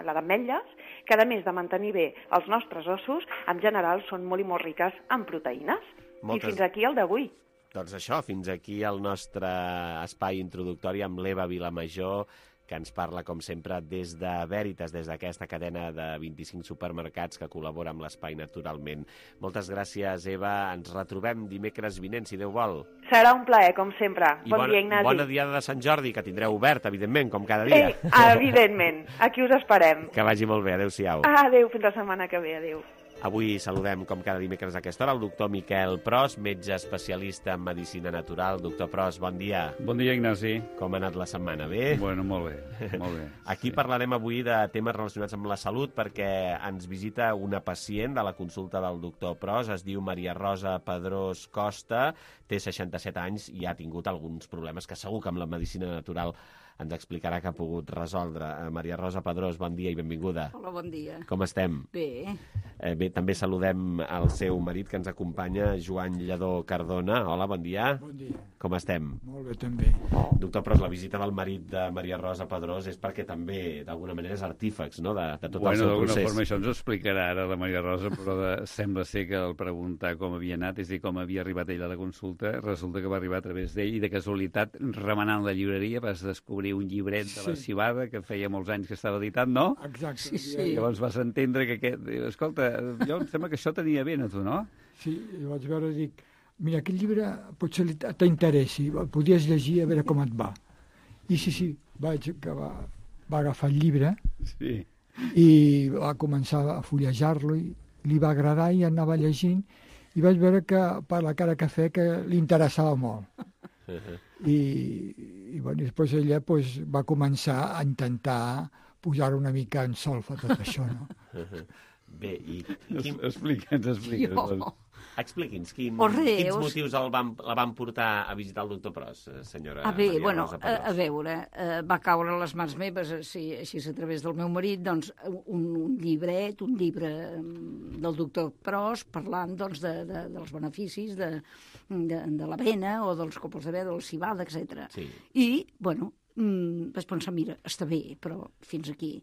d'ametlles, que, a més de mantenir bé els nostres ossos, en general són molt i molt riques en proteïnes. Moltes... I fins aquí el d'avui. Doncs això, fins aquí el nostre espai introductori amb l'Eva Vilamajor, que ens parla, com sempre, des de Veritas, des d'aquesta cadena de vint-i-cinc supermercats que col·labora amb l'Espai Naturalment. Moltes gràcies, Eva. Ens retrobem dimecres vinent, si Déu vol. Serà un plaer, com sempre. I bon bona, dia, Ignasi. Bona diada de Sant Jordi, que tindreu obert, evidentment, com cada dia. Sí, evidentment. Aquí us esperem. Que vagi molt bé. Adéu-siau. Adéu, fins la setmana que ve. Adéu. Avui saludem, com cada dimecres a aquesta hora, el doctor Miquel Pros, metge especialista en medicina natural. Doctor Pros, bon dia. Bon dia, Ignasi. Com ha anat la setmana? Bé? Bueno, molt bé, molt bé. Aquí sí. Parlarem avui de temes relacionats amb la salut perquè ens visita una pacient de la consulta del doctor Pros, es diu Maria Rosa Pedrós Costa, té seixanta-set anys i ha tingut alguns problemes que segur que amb la medicina natural ens explicarà que ha pogut resoldre. Maria Rosa Pedrós, bon dia i benvinguda. Hola, bon dia. Com estem? Bé. Eh, bé, també saludem el seu marit que ens acompanya, Joan Lledó Cardona. Hola, bon dia. Bon dia. Com estem? Molt bé, també. Doctor Pros, la visita del marit de Maria Rosa Pedrós és perquè també, d'alguna manera, és artífex, no?, de, de tot bueno, el seu procés. procés. Forma, això ens ho explicarà ara la Maria Rosa, però de, sembla ser que al preguntar com havia anat, és a dir, com havia arribat ella a la consulta, resulta que va arribar a través d'ell i de casualitat, remenant la llibreria, vas descobrir un llibret de la Sí. Civada, que feia molts anys que estava editat, no? Exacte. Sí, sí. Llavors vas entendre que aquest... Escolta, jo em sembla que això tenia ben a tu, no? Sí, i vaig veure i dic, mira, aquest llibre potser t'interessi, el podies llegir a veure com et va. I sí, sí, vaig acabar, va agafar el llibre sí. i va començar a fullejar-lo i li va agradar i anava llegint i vaig veure que per la cara que feia que li interessava molt. I, i bueno, després ella pues, va començar a intentar posar una mica en solfa tot això, no? Bé, i... Quin... Explica'ns, explica'ns. Jo. Expliqui'ns, quin, O res, quins o- motius el van, la van portar a visitar el doctor Pros, senyora A bé, Maria bueno, Rosa a, Pedrós? a veure, eh, va caure a les mans meves, així, així a través del meu marit, doncs, un, un llibret, un llibre mm, del doctor Pros, parlant, doncs, de, de, dels beneficis de, de, de l'avena o dels copos de ve, del civada, etcètera. Sí. I, bueno, mm, vaig pensar, mira, està bé, però fins aquí.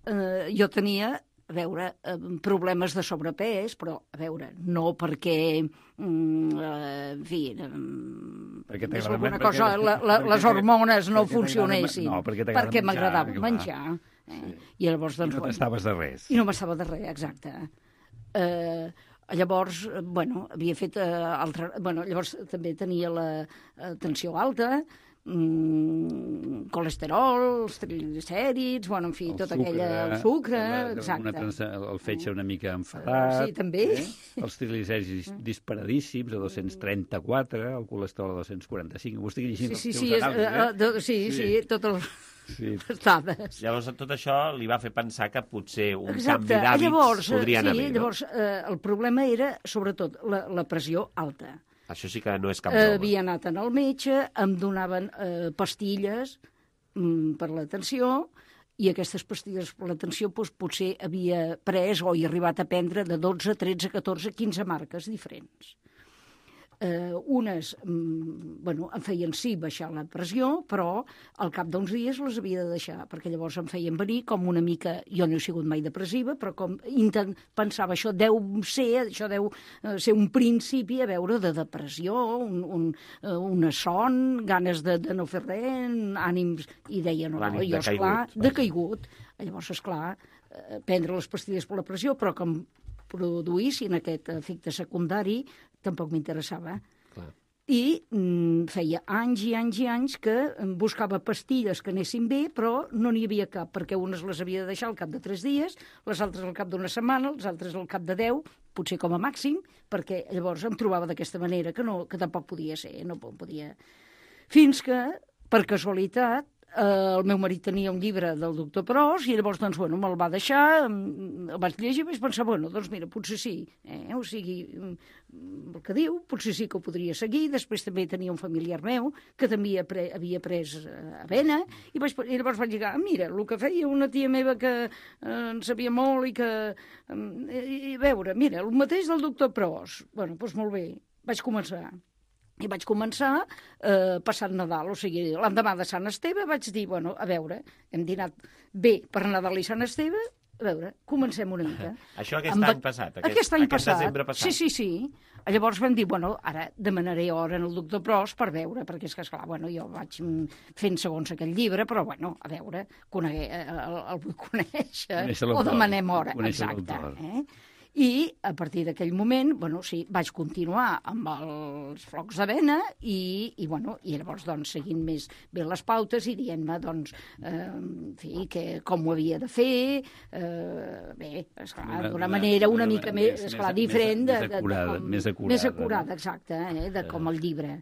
Eh, jo tenia a veure, eh, problemes de sobrepès, però, a veure, no perquè, mm, eh, en fi, eh, Perquè és t'agrada- alguna perquè- cosa, la, la, perquè les t'agrada- hormones no perquè t'agrada- funcionessin. no, perquè t'agrada perquè menjar, m'agradava clar. menjar. Eh? I llavors, doncs, I no bueno, t'estaves de res. I no m'estava de res, exacte. Eh, llavors, eh, bueno, havia fet eh, altre... Bueno, llavors també tenia la eh, tensió alta, mm, colesterol, els triglicèrids, bueno, en fi, El tota sucre, aquella... El sucre, la- exacte. Una trans, el fetge una mica enfadat. Sí, també. Eh? Els triglicèrids disparadíssims, a dos-cents trenta-quatre, el colesterol a dos-cents quaranta-cinc. Ho estic llegint Sí, sí, els sí, teus és, anàlisis, eh, eh? de, sí, sí, sí, tot el... Sí. les dades. Llavors, tot això li va fer pensar que potser un Exacte. canvi d'hàbits Llavors, podria anar sí, bé, no? llavors, eh, el problema era, sobretot, la, la pressió alta. Això sí que no és cap Eh, broma. havia anat al metge, em donaven eh, pastilles mm, per la tensió, i aquestes pastilles per la tensió doncs, potser havia pres o he arribat a prendre de dotze, tretze, catorze, quinze marques diferents. Eh, unes, mm, bueno, em feien sí baixar la pressió, però al cap d'uns dies les havia de deixar, perquè llavors em feien venir com una mica, jo no he sigut mai depressiva, però com intent, pensava, això deu ser, això deu eh, ser un principi, a veure, de depressió, un, un, eh, una son, ganes de, de no fer res, ànims, i deia, no, no, jo, esclar, decaigut. Llavors, esclar, eh, prendre les pastilles per la pressió, però que em produïssin aquest efecte secundari, tampoc m'interessava. Clar. I mm, feia anys i anys i anys que buscava pastilles que anessin bé, però no n'hi havia cap, perquè unes les havia de deixar al cap de tres dies, les altres al cap d'una setmana, les altres al cap de deu, potser com a màxim, perquè llavors em trobava d'aquesta manera, que, no, que tampoc podia ser, no podia... Fins que, per casualitat, Uh, el meu marit tenia un llibre del doctor Pros i llavors, doncs, bueno, me'l va deixar, el vaig llegir i vaig pensar, bueno, doncs mira, potser sí, eh? O sigui, el que diu, potser sí que ho podria seguir. Després també tenia un familiar meu que també havia, pre havia pres uh, avena i, vaig, i llavors vaig dir, ah, mira, el que feia una tia meva que uh, en sabia molt i que... Um, i, i veure, mira, el mateix del doctor Pros. Bueno, doncs molt bé, vaig començar. I vaig començar eh, passant Nadal, o sigui, l'endemà de Sant Esteve vaig dir, bueno, a veure, hem dinat bé per Nadal i Sant Esteve, a veure, comencem una mica. Això aquest Amb... any passat, aquest, aquest any aquest passat. desembre passat. Sí, sí, sí. Llavors vam dir, bueno, ara demanaré hora en el doctor Pros per veure, perquè és que, esclar, bueno, jo vaig fent segons aquell llibre, però, bueno, a veure, coneguer, el, el vull conèixer, o demanem hora, exacte. Eh? I a partir d'aquell moment, bueno, sí, vaig continuar amb els flocs d'avena i, i, bueno, i llavors, doncs, seguint més bé les pautes i dient-me, doncs, eh, en fi, que, com ho havia de fer, eh, bé, esclar, d'una manera una mica més, esclar, diferent. Més acurada, més acurada. Més acurada, exacte, eh, de com el llibre.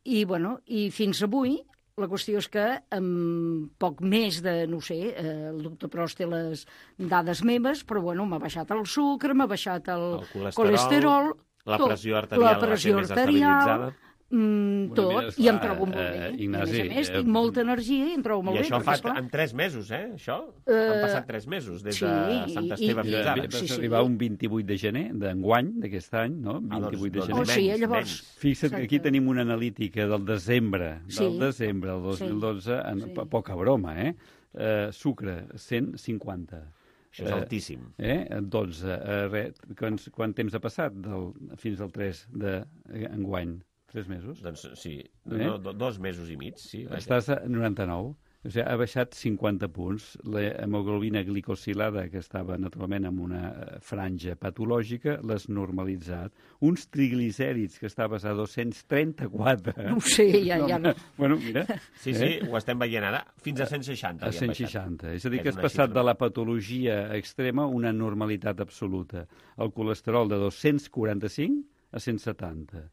I, bueno, i fins avui, la qüestió és que amb poc més de, no sé, eh, el doctor Pros té les dades meves, però bueno, m'ha baixat el sucre, m'ha baixat el, el colesterol, colesterol, la pressió arterial, la pressió arterial, Mm, tot, bueno, mira, i em trobo molt bé. Eh, Ignasi, a més a més, tinc molta energia i em trobo molt bé. I això bé, fa en tres mesos, eh, això? Uh, Han passat tres mesos, des sí, de Sant Esteve fins ara. Va sí, sí. arribar un vint-i-vuit de gener d'enguany, d'aquest any, no? vint-i-vuit de gener. Oh, sí, llavors... Fixa't que aquí tenim una analítica del desembre, del sí. desembre del dos mil dotze, sí. en, sí. poca broma, eh? Uh, sucre, cent cinquanta. Això és altíssim. Eh? dotze. Uh, re, quant, quant temps ha passat del, fins al tres d'enguany? Tres mesos? Doncs sí, eh? no, dos mesos i mig, sí. Vaja. Estàs a noranta-nou, o sigui, ha baixat cinquanta punts. L'hemoglobina glicosilada, que estava naturalment en una franja patològica, l'has normalitzat. Uns triglicèrids, que estaves a dos-cents trenta-quatre. No ho sé, ja, ja no. Bueno, mira. Sí, sí, eh? ho estem veient ara, fins a cent seixanta. A cent seixanta. És a dir, que has passat de la patologia extrema a una normalitat absoluta. El colesterol de dos-cents quaranta-cinc a cent setanta.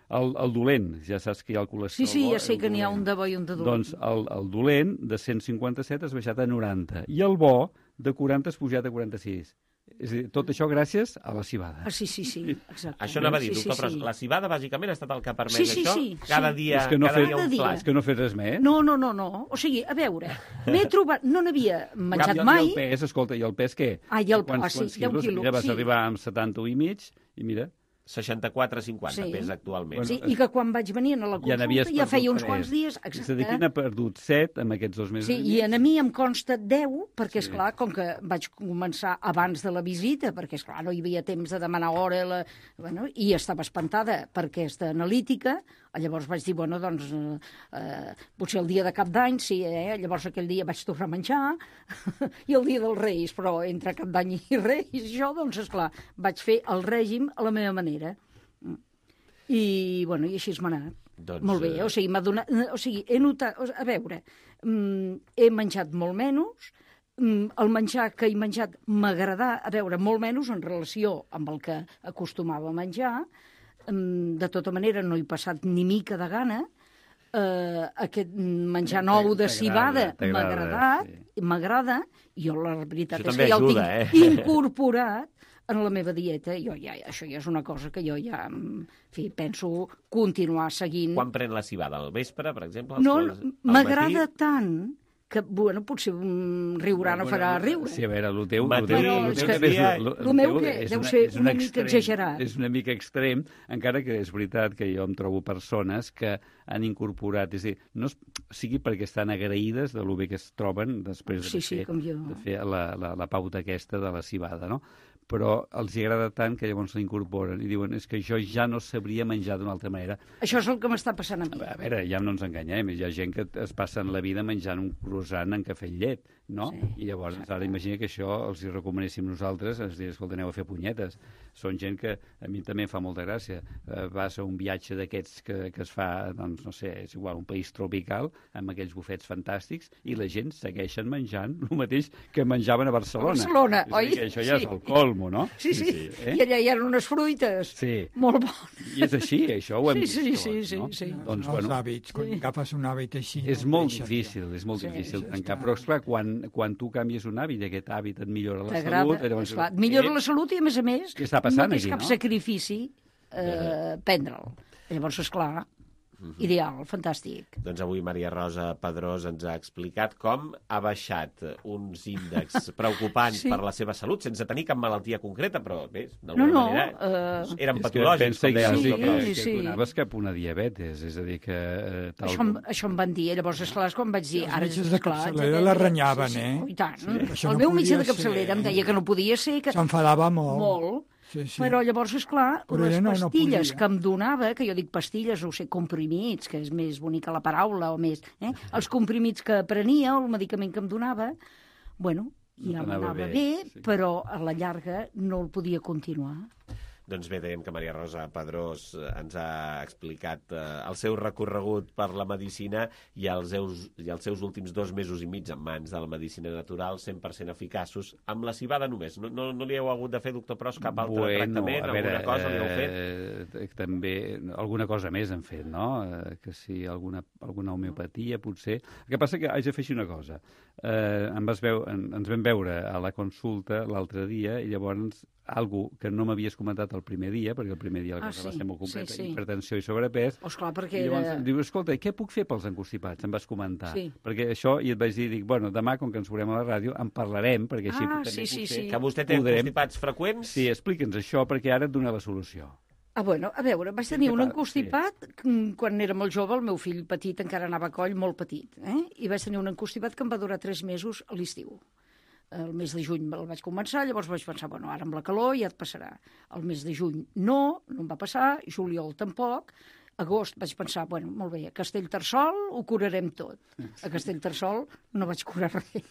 El, el dolent, ja saps que hi ha el colesterol... Sí, sí, ja sé que n'hi ha un de bo i un de dolent. Doncs el, el dolent, de cent cinquanta-set, has baixat a noranta. I el bo, de quaranta, has pujat a quaranta-sis. És a dir, tot això gràcies a la cibada. Ah, sí, sí, sí, exacte. Això anava a dir, sí, doctor, sí, però sí. la cibada bàsicament ha estat el que ha permès sí, sí, això? Sí, cada sí. dia, és que no cada fet, dia un dia. És que no fes res més. No, no, no, no. O sigui, a veure, m'he trobat... No n'havia menjat Cap, mai... I el pes, escolta, i el pes què? Ah, i el quants, ah, sí, quants deu quilos? quilos. Mira, vas sí. arribar amb setanta-u i mig, i mira... seixanta-quatre cinquanta sí. pes actualment. Sí, i que quan vaig venir a la consulta ja, ja feia uns quants dies... Exacte. És a dir, que n'ha perdut set en aquests dos mesos. Sí, i a mi em consta deu, perquè, sí. esclar, com que vaig començar abans de la visita, perquè, esclar, no hi havia temps de demanar hora, la... bueno, i estava espantada per aquesta analítica, llavors vaig dir, bueno, doncs, eh, potser el dia de cap d'any, sí, eh? Llavors aquell dia vaig tornar a menjar, i el dia dels Reis, però entre cap d'any i Reis, això, doncs, esclar, vaig fer el règim a la meva manera. I, bueno, i així m'ha anat. Doncs, molt bé, o sigui, m'ha donat... O sigui, he notat... A veure, he menjat molt menys, el menjar que he menjat m'ha agradat, a veure, molt menys en relació amb el que acostumava a menjar. De tota manera, no he passat ni mica de gana. Uh, aquest menjar nou de cibada m'ha agradat, sí. m'agrada, i jo la veritat això és que ja ajuda, el tinc eh? incorporat en la meva dieta. Jo ja, això ja és una cosa que jo ja, en fi, penso continuar seguint. Quan pren la cibada? Al vespre, per exemple? No, m'agrada tant que, bueno, potser un riurà no farà riure. Sí, a veure, el teu... el teu, el teu, el meu que deu ser una mica exagerat. És una mica extrem, encara que és veritat que jo em trobo persones que han incorporat, és a dir, no sigui perquè estan agraïdes de lo bé que es troben després de, sí, sí, fer, com jo. de fer la, la, la pauta aquesta de la cibada, no? Però els hi agrada tant que llavors l'incorporen i diuen és que jo ja no sabria menjar d'una altra manera. Això és el que m'està passant a mi. A veure, ja no ens enganyem, hi ha gent que es passen la vida menjant un croissant en cafè i llet, no? Sí. I llavors, ara imagina que això els hi recomanéssim nosaltres, ens diuen, escolta, aneu a fer punyetes. Són gent que a mi també em fa molta gràcia. Uh, vas a un viatge d'aquests que, que es fa, doncs, no sé, és igual, un país tropical, amb aquells bufets fantàstics, i la gent segueixen menjant el mateix que menjaven a Barcelona. Barcelona, és oi? Que això ja sí. és el colmo, no? Sí, sí, sí. Eh? I allà hi ha unes fruites sí. molt bones. I és així, això ho hem sí, sí, vist sí, tots, sí, no? sí. Doncs, els bueno, hàbits, quan sí. agafes un hàbit així... És no molt deixes, difícil, és molt sí, difícil sí, tancar, està... però esclar, quan, quan tu canvies un hàbit i aquest hàbit et millora la salut... Llavors, esclar, et millora la salut i, a més a més, què està passant no tens aquí, cap no? sacrifici eh, prendre'l. Llavors, esclar, Uh-huh. Ideal, fantàstic. Doncs avui Maria Rosa Pedrós ens ha explicat com ha baixat uns índexs preocupants sí. per la seva salut, sense tenir cap malaltia concreta, però bé, d'alguna no, no, manera uh... eren és patològics. Que com sí, però... sí, sí. que donaves cap una diabetes, és a dir que... Eh, tal això, com... això em van dir, llavors, esclar, quan vaig dir... Els ara, metges de esclar, capçalera la renyaven, sí, sí, eh? Oh, i tant. Sí. El No meu metge de ser... capçalera em deia que no podia ser... Que... S'enfadava molt. Molt. Sí, sí. Però llavors, esclar, Però les no, pastilles no que em donava, que jo dic pastilles, o sé, comprimits, que és més bonica la paraula, o més... Eh? Els comprimits que prenia, o el medicament que em donava, bueno, ja no m'anava bé, bé sí. però a la llarga no el podia continuar. Doncs bé, dèiem que Maria Rosa Pedrós ens ha explicat eh, el seu recorregut per la medicina i els, seus, i els seus últims dos mesos i mig en mans de la medicina natural, cent per cent eficaços, amb la cibada només. No, no, no li heu hagut de fer, doctor Pros, cap altre bueno, tractament? Veure, alguna cosa li heu fet? Eh, també, alguna cosa més hem fet, no? Eh, que sí, alguna, alguna homeopatia, potser. El que passa que haig de fer una cosa. Eh, em vas veu, en, ens vam veure a la consulta l'altre dia i llavors algo que no m'havies comentat el primer dia, perquè el primer dia la ah, cosa sí, va ser molt completa, sí, sí. hipertensió i sobrepès. Oh, esclar, perquè I llavors era... em diu, escolta, què puc fer pels encostipats? Em vas comentar. Sí. Perquè això, i et vaig dir, dic, bueno, demà, com que ens veurem a la ràdio, en parlarem, perquè així ah, també sí, sí, potser... sí. Que vostè té podrem... encostipats freqüents? Sí, explica'ns això, perquè ara et dona la solució. Ah, bueno, a veure, vaig tenir un encostipat sí. quan era molt jove, el meu fill petit encara anava a coll, molt petit, eh? I vaig tenir un encostipat que em va durar tres mesos a l'estiu. El mes de juny el vaig començar, llavors vaig pensar, bueno, ara amb la calor ja et passarà. El mes de juny no, no em va passar, juliol tampoc, agost vaig pensar, bueno, molt bé, a Castellterçol ho curarem tot. A Castellterçol no vaig curar res.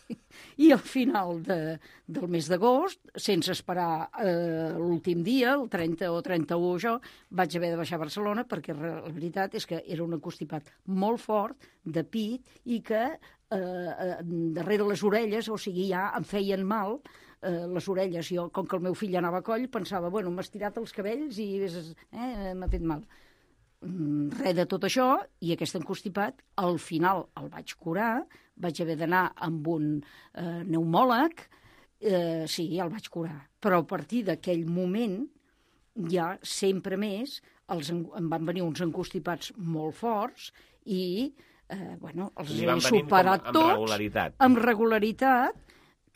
I al final de, del mes d'agost, sense esperar eh, l'últim dia, el trenta o trenta-u jo, vaig haver de baixar a Barcelona perquè la veritat és que era un encostipat molt fort, de pit, i que eh, darrere les orelles, o sigui, ja em feien mal eh, les orelles. Jo, com que el meu fill anava a coll, pensava, bueno, m'ha estirat els cabells i eh, m'ha fet mal. Res de tot això, i aquest encostipat, al final el vaig curar, vaig haver d'anar amb un eh, pneumòleg, eh, sí, el vaig curar. Però a partir d'aquell moment, ja sempre més, els, em van venir uns encostipats molt forts i, eh, bueno, els he superat tots. Amb regularitat. Amb regularitat,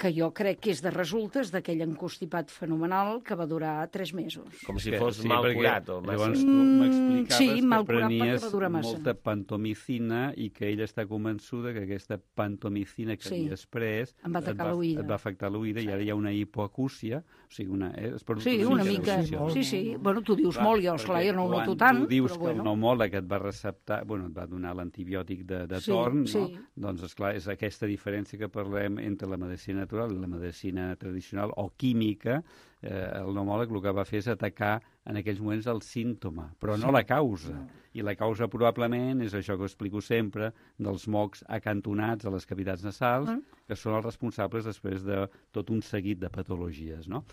que jo crec que és de resultes d'aquell encostipat fenomenal que va durar tres mesos. Com si fos sí, mal curat. O llavors tu m'explicaves sí, que prenies va molta pantomicina i que ella està convençuda que aquesta pantomicina que sí. havies pres em va, et va, et va afectar l'oïda i ara hi ha una hipoacúsia, o sigui, una... Eh, sí, una mica, sí, sí. Bueno, tu dius clar, molt, jo, esclar, jo no ho noto tant, tu dius però que bueno. el pneumòleg et va receptar, bueno, et va donar l'antibiòtic de, de sí, torn, sí. no? Doncs, esclar, és aquesta diferència que parlem entre la medicina natural i la medicina tradicional o química. Eh, el pneumòleg el que va fer és atacar en aquells moments el símptoma, però no la causa. I la causa probablement és això que explico sempre, dels mocs acantonats a les cavitats nasals, que són els responsables després de tot un seguit de patologies, no?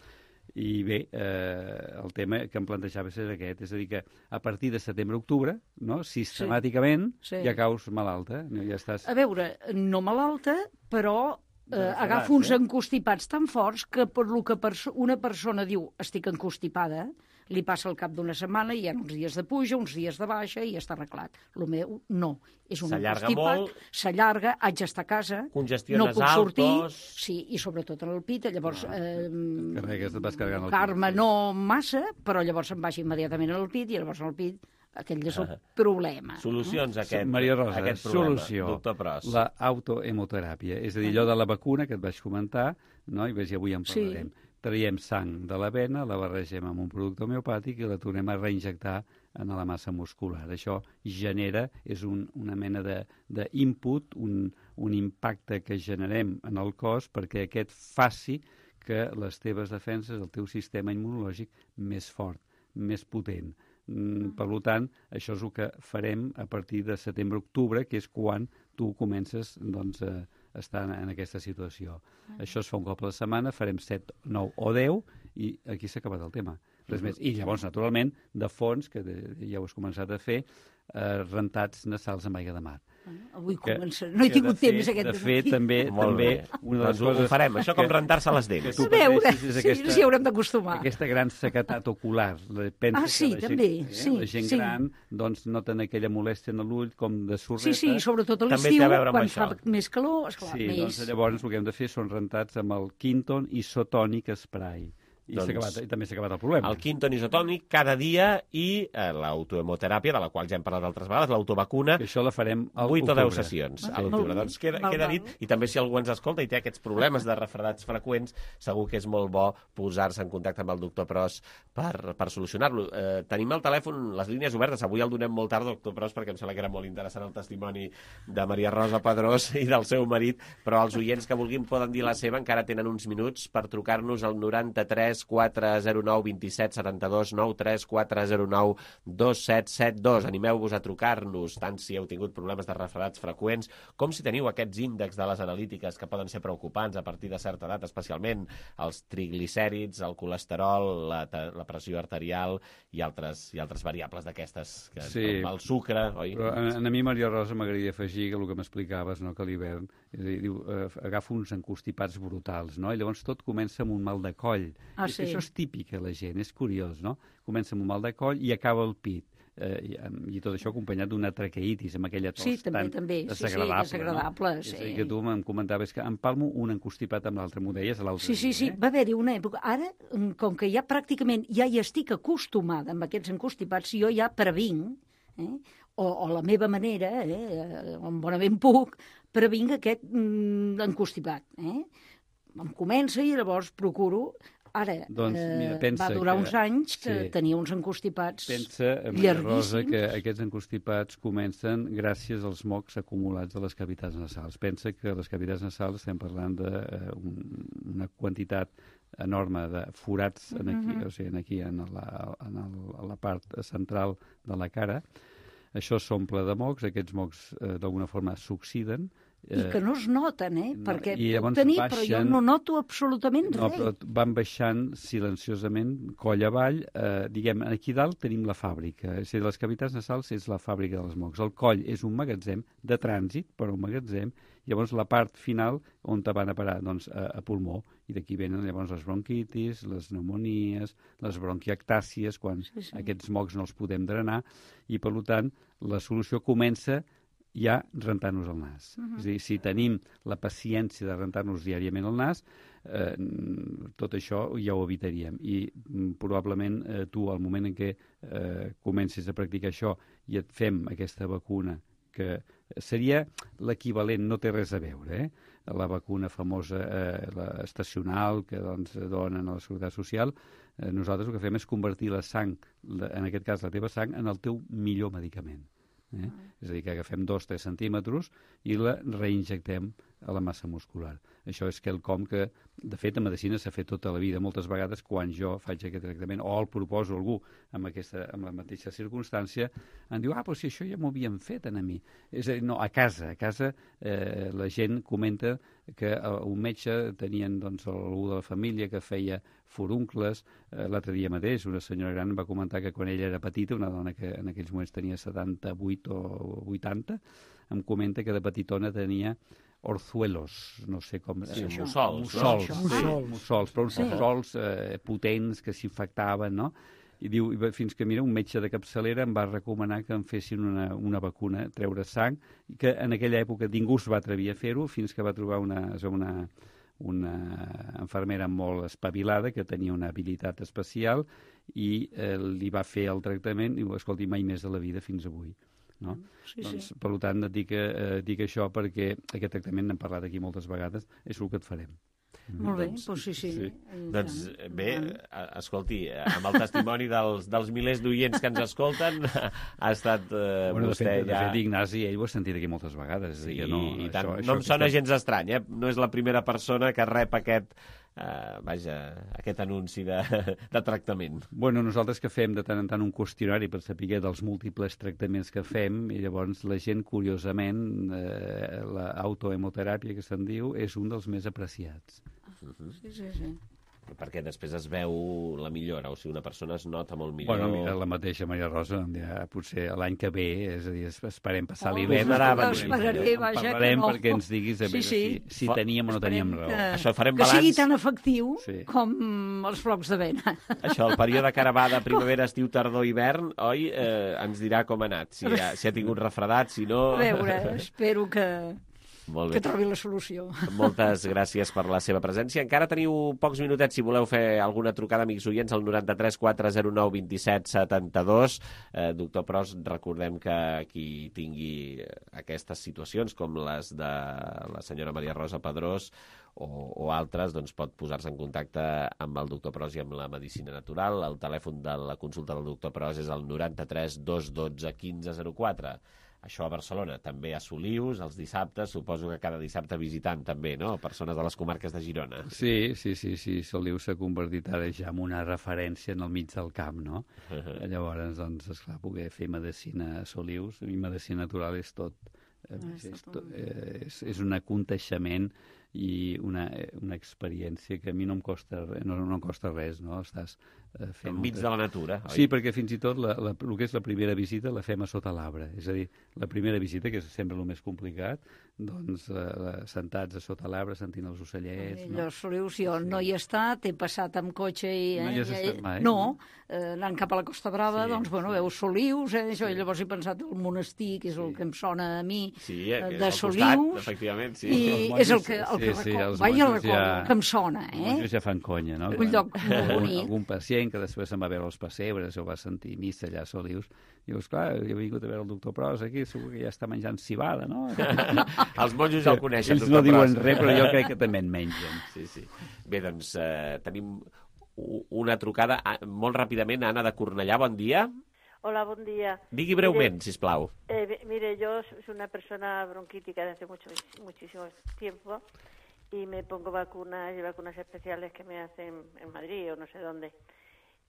I bé, eh, el tema que em plantejava és aquest, és a dir que a partir de setembre-octubre, no, sistemàticament, sí. Sí. ja caus malalta. No? Ja estàs... A veure, no malalta, però eh, agafo uns eh? encostipats tan forts que per lo que perso una persona diu estic encostipada, li passa al cap d'una setmana i hi ha uns dies de puja, uns dies de baixa i ja està arreglat. El meu, no. És un S'allarga constipat, molt. S'allarga, haig d'estar a casa, Congestiones no puc sortir, altos. sí, i sobretot en el pit, llavors... Eh, Carregues, et vas carregant el Carme pit. no massa, però llavors em baixa immediatament al pit i llavors al pit aquell és el problema. Solucions a aquest, Maria Rosa, aquest problema, solució, doctor Pros. la autohemoteràpia. És a dir, allò de la vacuna que et vaig comentar, no? I ves, avui en parlarem. Sí. Traiem sang de la vena, la barregem amb un producte homeopàtic i la tornem a reinjectar en la massa muscular. Això genera, és un, una mena d'input, un, un impacte que generem en el cos perquè aquest faci que les teves defenses, el teu sistema immunològic, més fort, més potent. Mm, per tant, això és el que farem a partir de setembre-octubre, que és quan tu comences doncs, a estar en, en aquesta situació. Ah. Això es fa un cop a la setmana, farem set, nou o deu, i aquí s'ha acabat el tema. Res més. I llavors, naturalment, de fons, que de, ja ho has començat a fer, eh, rentats nasals amb aigua de mar. Avui comença... No he tingut temps fet, aquest De fet, també, també una de les doncs coses... ho farem, això com rentar-se les dents. Que tu A veure, pateixis és sí, aquesta, sí, haurem d'acostumar. Aquesta gran sequedat ocular. Pensa Ah, sí, que la també, gent, sí, La gent sí. gran doncs, noten aquella molèstia en l'ull com de sorreta. Sí, sí, sobretot a També té l'estiu, a veure amb quan això. fa més calor, esclar, Sí, més... doncs llavors el que hem de fer són rentats amb el Quinton Isotonic Spray. I, Doncs- s'ha acabat, I també s'ha acabat el problema. El Quinton isotònic cada dia i eh, l'autohemoteràpia, de la qual ja hem parlat altres vegades, l'autovacuna. I això la farem al vuit o deu octubre. sessions Ah, a l'octubre. molt Doncs queda, val, queda val. dit. I també si algú ens escolta i té aquests problemes de refredats freqüents, segur que és molt bo posar-se en contacte amb el doctor Pros per, per solucionar-lo. Eh, tenim el telèfon, les línies obertes. Avui el donem molt tard, doctor Pros, perquè em sembla que era molt interessant el testimoni de Maria Rosa Pedrós i del seu marit, però els oients que vulguin poden dir la seva, encara tenen uns minuts per trucar-nos al noranta-tres quatre zero nou vint set setanta-dos nou tres quatre zero nou dos set set dos. Animeu-vos a trucar-nos, tant si heu tingut problemes de refredats freqüents, com si teniu aquests índexs de les analítiques que poden ser preocupants a partir de certa edat, especialment els triglicèrids, el colesterol, la, la pressió arterial i altres, i altres variables d'aquestes, que Sí. el sucre, oi? Però a, a mi, Maria Rosa, m'agradaria afegir que el que m'explicaves, no, que a l'hivern, és a dir, diu, eh, agafa uns encostipats brutals, no? I llavors tot comença amb un mal de coll. Ah, I sí. Això és típic a la gent, és curiós, no? Comença amb un mal de coll i acaba el pit. Eh, i, I tot això acompanyat d'una traqueitis, amb aquella tos Sí, també, tan també. Sí, sí, desagradable. desagradable, no? sí. És a dir, que tu em comentaves que empalmo un encostipat amb l'altre, m'ho deies l'altre Sí, sí, sí, dia, eh? va haver-hi una època. Ara, mm, com que ja pràcticament ja hi estic acostumada amb aquests encostipats, jo ja previnc, eh? o, o la meva manera, eh? on bonament puc, previnc aquest mm, encostipat. Eh? Em comença i llavors procuro... Ara, Doncs, mira, pensa va durar que- uns anys que sí. tenia uns encostipats Pensa, Maria Rosa, llarguíssims. que aquests encostipats comencen gràcies als mocs acumulats a les cavitats nasals. Pensa que les cavitats nasals estem parlant d'una un, una quantitat enorme de forats en aquí, Mhm. o sigui, en aquí en la, en el, a la part central de la cara. Això s'omple de mocs, aquests mocs eh, d'alguna forma s'oxiden. I que no es noten, eh? no, Perquè i puc llavors tenir, però jo baixen- no noto absolutament No, res. però van baixant silenciosament, coll avall. Eh, diguem, aquí dalt tenim la fàbrica. És a dir, les cavitats nasals és la fàbrica dels mocs. El coll és un magatzem de trànsit, però un magatzem. Llavors, la part final, on te van a parar? Doncs a, a pulmó. I d'aquí venen llavors les bronquitis, les pneumonies, les bronquiectàcies, quan Sí, sí. aquests mocs no els podem drenar. I, per tant, la solució comença ja rentar-nos el nas. Mhm. És a dir, si tenim la paciència de rentar-nos diàriament el nas, eh, tot això ja ho evitaríem. I mm, probablement eh, tu, al moment en què eh, comencis a practicar això i et fem aquesta vacuna, que seria l'equivalent, no té res a veure, eh? La vacuna famosa, eh, la estacional, que doncs, donen a la Seguretat Social, eh, nosaltres el que fem és convertir la sang, la, en aquest cas la teva sang, en el teu millor medicament. Eh? Ah. És a dir, que agafem dos o tres centímetres i la reinjectem a la massa muscular. Això és quelcom que, de fet, a medicina s'ha fet tota la vida. Moltes vegades, quan jo faig aquest tractament, o el proposo a algú amb, aquesta, amb la mateixa circumstància, em diu, ah, però si això ja m'ho havien fet a mi. És a dir, no, a casa. A casa eh, la gent comenta que eh, un metge tenien doncs, algú de la família que feia furuncles. Eh, L'altre dia mateix una senyora gran va comentar que quan ella era petita, una dona que en aquells moments tenia setanta-vuit o vuitanta, em comenta que de petitona tenia orzuelos, no sé com... Sí, eh, mussols. Mussols, No? sí, Mussols. mussols, però uns Sí. mussols eh, potents que s'infectaven, no? I diu, fins que, mira, un metge de capçalera em va recomanar que em fessin una, una vacuna, treure sang, i que en aquella època ningú es va atrevir a fer-ho fins que va trobar una, una, una infermera molt espavilada que tenia una habilitat especial i eh, li va fer el tractament i diu, escolti, mai més de la vida fins avui. No? Sí, doncs, sí. Per tant, et dic, eh, dic això perquè aquest tractament, n'hem parlat aquí moltes vegades, és el que et farem. Molt bé, doncs, doncs sí, sí. sí. Doncs bé, escolti, amb el testimoni dels, dels milers d'oients que ens escolten, ha estat eh, bueno, vostè de fet, ja... De fet, Ignasi, ell ho ha sentit aquí moltes vegades. Sí, no, i tant. Això, no això em sona estem... gens estrany, eh? No és la primera persona que rep aquest, eh, vaja, aquest anunci de, de tractament. Bueno, nosaltres que fem de tant en tant un qüestionari per saber dels múltiples tractaments que fem, i llavors la gent, curiosament, eh, l'autohemoteràpia que se'n diu, és un dels més apreciats. Uh-huh. Sí, sí, sí. Perquè després es veu la millora, o sigui, una persona es nota molt millor. Bueno, mira, la mateixa Maria Rosa, ja, potser l'any que ve, és a dir, esperem passar Oh, l'hivern. no, esperaré, vaja, que parlarem no. perquè ens diguis a Sí, veure sí. si, si teníem o no teníem raó. Que, Això farem que balanç. sigui tan efectiu Sí. com els flocs d'avena. Això, el període que ara va de primavera, estiu, tardor, hivern, oi? Eh, ens dirà com ha anat, si ha, si ha tingut refredat, si no... A veure, espero que... Molt bé. que trobi la solució. Moltes gràcies per la seva presència. Encara teniu pocs minutets si voleu fer alguna trucada, amics oients, al noranta-tres quatre zero nou vint set setanta-dos. Eh, doctor Pros, recordem que qui tingui aquestes situacions, com les de la senyora Maria Rosa Pedrós o, o altres, doncs pot posar-se en contacte amb el doctor Pros i amb la medicina natural. El telèfon de la consulta del doctor Pros és el noranta-tres dos dotze quinze zero quatre. Això a Barcelona, també a Solius, els dissabtes, suposo que cada dissabte visitant també, no? Persones de les comarques de Girona. Sí, sí, sí, sí. Solius s'ha convertit ara ja en una referència en el mig del camp, no? Uh-huh. Llavors, doncs, esclar, poder fer medicina a Solius, i medicina natural és tot. Eh, Ah, és, és tot eh, és, és un aconteixement i una, una experiència que a mi no em costa, no, no em costa res, no? Estàs eh, fent... Enmig de la natura, oi? Sí, perquè fins i tot la, la, el que és la primera visita la fem a sota l'arbre. És a dir, la primera visita, que és sempre el més complicat, doncs la, la, sentats a sota l'arbre, sentint els ocellets... Eh, No? Allò, Solius, jo no hi he estat, he passat amb cotxe i... No hi has eh, estat mai? No, eh, anant cap a la Costa Brava, Sí, doncs, bueno, sí. veus Solius, eh, això, i llavors he pensat el monestir, que és el que em sona a mi, Sí, eh, que és de al costat, Solius, efectivament, sí. i Els és el monjos, que, el que sí, sí, recordo, els vaja, monjos recordo, ja- que em sona, Els eh? monjos ja fan conya, no? Un lloc molt Algun, bonic. algun pacient que després se'n va veure els pessebres o va sentir missa allà a Solius, i dius, clar, jo he vingut a veure el doctor Pros aquí, segur que ja està menjant cibada, no? Els monjos ja el coneixen, Ells doctor no diuen Pros. res, però jo crec que també en mengen. Sí, sí. Bé, doncs eh, tenim u- una trucada ah, molt ràpidament. Anna de Cornellà, bon dia. Hola, buen día. Digui breument, sisplau. Eh, mire, yo soy una persona bronquítica desde mucho, muchísimo tiempo y me pongo vacunas y vacunas especiales que me hacen en Madrid o no sé dónde.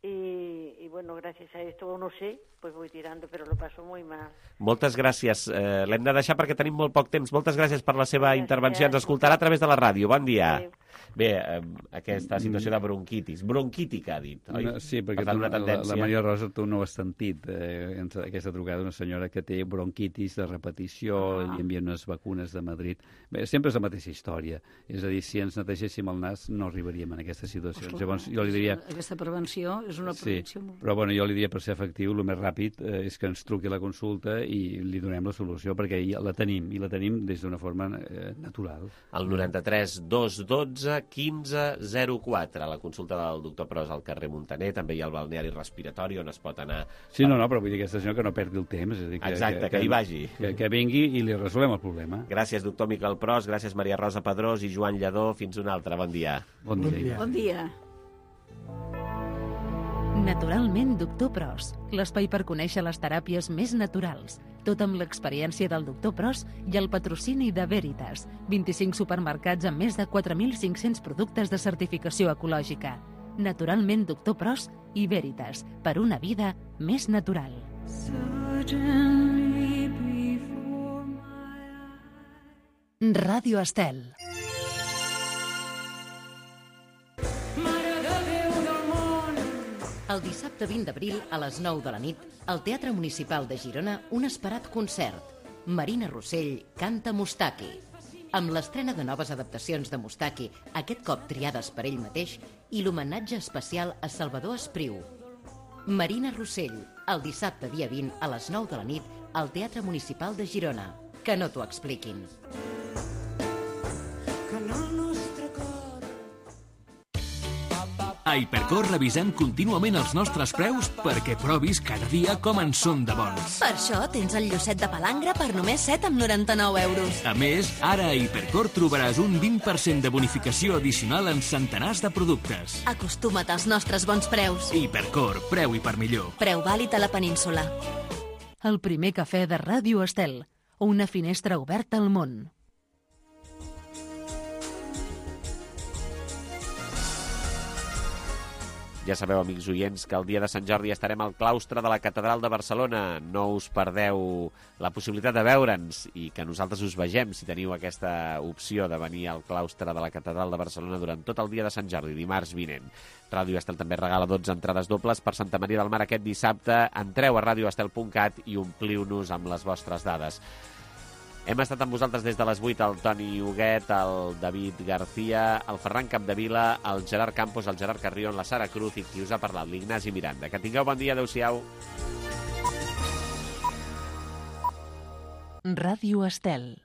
Y, y bueno, gracias a esto, o no sé, pues voy tirando, pero lo paso muy mal. Moltes gràcies. Eh, L'hem de deixar perquè tenim molt poc temps. Moltes gràcies per la seva Gràcies. intervenció. Ens escoltarà a través de la ràdio. Bon dia. Adéu. Bé, eh, aquesta situació de bronquitis. Bronquítica, ha dit, oi? No, sí, perquè Per tant, tu, una la, tendència... la Maria Rosa tu no ho has sentit, eh, en aquesta trucada d'una senyora que té bronquitis de repetició, Ah. li envien unes vacunes de Madrid. Bé, sempre és la mateixa història. És a dir, si ens netegéssim el nas no arribaríem en aquestes situacions. Ostres, Llavors, jo li diria... Aquesta prevenció és una Sí, prevenció molt... però bueno, jo li diria per ser efectiu, el més ràpid eh, és que ens truqui a la consulta i li donem la solució, perquè ja la tenim, i la tenim des d'una forma eh, natural. El noranta-tres dos dotze quinze zero quatre, la consulta del doctor Pros al carrer Montaner, també hi ha el balneari respiratori on es pot anar... Sí, no, no, però vull dir aquesta senyora que no perdi el temps. És a dir, que, Exacte, que hi vagi. Que, que vingui i li resolem el problema. Gràcies, doctor Miquel Pros, gràcies Maria Rosa Pedrós i Joan Lledó. Fins una altra. Bon dia. Bon dia. Bon dia. Naturalment, doctor Pros, l'espai per conèixer les teràpies més naturals. Tot amb l'experiència del doctor Pros i el patrocini de Veritas. vint-i-cinc supermercats amb més de quatre mil cinc-cents productes de certificació ecològica. Naturalment, doctor Pros i Veritas, per una vida més natural. Ràdio Estel. El dissabte vint d'abril, a les nou de la nit, al Teatre Municipal de Girona, un esperat concert. Marina Rossell canta Mustaki. Amb l'estrena de noves adaptacions de Mustaki, aquest cop triades per ell mateix, i l'homenatge especial a Salvador Espriu. Marina Rossell, el dissabte dia vint a les nou de la nit al Teatre Municipal de Girona. Que no t'ho expliquin. A Hipercor revisem contínuament els nostres preus perquè provis cada dia com en són de bons. Per això tens el lloset de palangre per només set coma noranta-nou euros. A més, ara a Hipercor trobaràs un vint per cent de bonificació addicional en centenars de productes. Acostuma't als nostres bons preus. Hipercor, preu i per millor. Preu vàlid a la península. El primer cafè de Ràdio Estel. Una finestra oberta al món. Ja sabeu, amics oients, que el dia de Sant Jordi estarem al claustre de la Catedral de Barcelona. No us perdeu la possibilitat de veure'ns i que nosaltres us vegem, si teniu aquesta opció de venir al claustre de la Catedral de Barcelona durant tot el dia de Sant Jordi, dimarts vinent. Ràdio Estel també regala dotze entrades dobles per Santa Maria del Mar aquest dissabte. Entreu a radioestel punt cat i ompliu-nos amb les vostres dades. Hem estat amb vosaltres des de les vuit, el Toni Huguet, el David García, el Ferran Capdevila, el Gerard Campos, el Gerard Carrion, la Sara Cruz i qui us ha parlat, l'Ignasi Miranda. Que tingueu bon dia, adeu-siau. Ràdio Estel.